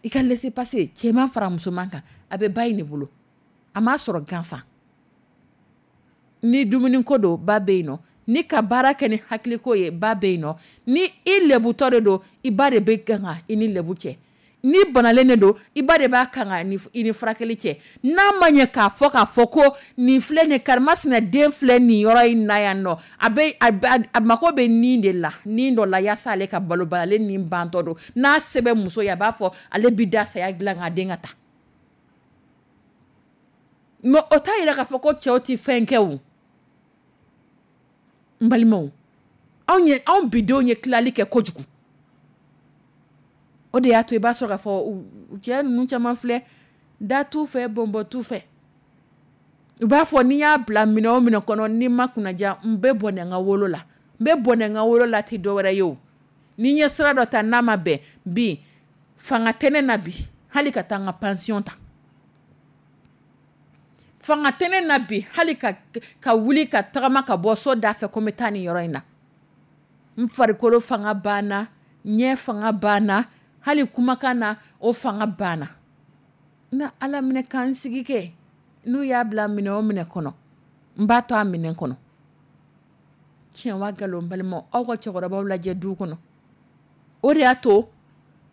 i ka laissez-passer, cɛman fara musoman kan, a bɛ ba in de bolo. A m'a sɔrɔ gansan. Ni dumuni ko don, ba bɛ yen nɔ. Ni ka baara kɛ ni hakiliko ye, ba bɛ yen nɔ. Ni i lɛbutɔ de don, i ba de bɛ kan ka i ni lɛbu cɛ. Ni banalen de don, i ba de b'a kan ka i ni furakɛli cɛ. N'a ma ɲɛ k'a fɔ k'a fɔ ko nin filɛ nin karimasina den filɛ nin yɔrɔ in na yan nɔ, a mako bɛ nin de la, nin dɔ la, yaasa ale ka balo ba, ale nin bantɔ don. N'a sɛbɛn muso ye, a b'a fɔ ale bi da saya dilan k'a den ka taa. Mais o t'a yira k'a fɔ ko cɛw tɛ fɛn kɛ o. N balimaw, anw bidenw ye tilali kɛ kojugu. O de y'a to i b'a sɔrɔ k'a fɔ cɛ ninnu caman filɛ, da t'u fɛ, bɔnbɔn t'u fɛ. U b'a fɔ n'i y'a bila minɛn o minɛn kɔnɔ, n'i ma kunnaja, n bɛ bɔnɛ n ka wolo la. N bɛ bɔnɛ n ka wolo la tɛ dɔwɛrɛ ye o. Ni n ye sira dɔ ta n'a ma bɛn, bi fanga tɛ ne na bi, hali ka taa n ka pension ta. Fanga tɛ ne na bi, hali ka wuli ka tagama ka bɔ so da fɛ ko n bɛ taa nin yɔrɔ in na. N farikolo fanga banna, ɲɛ fanga banna, hali kumakan na o fanga banna. Na Ala minɛ k'an sigi kɛ, n'u y'a bila minɛ o minɛ kɔnɔ, n b'a to a minɛ kɔnɔ. Tiɲɛ wa nkalon, n balimaw, aw ka cɛkɔrɔbaw lajɛ du kɔnɔ. O de y'a to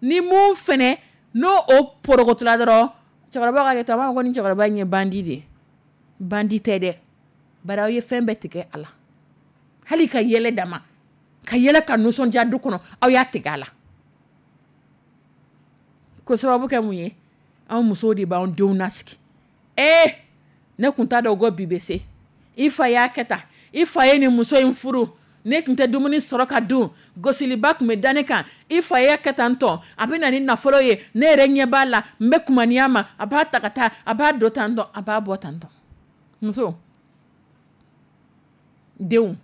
ni mun fɛnɛ n'o o porokotola dɔrɔn, cɛkɔrɔbaw ka kɛ tan, u b'a fɔ ko nin cɛkɔrɔba in ye bandi de ye. Bandi tɛ dɛ, bari aw ye fɛn bɛɛ tigɛ a la. Hali ka yɛlɛ dama, ka yɛlɛ ka nisɔndiya du kɔnɔ, aw y'a tigɛ a la. Ko sababu kɛ mun ye? Anw musow de b'anw denw nasigi. Ne kun t'a dɔn ko bi bɛ se. I fa y'a kɛ tan, i fa ye nin muso in furu, ne tun tɛ dumuni sɔrɔ ka dun, gosiliba tun bɛ da ne kan, i fa y'a kɛ tan tɔ, a bɛ na ni nafolo ye, ne yɛrɛ ɲɛ b'a la, n bɛ kumaniya ma, a b'a ta ka taa, a b'a don tan tɔ, a b'a bɔ tan tɔ. Muso, denw,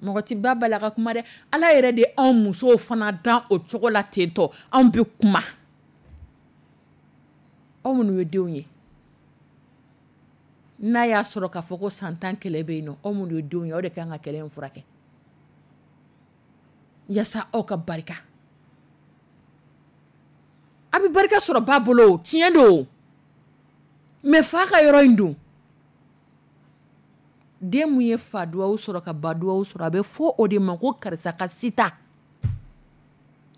mɔgɔ ti ba bala ka kuma dɛ. Ala yɛrɛ de anw musow fana dan o cogo la ten tɔ, anw bɛ kuma. Aw minnu ye denw ye, n'a y'a sɔrɔ k'a fɔ ko san 10 kɛlɛ bɛ yen nɔ, aw minnu ye denw ye, aw de kan ka kɛlɛ in furakɛ yaasa aw ka barika. A bɛ barika sɔrɔ ba bolo, tiɲɛ don, mais fa ka yɔrɔ in dun, den mun ye fa duwawu sɔrɔ ka ba duwawu sɔrɔ, a bɛ fɔ o de ma ko karisa ka sita.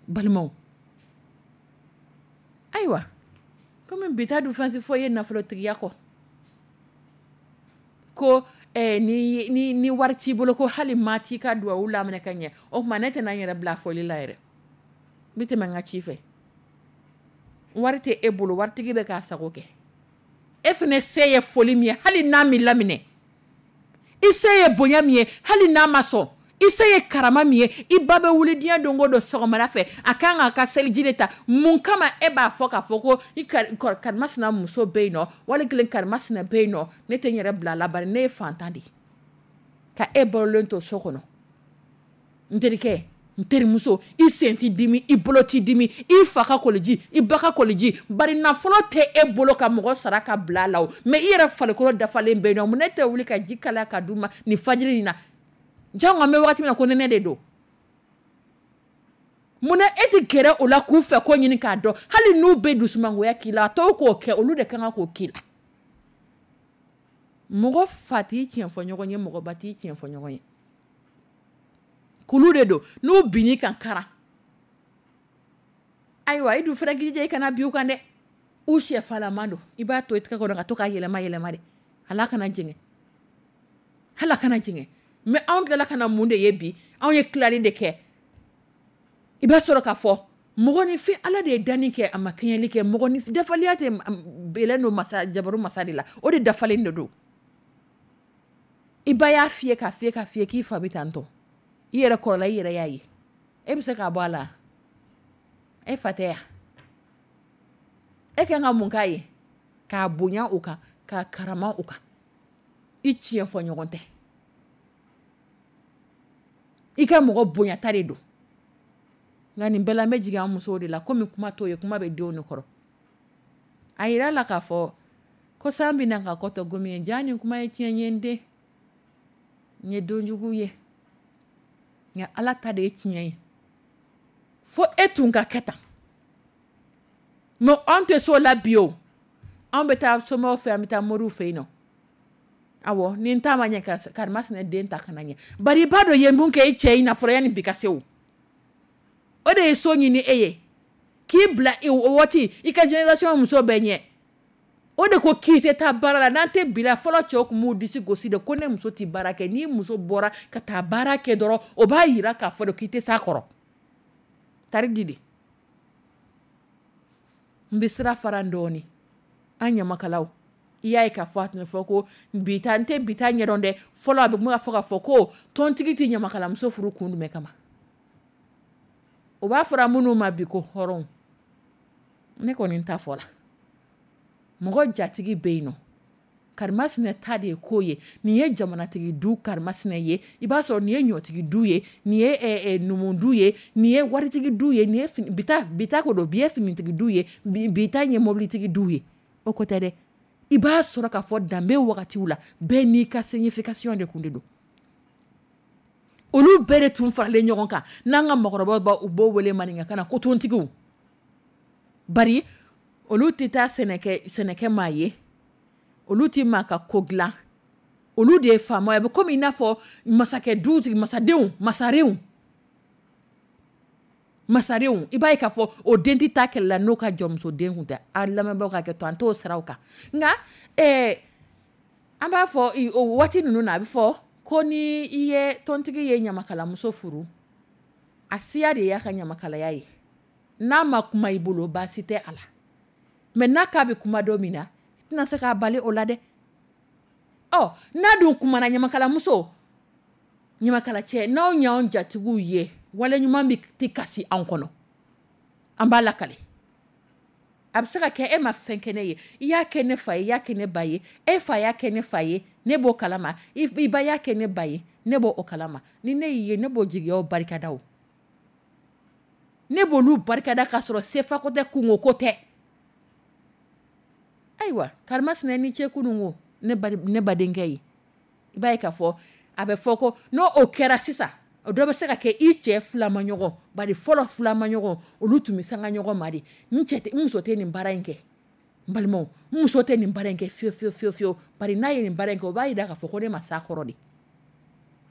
Balimaw, ayiwa, komi bi ta dun fɛn tɛ fɔ ye nafolotigiya kɔ, ko ni wari t'i bolo ko hali maa t'i ka duwawu laminɛ ka ɲɛ, o tuma ne tɛna n yɛrɛ bila fɔli la yɛrɛ, n bɛ tɛmɛ n ka ci fɛ. Wari tɛ e bolo, waritigi bɛ k'a sago kɛ. E fana se ye foli min ye, hali n'a m'i laminɛ, i se ye bonya min ye, hali n'a ma sɔn, i se ye karama min ye, i ba bɛ wuli diɲɛ don o don sɔgɔmada fɛ, a kan k'a ka seliji de ta. Mun kama e b'a fɔ k'a fɔ ko i karimasina muso bɛ yen nɔ, wali kelen karimasina bɛ yen nɔ, ne tɛ n yɛrɛ bila a la, bari ne ye fantan de ye, ka e balolen to so kɔnɔ. N terikɛ, n terimuso, i sen t'i dimi, i bolo t'i dimi, i fa ka koliji, i ba ka koliji, bari nafolo tɛ e bolo ka mɔgɔ sara ka bila a la o, mais i yɛrɛ farikolo dafalen bɛ yen nɔ. Mun na e tɛ wuli ka ji kalaya ka d'u ma nin fajiri in na? Jango an bɛ wagati min na ko nɛnɛ de don. Munna e tɛ gɛrɛ o la k'u fɛ ko ɲini k'a dɔn? Hali n'u bɛ dusumangoya k'i la, a tɔw k'o kɛ, olu de kan ka k'o k'i la. Mɔgɔ fa t'i tiɲɛ fɔ ɲɔgɔn ye, mɔgɔ ba t'i tiɲɛ fɔ ɲɔgɔn ye. Kulu de don, n'u binn'i kan kara. Ayiwa, i dun fana k'i jija i kana bin u kan dɛ. U sɛfalaman don, i b'a to i tɛgɛ kɔnɔ ka to k'a yɛlɛma yɛlɛma de, hal'a kana jɛngɛ, hal'a kana jɛngɛ. Mais anw tilala ka na mun de ye bi? Anw ye tilali de kɛ. I b'a sɔrɔ k'a fɔ mɔgɔninfin, Ala de ye danni kɛ, a ma kɛɲɛli kɛ. Mɔgɔninfin dafaleya tɛ bɛlɛn don masa jabaru masa de la, o de dafalen de don. I ba y'a f'i ye k'a f'i ye k'a f'i ye k'i fa bɛ tan tɔ, i yɛrɛ kɔrɔla, i yɛrɛ y'a ye, e bɛ se k'a bɔ a la? E fa tɛ yan, e kan ka mun k'a ye? K'a bonya o kan, k'a karama o kan. I tiɲɛ fɔ ɲɔgɔn tɛ, i ka mɔgɔ bonyata de don. Nka nin bɛɛ la, n bɛ jigin an musow de la, komi kuma t'o ye, kuma bɛ denw de kɔrɔ. A yira la k'a fɔ ko san bɛna ka kɔtɔ gomi ye. Ja nin kuma ye tiɲɛ ye, n den, n ye donjugu ye, nka Ala ta de ye tiɲɛ ye. Fo e tun ka kɛ tan, mais anw tɛ so la bi o. Anw bɛ taa somɔgɔw fɛ, an bɛ taa moriw fɛ yen nɔ. Awɔ, ni n ta ma ɲɛ, karimasina den ta kana ɲɛ. Bari i b'a dɔn ye mun kɛ i cɛ in na fɔlɔ yanni bi ka se o. O de ye so ɲini e ye k'i bila o waati i ka génération muso bɛɛ ɲɛ. O de ko k'i tɛ taa baara la. N'an tɛ bila fɔlɔ, cɛw tun b'u disi gosi de ko ne muso tɛ baara kɛ. N'i muso bɔra ka taa baara kɛ dɔrɔn, o b'a yira k'a fɔ de k'i tɛ s'a kɔrɔ. Tari di de n bɛ sira fara dɔɔnin. An ɲamakalaw, i y'a ye k'a fɔ a tun bɛ fɔ ko bi ta, n tɛ bi ta ɲɛdɔn dɛ. Fɔlɔ a bɛ kuma fɔ k'a fɔ ko tontigi tɛ ɲamakalamuso furu kun jumɛn kama? O b'a fɔra minnu ma bi ko hɔrɔnw. Ne kɔni ta fɔra, mɔgɔ jatigi bɛ yen nɔ, karimasina ta de ye ko ye. Nin ye jamanatigi du karimasina ye, i b'a sɔrɔ nin ye ɲɔtigi du ye, nin ye numu du ye, nin ye waritigi du ye, nin ye bi ta ko don, bi ye finitigi du ye, bi ta ye mobilitigi du ye. O ko tɛ dɛ. I b'a sɔrɔ k'a fɔ danbe wagatiw la, bɛɛ n'i ka signification de kun de don. Olu bɛɛ de tun faralen ɲɔgɔn kan. N'an ka mɔgɔkɔrɔbaw b'a u b'o wele maninkakan na ko tontigiw. Bari olu tɛ taa sɛnɛkɛ maa ye, olu tɛ maa ka ko dilan, olu de ye faama ye. A bɛ komi i n'a fɔ masakɛ dutigi, masadenw, masarenw, masarenw. I b'a ye k'a fɔ o den tɛ taa kɛlɛ la n'o ka jɔnmuso den kun tɛ. A lamɛnbagaw ka hakɛ to, an t'o siraw kan. Nka an b'a fɔ o waati ninnu na, a bɛ fɔ ko ni i ye tontigi ye ɲamakalamuso furu, a siya de y'a ka ɲamakalaya ye. N'a ma kuma i bolo, baasi tɛ a la. Mais n'a k'a bɛ kuma don min na, i tɛna se k'a bali o la dɛ. Ɔ n'a dun kumana, ɲamakalamuso, ɲamakala cɛ, n'aw y'anw jatigiw ye, wale ɲuman bɛ tɛ kasi anw kɔnɔ, an b'a lakale. A bɛ se ka kɛ e ma fɛn kɛ ne ye, i y'a kɛ ne fa ye, i y'a kɛ ne ba ye, e fa y'a kɛ ne fa ye, ne b'o kalama, i ba y'a kɛ ne ba ye, ne b'o kalama. Ni ne y'i ye, ne b'o jigiyaw barikada o. Ne b'olu barikada k'a sɔrɔ sefako tɛ, kunko ko tɛ. Ayiwa, karimasina ni ce kunun ko ne badenkɛ ye, i b'a ye k'a fɔ a bɛ fɔ ko n'o o kɛra sisan, o dɔ bɛ se ka kɛ i cɛ filamaɲɔgɔn. Bari fɔlɔ filamaɲɔgɔn, olu tun bɛ sanga ɲɔgɔn ma de. N cɛ tɛ, n muso tɛ nin baara in kɛ, n balimaw, n muso tɛ nin baara in kɛ fiyewu fiyewu fiyewu fiyewu. Bari n'a ye nin baara in kɛ, o b'a jira k'a fɔ ko ne ma s'a kɔrɔ de.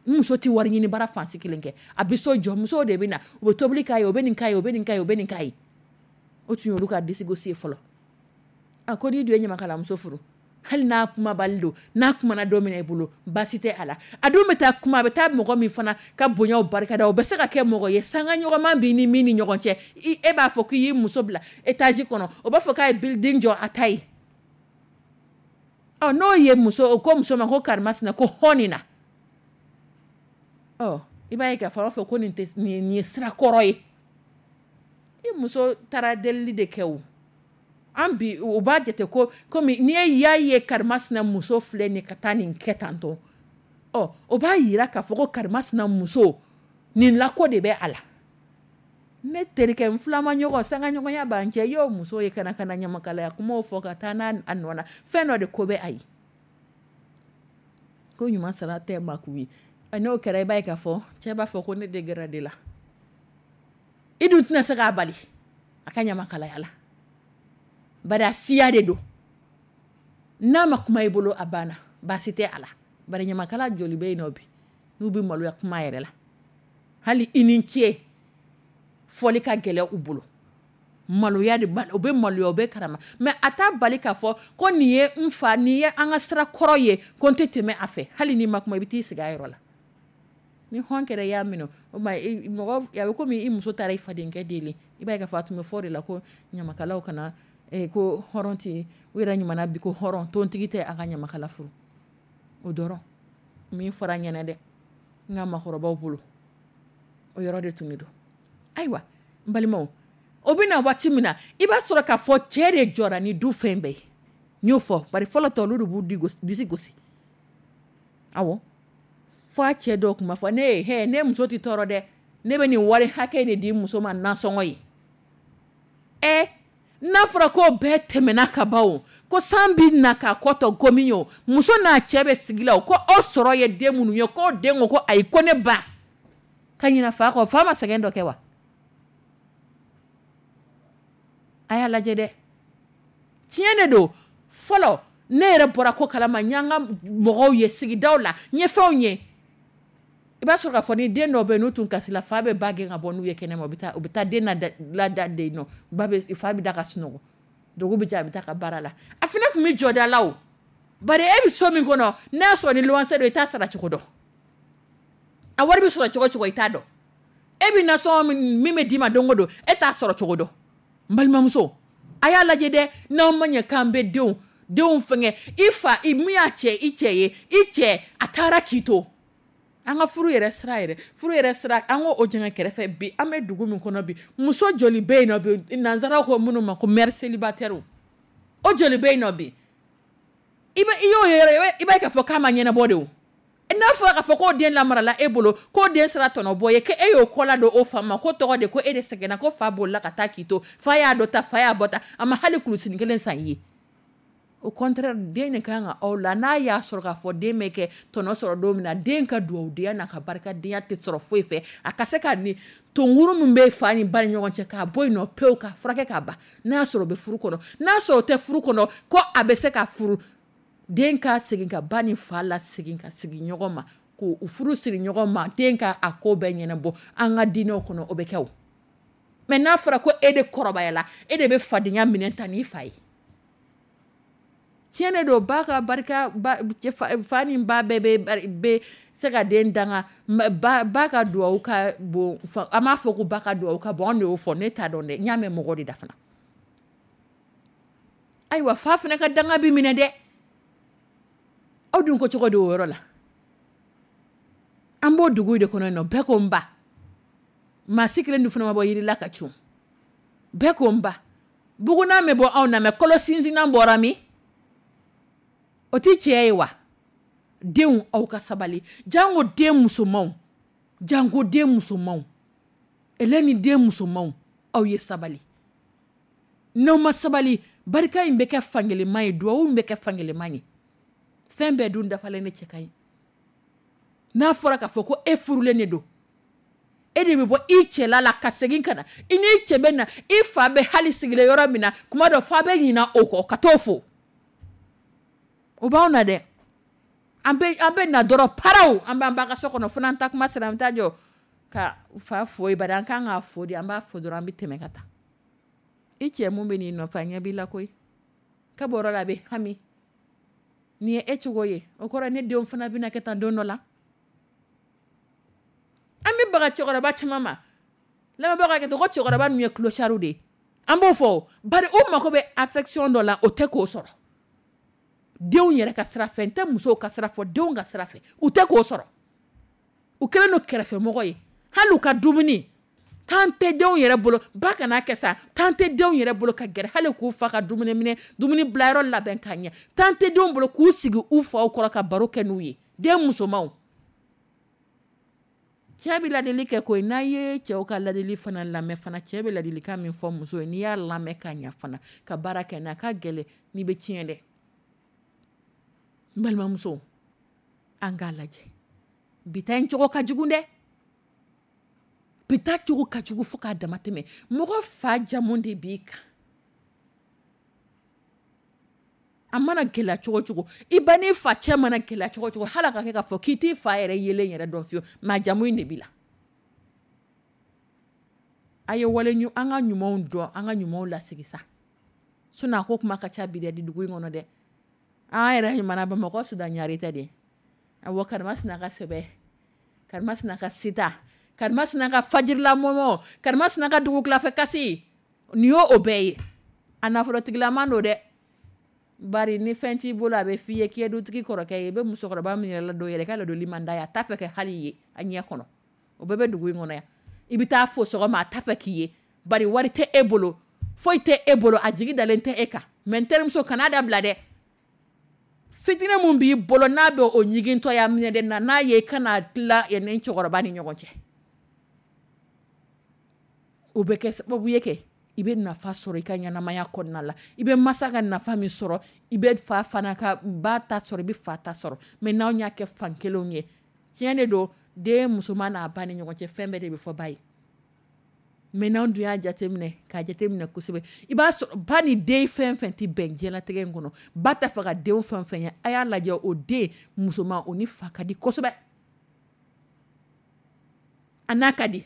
N muso tɛ wari ɲini baara fansi kelen kɛ, a bɛ so jɔ, musow de bɛ na, u bɛ tobili k'a ye, u bɛ nin k'a ye, u bɛ nin k'a ye, u bɛ nin k'a ye. O tun y'olu ka disigosi ye fɔlɔ. A ko n'i dun ye ɲamakalamuso furu, Hali n'a kumabali don, n'a kumana don min na i bolo, baasi tɛ a la. A dun bɛ taa kuma, a bɛ taa mɔgɔ min fana ka bonyaw barikada, o bɛ se ka kɛ mɔgɔ ye sanga ɲɔgɔnma b'i ni min ni ɲɔgɔn cɛ. E b'a fɔ k'i y'i muso bila étage kɔnɔ, o b'a fɔ k'a ye building jɔ a ta ye. Ɔ, n'o ye muso, o ko muso ma ko karimasina, ko hɔn nin na. Ɔ, i b'a ye k'a fɔ a b'a fɔ ko nin tɛ, nin ye sira kɔrɔ ye. I muso taara delili de kɛ o. An bi u b'a jate ko komi n'i y'a ye karimasina muso filɛ nin ka taa nin kɛ tantɔ, ɔ, o b'a yira k'a fɔ ko karimasina muso nin lako de bɛ a la. Ne terikɛ, n filama ɲɔgɔn, sanga ɲɔgɔnya b'an cɛ, i y'o muso ye ka na ɲamakalaya kumaw fɔ ka taa n'a a nɔ na, fɛn dɔ de ko bɛ a ye. Ko ɲuman sara tɛ maa k'u ye. N'o kɛra, i b'a ye k'a fɔ cɛ b'a fɔ ko ne de gɛrɛ de la. I dun tɛna se k'a bali a ka ɲamakalaya la, bari a siya de don. N'a ma kuma i bolo, a banna, baasi tɛ a la. Bari ɲamakala joli bɛ yen nɔ bi n'u bɛ maloya kuma yɛrɛ la, hali i ni ce fɔli ka gɛlɛn u bolo. Maloya de b'a, u bɛ maloya, u bɛ karama, mais a t'a bali k'a fɔ ko nin ye n fa, nin ye an ka sira kɔrɔ ye, ko n tɛ tɛmɛ a fɛ. Hali n'i ma kuma, i bɛ t'i sigi a yɔrɔ la. Ni hɔn kɛra i y'a minɛ, o ma mɔgɔ, a bɛ komi i muso taara i fadenkɛ deli. I b'a ye k'a fɔ a tun bɛ fɔ o de la ko ɲamakalaw kana, ko hɔrɔn tɛ, u yɛrɛ ɲuman bi ko hɔrɔn tontigi tɛ a ka ɲamakala furu. O dɔrɔn min fɔra n ɲɛna dɛ, n ka maakɔrɔbaw bolo, o yɔrɔ de tun bɛ don. Ayiwa, n balimaw, o bɛ na waati min na, i b'a sɔrɔ k'a fɔ cɛ de jɔra ni du fɛn bɛɛ ye. N y'o fɔ, bari fɔlɔ tɔ olu de b'u disi gosi. Awɔ, fo a cɛ dɔw tun b'a fɔ ne ye, hɛ, ne muso tɛ tɔɔrɔ dɛ, ne bɛ nin wari hakɛ de di muso ma nasɔngɔ ye. N'a fɔra ko bɛɛ tɛmɛna ka ban o, ko san bɛ na k'a kɔ tɔ gomi o, muso n'a cɛ bɛ sigi la o, ko aw sɔrɔ ye den minnu ye, k'o den ko ko ayi, ko ne ba ka ɲina fa kɔ, fa ma sɛgɛn dɔ kɛ wa? A y'a lajɛ dɛ, tiɲɛ de don. Fɔlɔ ne yɛrɛ bɔra ko kalama, n y'an ka mɔgɔw ye sigidaw la, n ye fɛnw ye. I b'a sɔrɔ k'a fɔ ni den dɔw bɛ yen n'u tun kasila, fa bɛ ba gɛn ka bɔ n'u ye kɛnɛma, u bɛ taa den lada den nɔ, fa bɛ da ka sunɔgɔ, dugu bɛ jɛ, a bɛ taa ka baara la. A fana tun bɛ jɔ da la o, bari e bɛ so min kɔnɔ, n'a y'a sɔrɔ ni luwanse don, i t'a sara cogo dɔn, a wari bɛ sɔrɔ cogo cogo i t'a dɔn, e bɛ nasɔngɔ min bɛ d'i ma don o don, e t'a sɔrɔ cogo dɔn. N balimamuso, a y'a lajɛ dɛ, n'aw ma ɲɛ k'an bɛ denw fɛngɛ, i fa, i min y'a cɛ, i cɛ ye, i cɛ, a taara k'i to. An ka furu yɛrɛ sira yɛrɛ, furu yɛrɛ sira, an k'o jɛngɛ kɛrɛfɛ bi. An bɛ dugu min kɔnɔ bi, muso joli bɛ yen nɔ bi, nanzaraw ko minnu ma ko mère célibataire, o joli bɛ yen nɔ bi? I bɛ, i y'o yɔrɔ ye, i b'a ye k'a fɔ k'a ma ɲɛnabɔ de o. N'a fɔra k'a fɔ k'o den lamarala e bolo, k'o den sera tɔnɔ bɔ ye, k'e y'o kɔ ladon o fa ma, ko tɔgɔ de ko e de sɛgɛnna, ko fa bolila ka taa k'i to, fa y'a dɔ ta, fa y'a bɔ ta, a ma hali kulusinin kelen san i ye. Au contraire, den de kan ka aw la, n'a y'a sɔrɔ k'a fɔ den bɛ kɛ tɔnɔ sɔrɔ don min na, den ka dugawudenya n'a ka barikadenya tɛ sɔrɔ foyi fɛ, a ka se ka nin tonkuru min bɛ fa ni ba ni ɲɔgɔn cɛ k'a bɔ yen nɔ pewu, k'a furakɛ k'a ban. N'a y'a sɔrɔ o bɛ furu kɔnɔ, n'a y'a sɔrɔ o tɛ furu kɔnɔ, ko a bɛ se ka furu, den ka segin ka ba ni fa la segin ka sigi ɲɔgɔn ma, k'u furu siri ɲɔgɔn ma, den ka a ko bɛɛ ɲɛnabɔ an ka diinɛw kɔnɔ, o bɛ kɛ o. Mais n'a fɔra ko e de kɔrɔbayala, e de bɛ fadenya minɛ ta n'i fa ye. Tiɲɛ de don, ba ka barika, ba, cɛ, fa, fa ni ba bɛɛ bɛ se ka den danga, ba, ba ka duwawu ka bon, fa, an b'a fɔ ko ba ka duwawu ka bon, anw de y'o fɔ, ne t'a dɔn dɛ, n y'a mɛn mɔgɔ de da fana. Ayiwa, fa fana ka danga b'i minɛ dɛ. Aw dun ko cogo di o yɔrɔ la? An b'o dugu de kɔnɔ yen nɔ, bɛɛ ko n ba. Maa si kelen dun fana ma bɔ yiri la ka cun. Bɛɛ ko n ba. Bugunan bɛ bɔ anw na, mɛ kɔlɔ sinsinnan bɔra min? O tɛ tiɲɛ ye wa? Denw, aw ka sabali. Jango den musomanw. Jango den musomanw. Ele ni den musomanw, aw ye sabali. N'aw ma sabali, barika in bɛ kɛ fankelenman ye, duwawu in bɛ kɛ fankelenman ye. Fɛn bɛɛ dun dafalen ne cɛ ka ɲi. N'a fɔra k'a fɔ ko e furulen de don, e de bɛ bɔ i cɛla la ka segin ka na, i n'i cɛ bɛ na, i fa bɛ hali sigilen yɔrɔ min na, kuma dɔ fa bɛ ɲina o kɔ ka t'o fo. O b'anw na dɛ. An bɛ na dɔrɔn paraw, an b'an ba ka so kɔnɔ, fo n'an taa kuma sera, an bɛ taa jɔ ka fa fo yen, bari an kan k'a fo de, an b'a fo dɔrɔn, an bɛ tɛmɛ ka taa. I cɛ mun bɛ n'i nɔfɛ, a ɲɛ b'i la koyi. Ka bɔ yɔrɔ la, a bɛ hami. Nin ye e cogo ye, o kɔrɔ ne denw fana bɛna kɛ tan don dɔ la. An bɛ baga cɛkɔrɔba caman ma, lamɛnbagaw ka hakɛ to, ko cɛkɔrɔba ninnu ye clochard de ye, an b'o fɔ, bari o mako bɛ affection dɔ la, o tɛ k'o sɔrɔ denw yɛrɛ ka sira fɛ. N tɛ musow ka sira fɔ, denw ka sira fɛ, u tɛ k'o sɔrɔ. U kɛlen don kɛrɛfɛmɔgɔ ye. Hali u ka dumuni temps tɛ denw yɛrɛ bolo, ba kana kɛ sa, temps tɛ denw yɛrɛ bolo ka gɛrɛ hali k'u fa ka dumuni minɛ, dumuni bilayɔrɔ labɛn ka ɲɛ. Temps tɛ denw bolo k'u sigi u faw kɔrɔ ka baro kɛ n'u ye. Den musomanw, cɛ bɛ ladili kɛ koyi. N'a ye cɛw ka ladili fana lamɛn fana, cɛ bɛ ladilikan min fɔ muso ye, n'i y'a lamɛn ka ɲɛ fana, ka baara kɛ n'a ka gɛlɛn, n'i bɛ tiɲɛ dɛ. N balimamuso, an k'a lajɛ, bi ta in cogo ka jugu dɛ, bi ta cogo ka jugu fo k'a dama tɛmɛ. Mɔgɔ fa jamu de b'i kan, a mana gɛlɛya cogo cogo, i ba n'i fa cɛ mana gɛlɛya cogo cogo, hali a ka kɛ k'a fɔ k'i t'i fa yɛrɛ yelen yɛrɛ dɔn fiyewu, mais a jamu in de b'i la. A ye wale an ka ɲumanw dɔn, an ka ɲumanw lasigi sa. Sinon a ko kuma ka ca bi dɛ, dugu in kɔnɔ dɛ. An yɛrɛ ɲuman Bamakɔ Sudan ɲare tɛ de. Awɔ, karimasina ka sɛbɛ, karimasina ka sita, karimasina ka fajirila mɔmɔ, karimasina ka dugukilafɛ kasi, nin y'o o bɛɛ ye. A nafolotigilama don dɛ, bari ni fɛn t'i bolo, a bɛ f'i ye k'i ye dutigi kɔrɔkɛ ye. I bɛ musokɔrɔba min yɛrɛ ladon yɛrɛ, i ka ladonni man d'a ye, a t'a fɛ ka hali ye a ɲɛ kɔnɔ. O bɛɛ bɛ dugu in kɔnɔ yan. I bɛ taa fo sɔgɔma, a t'a fɛ k'i ye, bari wari tɛ e bolo, foyi tɛ e bolo, a jigi dalen tɛ e kan. Mais n terimuso, kan'a dabila dɛ. Fitinɛ mun b'i bolo n'a bɛ o ɲigintɔya minɛ dɛ, na n'a ye, i kana tila ni cɛkɔrɔba ni ɲɔgɔn cɛ. O bɛ kɛ sababu ye kɛ i bɛ nafa sɔrɔ i ka ɲɛnamaya kɔnɔna la. I bɛ masa ka nafa min sɔrɔ, i bɛ fa fana ka ba ta sɔrɔ, i bɛ fa ta sɔrɔ. Mais n'anw y'a kɛ fan kelenw ye, tiɲɛ de don, den musoman n'a ba ni ɲɔgɔn cɛ, fɛn bɛɛ de bɛ fɔ ba ye. Mais n'anw dun y'a jateminɛ, k'a jateminɛ kosɛbɛ, i b'a sɔrɔ ba ni den fɛn fɛn tɛ bɛn diɲɛlatigɛ in kɔnɔ, ba t'a fɛ ka den fɛn fɛn ye, a y'a lajɛ, o den musoman, o ni fa ka di kosɛbɛ. A n'a ka di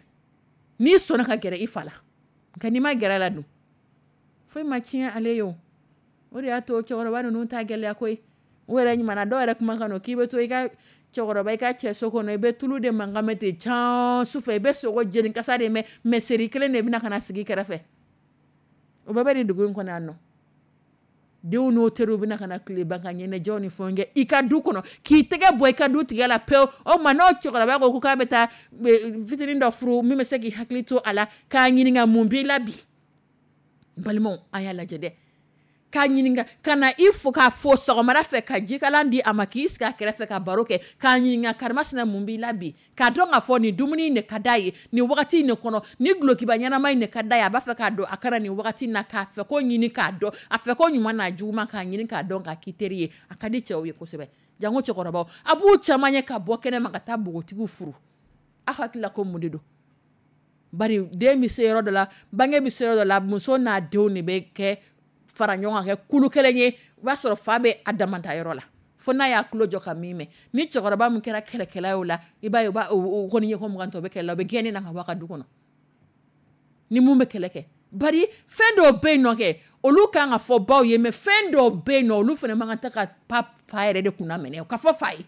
n'i sɔnna ka gɛrɛ i fa la, nka n'i ma gɛrɛ a la dun, foyi ma tiɲɛ ale ye. O o de y'a to cɛkɔrɔba ninnu ta gɛlɛya koyi. O yɛrɛ ɲuman dɔw yɛrɛ kuma kan k'i bɛ to i ka cɛkɔrɔba, i ka cɛ so kɔnɔ, i bɛ tulu de mankan mɛn ten can sufɛ, i bɛ sogo jeni kasa de mɛn, mais seri kelen de bɛna ka na sigi kɛrɛfɛ. O bɛɛ bɛ nin dugu in kɔnɔ yan nɔ. Denw n'o teriw bɛna ka na tileba ka ɲɛnajɛw ni fɛnw kɛ i ka du kɔnɔ, k'i tɛgɛ bɔ i ka du tigɛ la pewu. O tuma n'o cɛkɔrɔba ko k'a bɛ taa fitinin dɔ furu min bɛ se k'i hakili to a la, k'a ɲininka mun b'i la bi. N balimaw, a y'a lajɛ dɛ, k'a ɲininka ka na i fo, k'a fo sɔgɔmada fɛ, ka jikalan di a ma, k'i sigi a kɛrɛfɛ ka baro kɛ, k'a ɲininka karimasina mun b'i la bi, k'a dɔn k'a fɔ nin dumuni in de ka d'a ye nin wagati in de kɔnɔ, nin dulokiba ɲɛnama in de ka d'a ye, a b'a fɛ k'a don a kana nin wagati in na, k'a fɛ ko ɲini k'a dɔn, a fɛ ko ɲuman n'a juguman k'a ɲini k'a dɔn, k'a k'i teri ye. A ka di cɛw ye kosɛbɛ, janko cɛkɔrɔbaw. A b'u caman ye ka bɔ kɛnɛ ma ka taa npogotigiw furu. Aw hakili la ko mun de don? Bari den bɛ se yɔrɔ dɔ la, bange bɛ se yɔrɔ dɔ la, muso n'a denw de bɛ kɛ fara ɲɔgɔn kan kɛ kulu kelen ye. O b'a sɔrɔ fa bɛ a damanta yɔrɔ la, fo n'a y'a tulo jɔ ka min mɛn. Ni cɛkɔrɔba min kɛra kɛlɛkɛla ye o la, i b'a ye o kɔni ye ko 20 tɔ o bɛ kɛlɛ la, o bɛ gɛnni na ka bɔ a ka du kɔnɔ ni mun bɛ kɛlɛ kɛ. Bari fɛn dɔw bɛ yen nɔ kɛ, olu kan ka fɔ baw ye, mais fɛn dɔw bɛ yen nɔ, olu fana man kan tɛ ka pa fa yɛrɛ de kunna minɛ ka fɔ fa ye.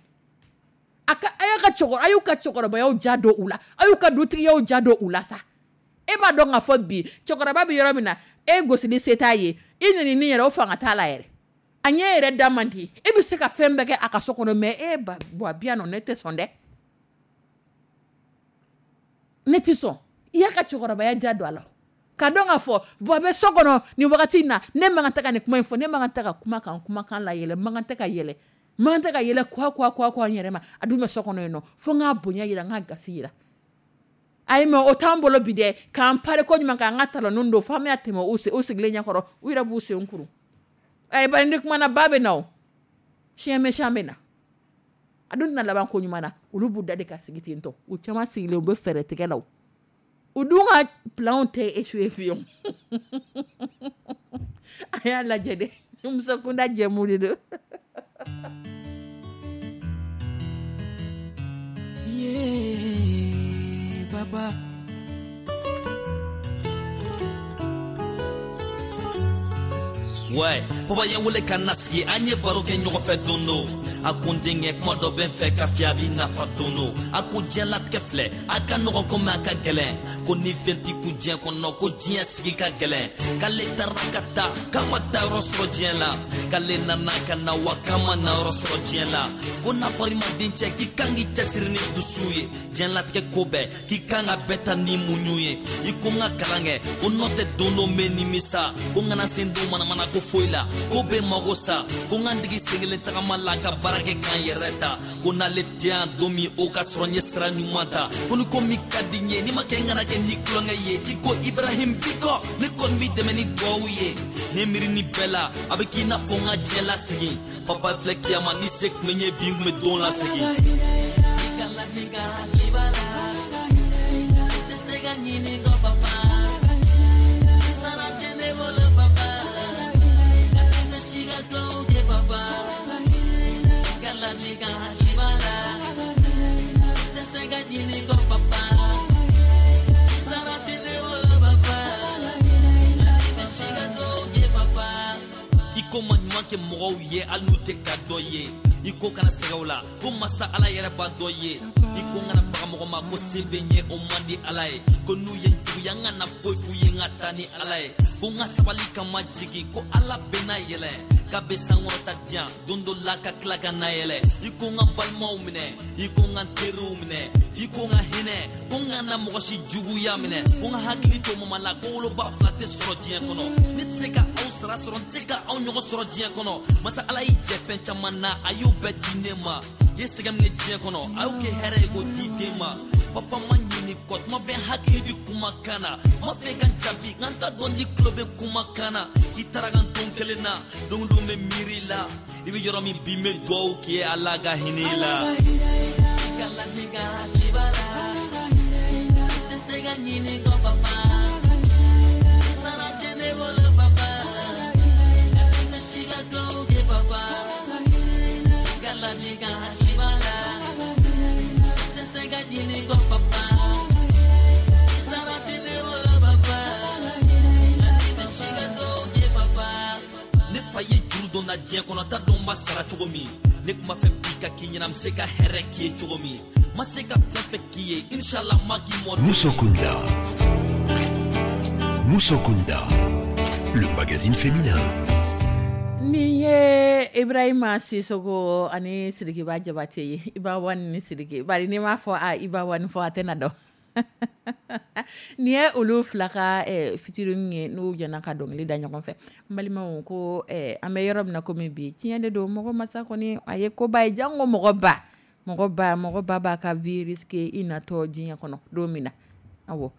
A ka a y'a ka cɛkɔrɔba, a y'u ka cɛkɔrɔbayaw ja don u la, a y'u ka dutigiyaw ja don u la sa. E b'a dɔn k'a fɔ bi cɛkɔrɔba bɛ yɔrɔ min na, e gosili se t'a ye, i nɛnini yɛrɛ o fanga t'a la yɛrɛ, a ɲɛ yɛrɛ da man di, e bɛ se ka fɛn bɛɛ kɛ a ka so kɔnɔ, mais e ba bɔ bi yan nɔ, ne tɛ sɔn dɛ, ne tɛ sɔn. I y'a ka cɛkɔrɔbaya ja don a la, ka dɔn k'a fɔ bɔn a bɛ so kɔnɔ nin wagati in na, ne man kan tɛ ka nin kuma in fɔ, ne man kan tɛ ka kuma kan kumakan la yɛlɛ, man kan tɛ ka yɛlɛ, man kan tɛ ka yɛlɛ kuwa kuwa kuwa kuwa n yɛrɛ ma, a dun bɛ so kɔnɔ yen nɔ, fo n k'a bonya yira, n k'a gasi yira. Ayi, mais o t'an bolo bi dɛ, k'an pari ko ɲuman, k'an ka talon don fo an bɛna tɛmɛ u sigilen ɲɛkɔrɔ, u yɛrɛ b'u sen kuru. Ayi, bari ni kumana ba bɛ na, o chien méchant bɛ na, a dun tɛna laban ko ɲuman na. Olu b'u da de ka sigi ten tɔ, u caman sigilen u bɛ fɛɛrɛ tigɛ la, u dun ka planw tɛ échoué fiyewu. A y'a lajɛ dɛ, muso kunda jɛmu de don. Yeah, papa. Ouais, papa ye n wele ka na sigi, an ye baro kɛ ɲɔgɔn fɛ don do. A ko n denkɛ, kuma dɔ bɛ n fɛ ka fiyɛ, a b'i nafa don do. A ko diɲɛlatigɛ filɛ, a ka nɔgɔn komi a ka gɛlɛn, ko ni fɛn t'i kun diɲɛ kɔnɔ, ko diɲɛ sigi ka gɛlɛn. K'ale taara ka taa, k'a ma taa yɔrɔ sɔrɔ diɲɛ la, k'ale nana ka na wa, k'a ma na yɔrɔ sɔrɔ diɲɛ la. Ko n'a fɔra i ma dencɛ, k'i kan k'i cɛsiri ni dusu ye, diɲɛlatigɛ ko bɛɛ, k'i kan ka bɛɛ ta ni muɲu ye. I ko n ka kalan kɛ, ko nɔ tɛ don dɔ n bɛ nimisa, ko n kana sen don manamana ko foyi la, ko bɛ mago sa, ko n ka n digi sen kelen tagama la, ka baara kɛ k'an yɛrɛ ta, ko n'ale tɛ yan don min, o ka sɔrɔ n ye sira ɲuman ta, ko ni ko min ka di n ye, n'i ma kɛ, n kana kɛ ni tulonkɛ ye, i ko Ibrahim Bikɔ, ne kɔni b'i dɛmɛ ni duwawu ye. Ne miiri ni bɛɛ la, a bɛ k'i n'a fɔ n ka diɲɛ lasegin. Papa filɛ kiyama, ni se tun bɛ n ye bi, n tun bɛ don lasegin. Kala ni ka hakili b'a la, tɛ se ka ɲini kɔ papa, sara tɛ ne bolo papa, ka tɛmɛ si ka duwawu kɛ papa. Kala ni ka hakili b'a la, tɛ se ka ɲini kɔ papa, sara tɛ ne bolo papa, ka tɛmɛ si ka duwawu kɛ papa. I ko ma ɲuman kɛ mɔgɔw ye, hali n'u tɛ ka dɔ ye, i ko kana sɛgɛ o la, ko masa Ala yɛrɛ b'a dɔ ye. I ko n kana baga mɔgɔ ma, ko se bɛ n ye, o man di Ala ye, ko n'u ye n juguya, n kana foyi f'u ye, n ka taa ni Ala ye, ko n ka sabali ka ma jigin, ko Ala bɛ na yɛlɛ, k'a bɛ sankɔrɔta diyan don dɔ la, ka tila ka na yɛlɛ. I ko n ka balimaw minɛ, i ko n ka teriw minɛ, i ko n ka hinɛ, ko n kana mɔgɔ si juguya minɛ, ko n ka hakili to mama la, ko woloba fila tɛ sɔrɔ diɲɛ kɔnɔ. Ne tɛ se ka aw sara sɔrɔ, n tɛ se ka aw ɲɔgɔn sɔrɔ diɲɛ kɔnɔ. Masa Ala y'i jɛ fɛn caman na, a y'o bɛɛ di ne ma. I ye sɛgɛn min kɛ diɲɛ kɔnɔ, a y'o kɛ hɛrɛ ye k'o di den ma. Papa ma ɲini kɔ, tuma bɛɛ hakili bi kumakan na, ma fɛ ka n jaabi, nka n t'a dɔn ni tulo bɛ kumakan na. I taara ka n don kelen na, don o don bɛ miiri la, i bɛ yɔrɔ min bi, n bɛ duwawu k'i ye, Ala ka hinɛ i la. Kala ni ka hakili b'a la, tɛ se ka ɲini kɔ papa, sara tɛ ne bolo papa, ka tɛmɛ si ka duwawu kɛ papa. Kala ni ka hakili b'a la, tɛ se ka ɲini kɔ papa, sara tɛ ne bolo papa, ka tɛmɛ si ka duwawu kɛ papa. Ne fa ye juru dɔ na diɲɛ kɔnɔ, t'a dɔn n b'a sara cogo min. Ne tun b'a fɛ bi ka k'i ɲɛna, n bɛ se ka hɛrɛ k'i ye cogo min, ma se ka fɛn fɛn k'i ye, inshallah ma k'i mɔ. Musokunda. Musokunda. Le magazine féminin. Nin ye Ibrahima Sisoko ani Sirikiba Jabate ye, Iba Wani ni Siriki. Bari n'i m'a fɔ a Iba Wani fɔ, a tɛna dɔn. Nin ye olu fila ka featuring ye, n'u jɛna ka dɔnkili da ɲɔgɔn fɛ. N balimaw, ko an bɛ yɔrɔ min na komi bi, tiɲɛ de don, mɔgɔ masa kɔni a ye koba ye, janko mɔgɔ ba. Mɔgɔ ba, mɔgɔ ba b'a ka vie risquer i natɔ diɲɛ kɔnɔ don min na. Awɔ,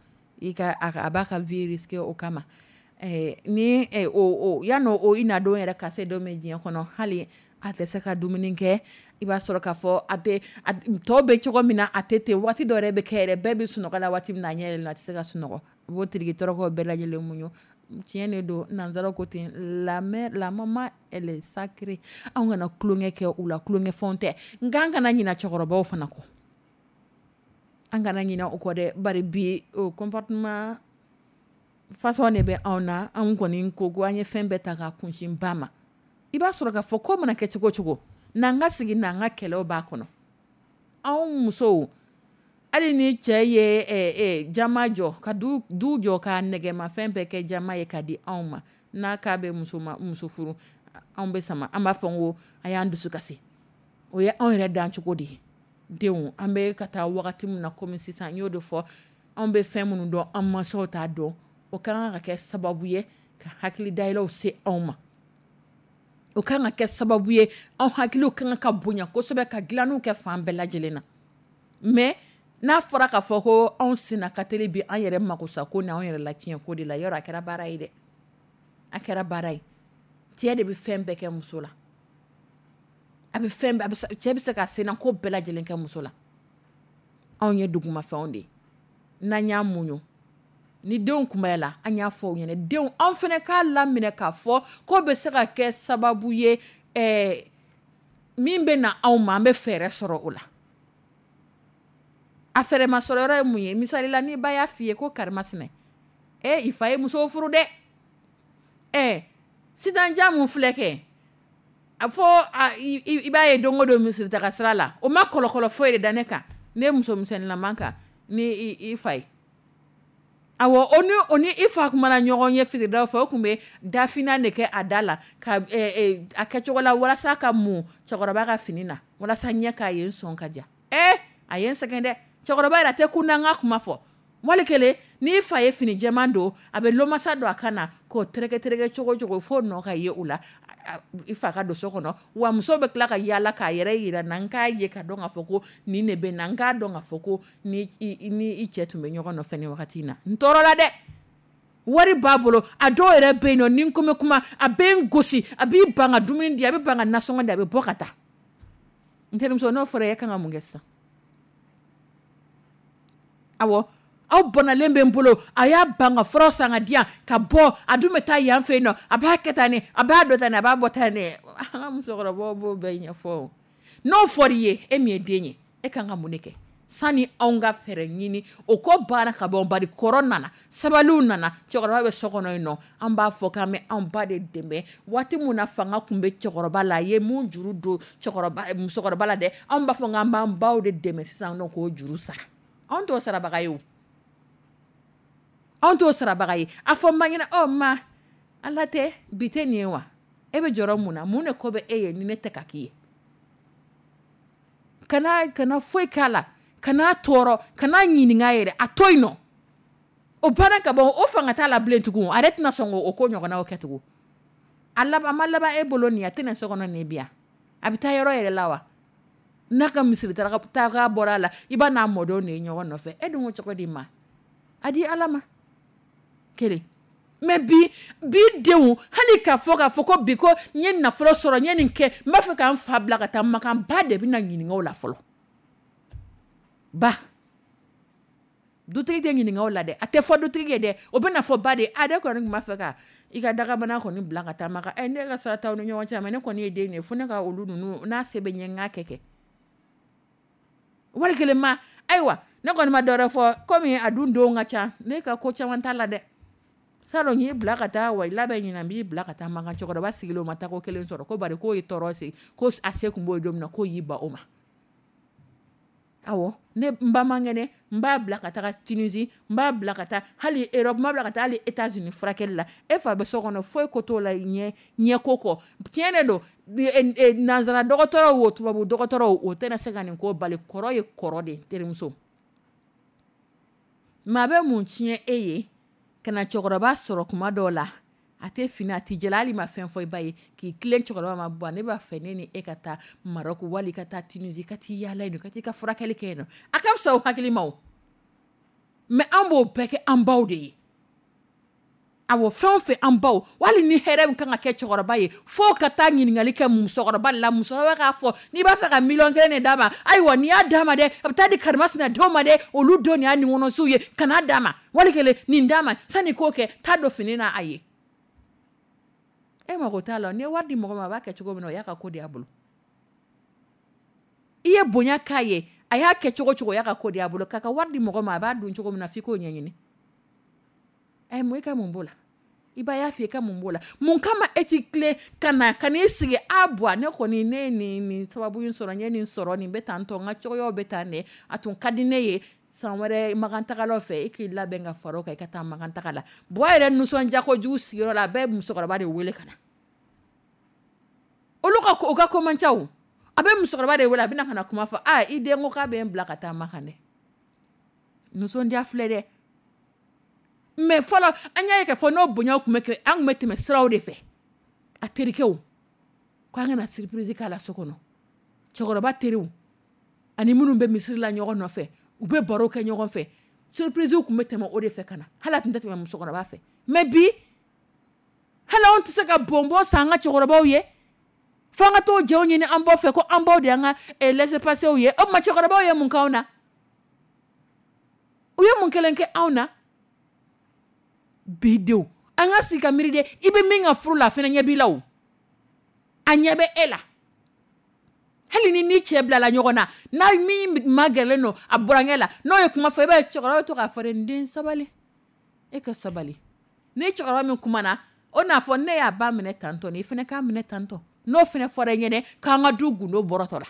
i ka a b'a ka vie risquer o kama. Ni o yan'o o i na don yɛrɛ ka se don min diɲɛ kɔnɔ, hali a tɛ se ka dumuni kɛ, i b'a sɔrɔ k'a fɔ a tɛ tɔw bɛ cogo min na, a tɛ ten. Waati dɔ yɛrɛ bɛ kɛ yɛrɛ, bɛɛ bɛ sunɔgɔ la waati min na, a ɲɛ yɛlɛla, a tɛ se ka sunɔgɔ, a b'o tiriki tɔrɔkɔ bɛɛ lajɛlen muɲu. Tiɲɛ de don, nanzaraw ko ten, la mère, la maman, elle est sacrée. Anw kana tulonkɛ kɛ u la, tulonkɛ fɛnw tɛ. Nka an kana ɲina cɛkɔrɔbaw fana kɔ, an kana ɲina o kɔ dɛ. Bari bi, o comportement façon de bɛ anw na. Anw kɔni ko ko an ye fɛn bɛɛ ta k'a kunsin ba ma. I b'a sɔrɔ k'a fɔ ko mana kɛ cogo o cogo, n'an ka sigi n'an ka kɛlɛw b'a kɔnɔ. Anw musow, hali ni cɛ ye jama jɔ ka du jɔ ka nɛgɛmafɛn bɛɛ kɛ jama ye ka di anw ma, n'a k'a bɛ muso ma, muso furu, anw bɛ sama, an b'a fɔ n ko a y'an dusu kasi. O ye anw yɛrɛ dancogo de ye. Denw, an bɛ ka taa wagati min na komi sisan, n y'o de fɔ, anw bɛ fɛn minnu dɔn, an mansaw t'a dɔn. O ka kan ka kɛ sababu ye ka hakili dayɛlɛw se anw ma. O ka kan ka kɛ sababu ye, anw hakiliw ka kan ka bonya kosɛbɛ, ka dilanniw kɛ fan bɛɛ lajɛlen na. Mais n'a fɔra k'a fɔ ko anw senna ka teli bi an yɛrɛ makosa ko ni anw yɛrɛ latiɲɛ ko de la, yɔrɔ a kɛra baara ye dɛ, a kɛra baara ye. Cɛ de bɛ fɛn bɛɛ kɛ muso la, a bɛ fɛn bɛɛ, a bɛ se, cɛ bɛ se ka senna ko bɛɛ lajɛlen kɛ muso la. Anw ye dugumafɛnw de ye, n'an y'a muɲu ni denw kunbayala, an y'a fɔ u ɲɛna, denw, anw fana k'a laminɛ k'a fɔ ko bɛ se ka kɛ sababu ye, min bɛ na anw ma, an bɛ fɛɛrɛ sɔrɔ o la. A fɛɛrɛ ma sɔrɔ yɔrɔ ye mun ye? Misali la, ni ba y'a f'i ye ko karimasina, i fa ye muso furu dɛ, Sitanjan mun filɛ kɛ a fɔ i b'a ye don o don misiri taga sira la, o ma kɔlɔkɔlɔ foyi de da ne kan, ne musomisɛnninlaman kan ni i fa ye. Awɔ, o ni i fa kumana ɲɔgɔn ye fitiridaw fɛ, o tun bɛ dafinan de kɛ a da la ka a kɛcogo la walasa ka mun cɛkɔrɔba ka fini na, walasa ɲɛ k'a ye n sɔn ka ja. A ye n sɛgɛn dɛ. Cɛkɔrɔba yɛrɛ a tɛ kun na n ka kuma fɔ. Wali kelen n'i fa ye fini jɛman don, a bɛ lomasa don a kan na k'o tereke tereke cogo cogo fo nɔ ka ye o la, i fa ka don so kɔnɔ. Wa muso bɛ tila ka yaala k'a yɛrɛ yira n na, n k'a ye ka dɔn k'a fɔ ko nin de bɛ n na, n k'a dɔn k'a fɔ ko ni i cɛ tun bɛ ɲɔgɔn nɔfɛ nin wagati in na. N tɔɔrɔla dɛ. Wari b'a bolo, a dɔw yɛrɛ bɛ yen nɔ, ni n ko bɛ kuma, a bɛ n gosi, a b'i ban ka dumuni di, a bɛ ban ka nasɔngɔ di, a bɛ bɔ ka taa. N terimuso, n'o fɔra e kan ka mun kɛ sisan? Awɔ, aw bɔnalen bɛ n bolo, a y'a ban ka fura san ka di yan ka bɔ, a dun bɛ taa yan fɛ yen nɔ, a b'a kɛ tan ne, a b'a dɔn tan ne, a b'a bɔ tan ne. An ka musokɔrɔbaw b'o bɛɛ ɲɛfɔ. N'o fɔra i ye, e min ye den ye, e kan ka mun de kɛ? Sani anw ka fɛɛrɛ ɲini, o ko banna ka bɔ, bari kɔrɔ nana, sabaliw nana, cɛkɔrɔba bɛ so kɔnɔ yen nɔ, an b'a fɔ k'an bɛ anw ba de dɛmɛ. Waati min na fanga tun bɛ cɛkɔrɔba la, a ye mun juru don musokɔrɔba la dɛ, anw b'a fɔ k'an b'an baw de dɛmɛ sisan nɔ k'o juru sara. Anw t'o sarabaga ye o. Anw t'o sarabaga ye. A fɔ n ba ɲɛna, ɔ ma, Ala tɛ, bi tɛ nin ye wa? E bɛ jɔrɔ mun na? Mun de ko bɛ e ye ni ne tɛ ka k'i ye? Kana foyi k'a la, kana tɔɔrɔ, kana ɲininka yɛrɛ, a to yen nɔ. O banna ka bɔ, o fanga t'a la bilen tugun, a yɛrɛ tɛna sɔn k'o ko ɲɔgɔnnaw kɛ tugun. A laban, a ma laban e bolo nin ye, a tɛna so kɔnɔ nin bi yan. A bɛ taa yɔrɔ yɛrɛ la wa? N'a ka misiri taga bɔra a la, i b'a n'a mɔdenw de ye ɲɔgɔn nɔfɛ. E dun ko cogo di ma? A di Ala ma. Kelen. Mais bi denw, hali k'a fɔ ko bi ko n ye nafolo sɔrɔ, n ye nin kɛ, n b'a fɛ k'an fa bila ka taa Makan, ba de bɛna ɲininka o la fɔlɔ. Ba. Dutigi tɛ ɲininka o la dɛ, a tɛ fɔ dutigi ye dɛ, o bɛna fɔ ba de ye, a ne kɔni tun b'a fɛ ka i ka dagabana kɔni bila ka taa Makan, ne ka sira t'aw ni ɲɔgɔn cɛ, mais ne kɔni ye den de ye, fo ne ka olu ninnu, n'a se bɛ n ye n k'a kɛ. Wali kelen ma, ayiwa, ne kɔni ma dɔwɛrɛ fɔ, komi a dun denw ka ca, ne ka ko caman t'a la dɛ. Salon y'i bila ka taa, wa i labɛn ɲinan, n b'i bila ka taa Makan. Cɛkɔrɔba sigilen o ma taa ko kelen sɔrɔ, ko bari k'o ye tɔɔrɔ se, ko a se kun b'o ye don min na, k'o y'i ban o ma. Awɔ, ne n ba man kɛnɛ, n b'a bila ka taga Tunisie, n b'a bila ka taa hali Europe, n b'a bila ka taa hali États-Unis furakɛli la. E fa bɛ so kɔnɔ, foyi ko t'o la ɲɛ ko kɔ. Tiɲɛ de don, nanzara dɔgɔtɔrɔw o tubabu dɔgɔtɔrɔw o tɛna se ka nin ko bali. Kɔrɔ ye kɔrɔ de ye, terimuso. Maa bɛ mun tiɲɛ e ye ka na cɛkɔrɔba sɔrɔ kuma dɔw la, a tɛ fini, a tɛ jɛla, hali ma fɛn fɔ i ba ye, k'i tilen cɛkɔrɔba ma, bɔn ne b'a fɛ ne ni e ka taa Maroc wali ka taa Tunisie, ka t'i yaala yen nɔ, ka t'i ka furakɛli kɛ yen nɔ. A ka fisa o hakili ma o. Mais an b'o bɛɛ kɛ an baw de ye. Awɔ, fɛn o fɛn an baw, wali ni hɛrɛ min kan ka kɛ cɛkɔrɔba ye, fo ka taa ɲininkali kɛ musokɔrɔba la, musokɔrɔba k'a fɔ n'i b'a fɛ ka miliyɔn kelen de d'a ma, ayiwa n'i y'a d'a ma dɛ, a bɛ taa di karimasina denw ma dɛ, olu denw de y'a ninkɔnɔsiw ye, kan'a d'a ma, wali kelen nin d'a ma, sanni k'o kɛ, taa don fini na a ye. E mago t'a la, n'i ye wari di mɔgɔ ma, a b'a kɛ cogo min na, o y'a ka ko de y'a bolo. I ye bonya k'a ye, a y'a kɛ cogo cogo, o y'a ka ko de y'a bolo. K'a ka wari di mɔgɔ ma, a b'a dun cogo min na, f'i k'o ɲɛɲini. Mun i ka mun b'o la? I ba y'a f'i ye ka mun b'o la? Mun kama e t'i tilen ka na, ka n'i sigi, a bɔ, ne kɔni, ne ye nin sababu in sɔrɔ, n ye nin sɔrɔ, nin bɛ tan tɔ, n ka cogoyaw bɛ tan de, a tun ka di ne ye san wɛrɛ Makan tagalaw fɛ, e k'i labɛn ka fara o kan, i ka taa Makan taga la. Buwa yɛrɛ nisɔndiya kojugu sigiyɔrɔ la, a bɛ musokɔrɔba de wele ka na. Olu ka ko, o ka ko man ca o. A bɛ musokɔrɔba de wele, a bɛ na ka na kuma fɔ, a i den ko k'a bɛ n bila ka taa Makan dɛ. Nisɔndiya filɛ dɛ. Mais fɔlɔ, an y'a ye k'a fɔ n'o bonyaw tun bɛ kɛ, an tun bɛ tɛmɛ siraw de fɛ. A terikɛw, k'an kana surprise k'a la so kɔnɔ. Cɛkɔrɔba teriw, ani minnu bɛ misiri la ɲɔgɔn nɔfɛ, u bɛ baro kɛ ɲɔgɔn fɛ. Surprise tun bɛ tɛmɛ o de fɛ ka na. Hali a tun tɛ tɛmɛ musokɔrɔba fɛ. Mais bi, hali anw tɛ se ka bonbon san an ka cɛkɔrɔbaw ye. Fo an ka t'o jɛw ɲini an baw fɛ ko an baw de y'an ka laissez-passer ye. O tuma cɛkɔrɔbaw ye mun k'anw na? U ye mun kelen kɛ anw na? Bi denw, an ka sigi ka miiri dɛ, i bɛ min ka furu la, a fana ɲɛ b'i la o. A ɲɛ bɛ e la. Hali ni ni cɛ bilala ɲɔgɔn na, n'a min magɛrɛlen don a burankɛ la, n'o ye kuma fɔ, i b'a ye cɛkɔrɔba bɛ to k'a fɔ dɛ, n den sabali, e ka sabali. Ni cɛkɔrɔba min kumana, O n'a fɔ ne y'a ba minɛ tantɔ, i fana k'a minɛ tantɔ. N'o fana fɔra i ɲɛnɛ k'an ka du gundo bɔrɔtɔ la,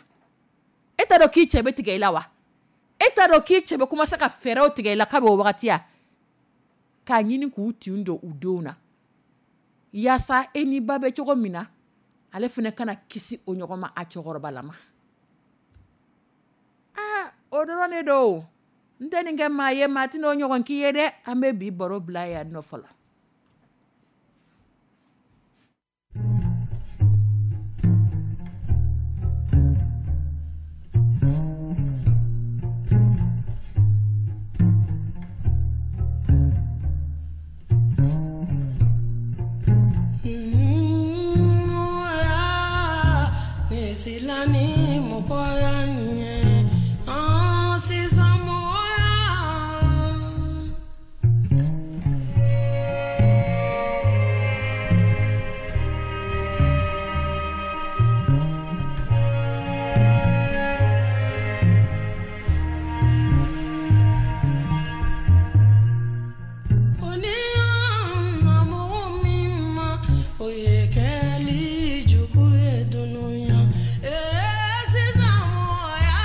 e t'a dɔn k'i cɛ bɛ tigɛ i la wa? E t'a dɔn k'i cɛ bɛ commencer ka fɛɛrɛw tigɛ i la kabini o wagati ya? K'a ɲini k'u tin don u denw na yaasa e ni ba bɛ cogo min na, ale fana kana kisi o ɲɔgɔn ma a cɛkɔrɔbalama. Aa, o dɔrɔn de don. N tɛ nin kɛ maa ye, maa tɛn'o ɲɔgɔn k'i ye dɛ. An bɛ bi baro bila yan nɔ fɔlɔ. Silani mɔgɔya ɲɛ, an sisan mɔgɔya. Ko ni y'an na mɔgɔ min ma, o ye kɛli jugu ye dunuya. Ee sisan mɔgɔya.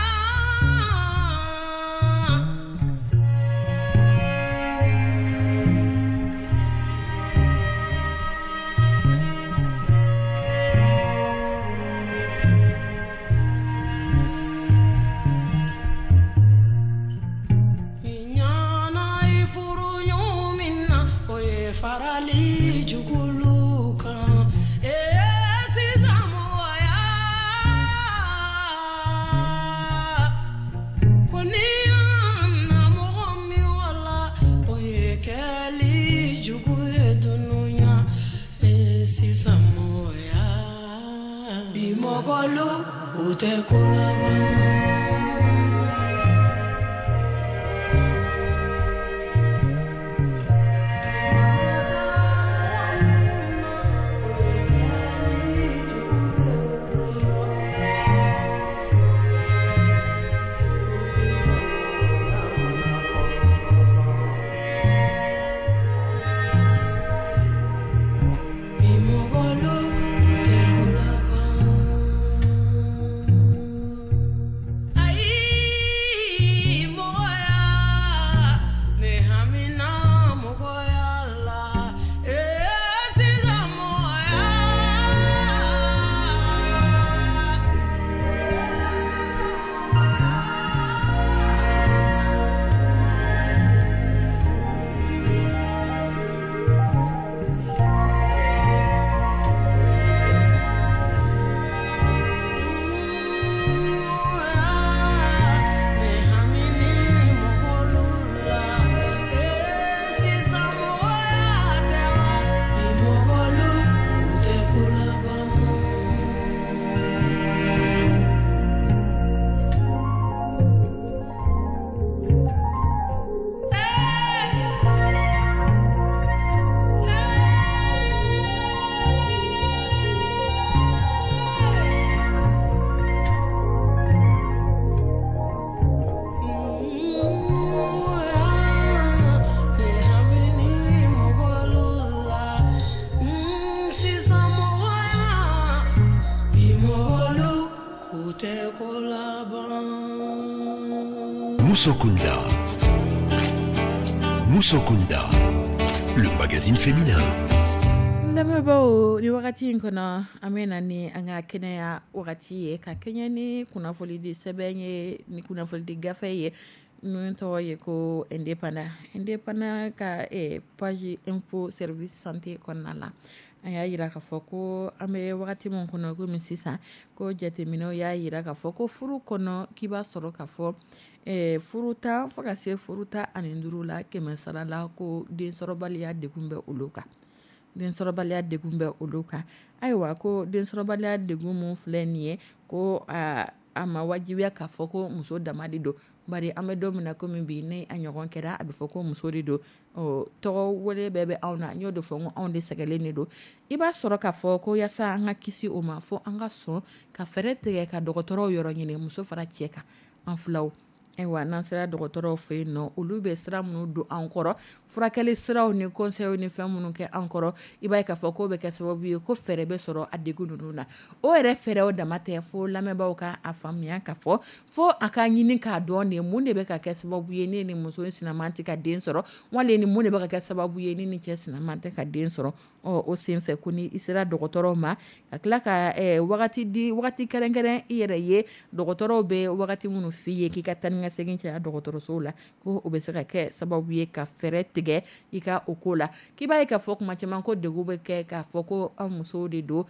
I ɲana i furu ɲɔgɔn min na, o ye farali jugulu kan. Ee sisan mɔgɔya. Ko ni y'an na mɔgɔ min wala, o ye kɛli jugu ye dunuya. Ee sisan mɔgɔya. Bi mɔgɔlu u tɛ ko laban. Bi mɔgɔlu u tɛ ko laban. Ayi mɔgɔya, ne hamina mɔgɔya la. Ee sisan mɔgɔya. Ne hamini mɔgɔlu la. Ee sisan mɔgɔya tɛ wa? Bi mɔgɔlu u tɛ ko laban. Ne hamini mɔgɔlu la. Sisan mɔgɔya. Bi mɔgɔlu u tɛ ko laban. Musokunda. Musokunda, le magazine féminin. Lamɛnbaaw, ni wagati in kɔnɔ, an bɛ na ni an ka kɛnɛya wagati ye, ka kɛɲɛ ni kunnafonidi sɛbɛn ye, ni kunnafonidi gafe ye min tɔgɔ ye ko Indépendant. Indépendant ka page info service santé kɔnɔna la, an y'a yira k'a fɔ ko an bɛ wagati min kɔnɔ komi sisan, ko jateminɛw y'a yira k'a fɔ ko furu kɔnɔ, k'i b'a sɔrɔ k'a fɔ furu 10 fo ka se furu 15 la, 100 sara la, ko densɔrɔbaliya degun bɛ olu kan. Densɔrɔbaliya degun bɛ olu kan. Ayiwa, ko densɔrɔbaliya degun mun filɛ nin ye, ko a ma wajibiya k'a fɔ ko muso dama de don. Bari an bɛ don min na komi bi, ni a ɲɔgɔn kɛra, a bɛ fɔ ko muso de don. Ɔ, tɔgɔ wele bɛɛ bɛ anw na. N y'o de fɔ, n ko anw de sɛgɛlen de don. I b'a sɔrɔ k'a fɔ ko yaasa an ka kisi o ma, fo an ka sɔn ka fɛɛrɛ tigɛ ka dɔgɔtɔrɔw yɔrɔ ɲini, muso fara cɛ kan, an filaw. Ayiwa, n'an sera dɔgɔtɔrɔw fɛ yen nɔ, olu bɛ sira minnu don an kɔrɔ, furakɛli siraw ni conseil ni fɛn minnu kɛ an kɔrɔ, i b'a ye k'a fɔ k'o bɛ kɛ sababu ye ko fɛɛrɛ bɛ sɔrɔ a degun ninnu na. O yɛrɛ fɛɛrɛw dama tɛ, fo lamɛnbaaw ka a faamuya ka fɔ fo a ka ɲini k'a dɔn de mun de bɛ ka kɛ sababu ye ne ni muso in sinaman tɛ ka den sɔrɔ, wali ni mun de bɛ ka kɛ sababu ye ne ni cɛ sinaman tɛ ka den sɔrɔ. Ɔ, o senfɛ ko ni i sera dɔgɔtɔrɔw ma, ka tila ka wagati di, wagati kɛrɛnkɛrɛn i yɛrɛ ye, dɔgɔtɔrɔw bɛ wagati minnu f'i ye k'i ka taa ni ka segin caya dɔgɔtɔrɔsow la, ko o bɛ se ka kɛ sababu ye ka fɛɛrɛ tigɛ i ka o ko la. K'i b'a ye k'a fɔ kuma caman ko degun bɛ kɛ k'a fɔ ko an musow de don,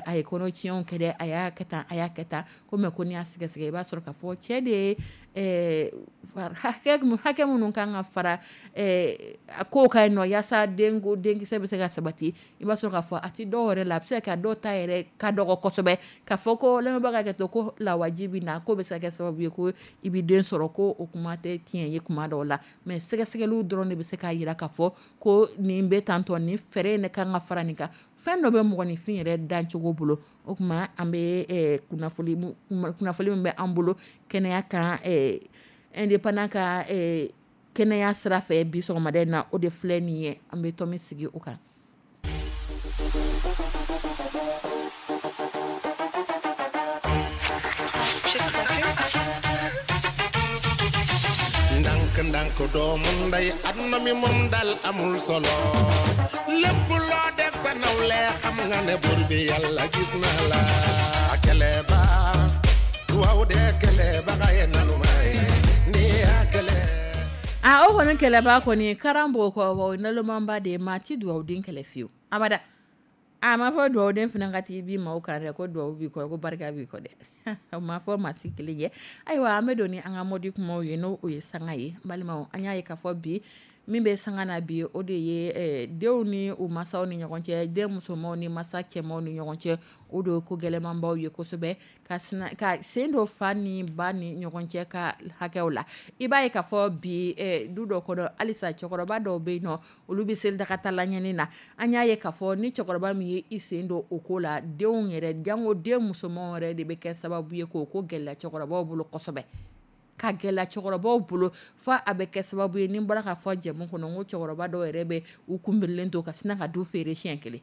a ye kɔnɔtiɲɛw kɛ dɛ, a y'a kɛ tan, a y'a kɛ tan, ko mais ko n'i y'a sɛgɛsɛgɛ i b'a sɔrɔ k'a fɔ cɛ de ye hakɛ minnu kan ka fara a kow ka yen nɔ yaasa denkisɛ bɛ se ka sabati, i b'a sɔrɔ k'a fɔ a tɛ dɔw yɛrɛ la, a bɛ se ka kɛ dɔw ta yɛrɛ ka dɔgɔ kosɛbɛ, k'a fɔ ko lamɛnbaga ka kɛ to ko lawaji bɛ na k'o bɛ se ka kɛ sababu ye ko i bɛ den sɔrɔ, ko o kuma tɛ tiɲɛ ye kuma dɔw la. Mais sɛgɛsɛgɛliw dɔrɔn de bɛ se k'a jira k'a fɔ ko nin bɛ tantɔ, nin fɛɛrɛ in de kan ka fara nin kan. Fɛn dɔ bɛ mɔgɔninfin yɛrɛ dancogo bolo. O tuma an bɛ kunnafoni min bɛ an bolo kɛnɛya kan, indépendant ka kɛnɛya sira fɛ bi sɔgɔmada in na, o de filɛ nin ye, an bɛ tɔn min sigi o kan. Ndànk ndànk doomu ndey, aduna mi moom dal amul solo, lépp loo def sa nawle xam nga ne buur bi Yàlla gis na la. Akele ba waaw de kele ba xaye nanu may ni akele. A o kɔni kɛlɛba kɔni karan b'o kɔ, wa o nalomanba de ye, maa ti dugawuden kɛlɛ fiyewu abada. A ma fɔ dugawuden fana ka t'i bi maaw kan dɛ, ko dugawu b'i kɔ, ko barika b'i kɔ dɛ, o ma fɔ maa si kelen ye. Ayiwa, an bɛ don ni an ka mɔdi kumaw ye, n'o o ye sanga ye. N balimaw, an y'a ye k'a fɔ bi min bɛ sanga na bi, o de ye denw ni u masaw ni ɲɔgɔn cɛ, den musomanw ni masa cɛmanw ni ɲɔgɔn cɛ, o de ye ko gɛlɛnmanbaw ye kosɛbɛ, ka ka sen don fa ni ba ni ɲɔgɔn cɛ ka hakɛw la. I b'a ye k'a fɔ bi du dɔ kɔnɔ halisa cɛkɔrɔba dɔw bɛ yen nɔ, olu bɛ seli dakatala ɲani na. An y'a ye k'a fɔ ni cɛkɔrɔba min ye i sen don o ko la, denw yɛrɛ, janko den musomanw yɛrɛ de bɛ kɛ sababu ye k'o ko gɛlɛya cɛkɔrɔbaw bolo kosɛbɛ, ka gɛlɛya cɛkɔrɔbaw bolo fo a bɛ kɛ sababu ye, ni n bɔra k'a fɔ jɛmu kɔnɔ, n ko cɛkɔrɔba dɔw yɛrɛ bɛ u kunbirilen to ka sina ka du feere siɲɛ kelen.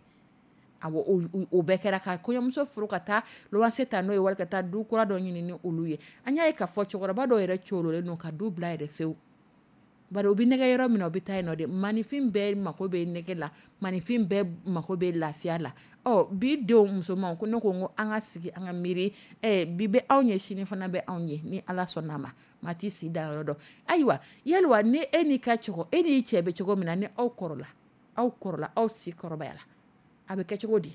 Awɔ, o bɛɛ kɛra ka kɔɲɔmuso furu ka taa luwanse ta n'o ye, wali ka taa du kura dɔ ɲini ni olu ye. An y'a ye k'a fɔ cɛkɔrɔba dɔw yɛrɛ corolen don ka du bila yɛrɛ fewu, bari u bɛ nɛgɛ yɔrɔ min na, u bɛ taa yen nɔ de. Maninfin bɛɛ mako bɛ nɛgɛ la, maninfin bɛɛ mako bɛ lafiya la. Ɔ, bi denw musomanw, ko ne ko n ko an ka sigi an ka miiri, bi bɛ anw ye, sini fana bɛ anw ye, ni Ala sɔnna a ma, maa t'i si da yɔrɔ dɔn. Ayiwa, yaliwa ni e n'i ka e n'i cɛ bɛ cogo min na, ni aw kɔrɔla, aw kɔrɔla, aw si kɔrɔbayala, a bɛ kɛ cogo di?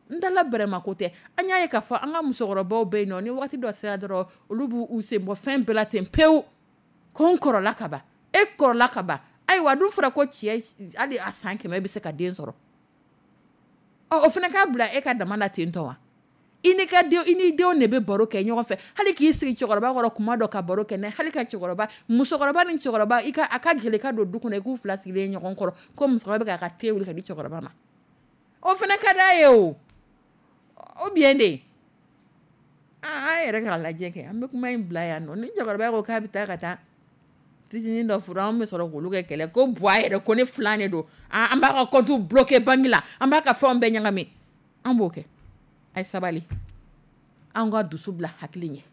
N dala bɛrɛma ko tɛ. An y'a ye k'a fɔ an ka musokɔrɔbaw bɛ yen nɔ, ni waati dɔ sera dɔrɔn, olu b'u sen bɔ fɛn bɛɛ la ten pewu, ko n kɔrɔla ka ban. E kɔrɔla ka ban. Ayiwa, dun fɔra ko cɛ hali a san 100 bɛ se ka den sɔrɔ. Ɔ, o fana k'a bila e ka dama na ten tɔ wa? I n'i ka den, i n'i denw de bɛ baro kɛ ɲɔgɔn fɛ, hali k'i sigi cɛkɔrɔba kɔrɔ kuma dɔ ka baro kɛ n'a hali ka cɛkɔrɔba, musokɔrɔba ni cɛkɔrɔba, i ka a ka gɛlɛn ka don du kɔnɔ i k'u fila sigilen ɲɔgɔn kɔrɔ, ko musokɔrɔba bɛ k'a ka te wuli ka di cɛkɔrɔba ma. O fana ka d'a ye o. O bien de. An yɛrɛ k'a lajɛ kɛ, an bɛ kuma in bila yan nɔ. Ni cɛkɔrɔba ko k'a bɛ taa ka taa fitinin dɔ furu, an bɛ sɔrɔ k'olu kɛ kɛlɛ, ko buwa yɛrɛ ko ne filan de don, an b'a ka compte bloqué banque la, an b'a ka fɛnw bɛɛ ɲagami, an b'o kɛ. A ye sabali, an ka dusu bila hakili ɲɛ.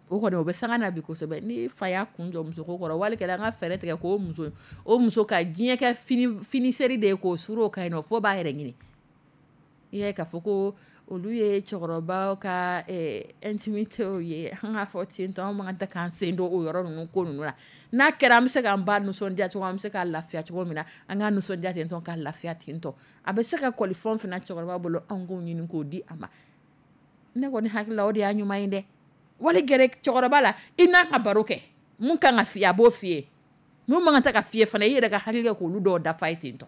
O kɔni o bɛ sanga na bi kosɛbɛ. Ni fa y'a kun jɔ musoko kɔrɔ, wali kɛlen an ka fɛɛrɛ tigɛ k'o muso, o muso ka diɲɛ kɛ finiseri de ye, k'o suru o kan yen nɔ, fo b'a yɛrɛ ɲini. I y'a ye k'a fɔ ko olu ye cɛkɔrɔbaw ka intimité ye, an k'a fɔ ten tɔ, an man kan tɛ k'an sen don o yɔrɔ ninnu ko ninnu na. N'a kɛra an bɛ se k'an ba nisɔndiya cogo, an bɛ se k'a lafiya cogo min na, an k'a nisɔndiya ten tɔ, k'a lafiya ten tɔ. A bɛ se ka kɔli fɛn o fɛn na cɛkɔrɔba bolo, an k'o ɲini k'o di a ma. Ne kɔni hakili la o de y'a ɲuman ye dɛ. Wali gɛrɛ cɛkɔrɔba la, i n'a ka baro kɛ, mun kan ka f'i ye a b'o f'i ye, mun man kan tɛ ka f'i ye fana, i yɛrɛ ka hakili kɛ k'olu dɔw dafa ye ten tɔ.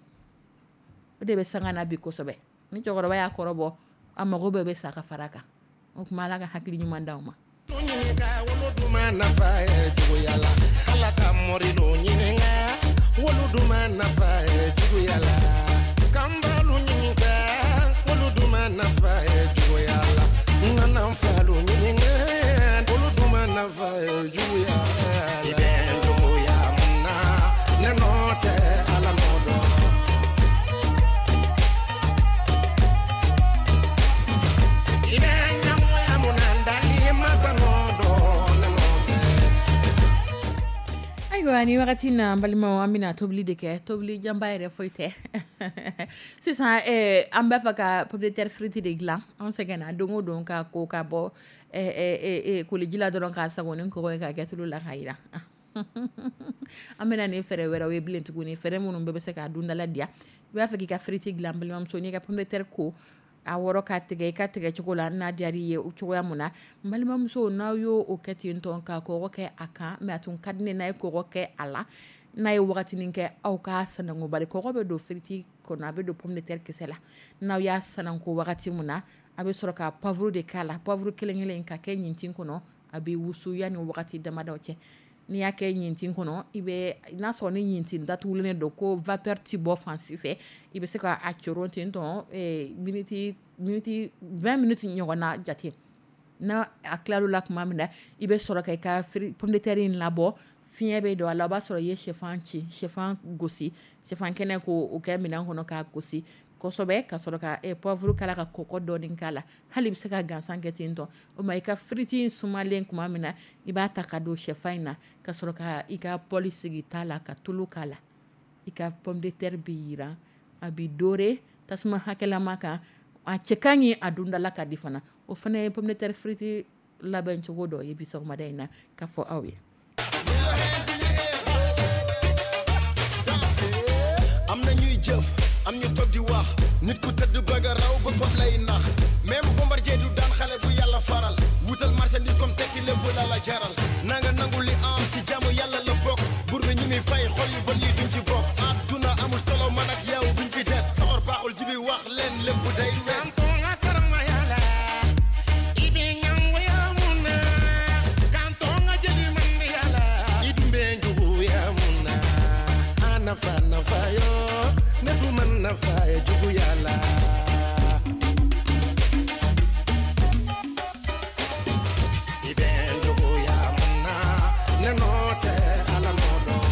O de bɛ sanga na bi kosɛbɛ. Ni cɛkɔrɔba y'a kɔrɔbɔ, a mago bɛɛ bɛ sa ka fara a kan. O tuma Ala ka hakili ɲuman d'aw ma. Ɲininka woloduma nafa ye juguya la, Ala ka morilu ɲininka woloduma nafa ye juguya la, kanbalu ɲininka woloduma nafa ye juguya la, nana falu ɲininka woloduma nafa ye juguya la. Ayiwa, ni wagati na, an balimaw, an bɛna tobili de kɛ. Tobili janba yɛrɛ foyi tɛ sisan. An b'a fɛ ka pomme de terre frite de dilan. An sɛgɛnna don o don ka ko ka bɔ koliji la dɔrɔn, k'a sago ni kɔgɔ ye, ka kɛ tulu la k'a jira. An bɛna nin fɛɛrɛ wɛrɛw ye bilen tuguni, fɛɛrɛ minnu bɛɛ bɛ se k'a dundala diya. I b'a fɛ k'i ka frite dilan, balimamuso, n'i ka pomme de terre ko, a wɔrɔ ka tigɛ i ka tigɛ cogo la n'a diyara i ye o cogoya mun na, n balimamuso, n'aw y'o o kɛ ten tɔ ka kɔgɔ kɛ a kan, mais a tun ka di ne n'a ye kɔgɔ kɛ a la, n'a ye wagatinin kɛ, aw k'a sanango, bari kɔgɔ bɛ don frite kɔnɔ, a bɛ don pomme de terre kisɛ la. N'aw y'a sanango wagati mun na, a bɛ sɔrɔ ka poivre de k'a la, poivre kelen kelen ka kɛ ɲintin kɔnɔ. A bɛ wusu yanni wagati damadɔ cɛ. N'i y'a kɛ ɲintin kɔnɔ, i bɛ n'a sɔrɔ ni ɲintin datugulen don ko vapeur ti bɔ fan si fɛ, i bɛ se ka a coron ten tɔ miniti 20 minutes ɲɔgɔn na jate. N'a a tilal'o la tuma min na, i bɛ sɔrɔ ka i ka pomme de terre in labɔ, fiɲɛ bɛ don a la. O b'a sɔrɔ i ye sɛfan ci, sɛfan gosi, sɛfan kɛnɛ, k'o kɛ minɛn kɔnɔ k'a gosi kosɛbɛ, ka sɔrɔ ka poivre k'a la, ka kɔgɔ dɔɔni k'a la. Hali i bɛ se ka gansan kɛ ten tɔ. O ma, i ka frite in sumalen tuma min na, i b'a ta ka don sɛfan in na, ka sɔrɔ ka i ka poêle sigi ta la, ka tulu k'a la. I ka pomme de terre bɛ yiran, a bɛ doré tasuma hakɛlama kan. A cɛ ka ɲi, a dundala ka di fana. O fana ye pomme de terre frite labɛn cogo dɔ ye bi sɔgɔmada in na ka fɔ aw ye. Am na ñuy jëf, am ñu toog di wax. Nit ku tëdd bëgg a raw boppam lay nax. Même Bombardier du daan xale bu Yàlla faral. Wutal marchandise comme tekki lépp la la jaral. Nanga nangu li am ci jaamu Yàlla la bokk. Buur bi ñi muy fay xol yu bon yi duñ ci bokk. Àdduna amul solo, man ak yow duñ fi des. Soxor baaxul jibi, wax leen lépp day wees. Nafa nafa yo ne du man nafa ye juguya la. I bɛ juguya mun na, ne nɔ tɛ, Ala nɔ dɔn.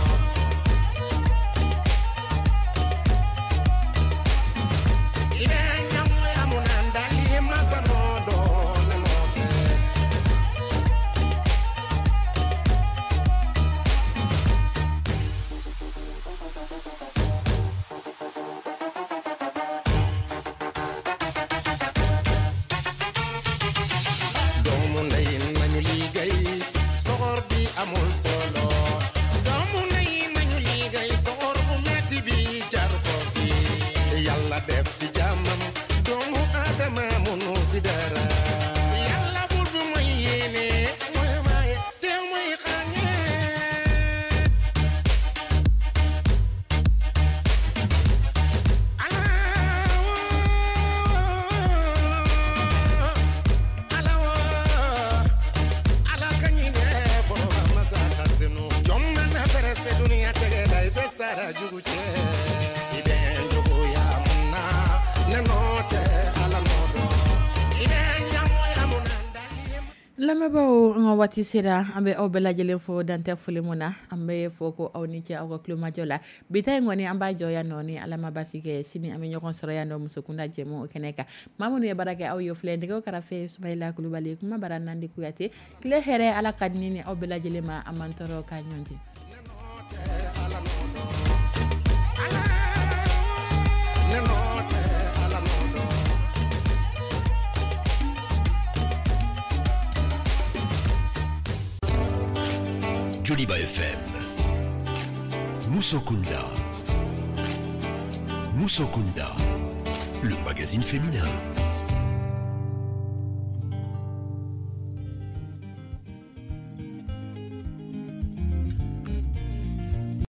I bɛ ɲamoya mun na, n dali masa nɔ dɔn, ne nɔ tɛ. Doomu ndey, nañu liggéey, soxor bi amul solo. Doomu ndey, nañu liggéey, soxor bu metti bi jar ko fi. Yàlla def si jàmmam, doomu Adama munu si dara. Yàlla buur bi mooy yéene, mooy maye te mooy xañe. Ala wo, ala ka ɲinɛ fɔlɔ masa ka senu. Jɔn mana pɛrɛsɛ duniya tɛgɛ la, i bɛ sara jugu cɛ. I bɛ juguya mun na, ne nɔ tɛ, Ala nɔ dɔn. I bɛ ɲamoya mun na, n dali Lamɛnbaaw, an ka waati sera. An bɛ aw bɛɛ lajɛlen fo, dantɛ foli mun na. An bɛ fɔ ko aw ni ce aw ka tulomajɔ la. Bi ta in kɔni, an b'a jɔ yan nɔ. Ni Ala ma basi kɛ, sini an bɛ ɲɔgɔn sɔrɔ yan nɔ Musokunda jɛmu o kɛnɛ kan. Maa minnu ye baara kɛ, aw ye filɛ: nɛgɛw karafe, Sumayila Kulubali, kuma bara, Nandi Kuyate. Tile hɛrɛ, Ala ka di ni aw bɛɛ lajɛlen ma. An m'an tɔɔrɔ ka ɲɔgɔn ten. Ne nɔ tɛ, Ala nɔ dɔn. Joliba FM. Musokunda. Musokunda. Le magazine féminin.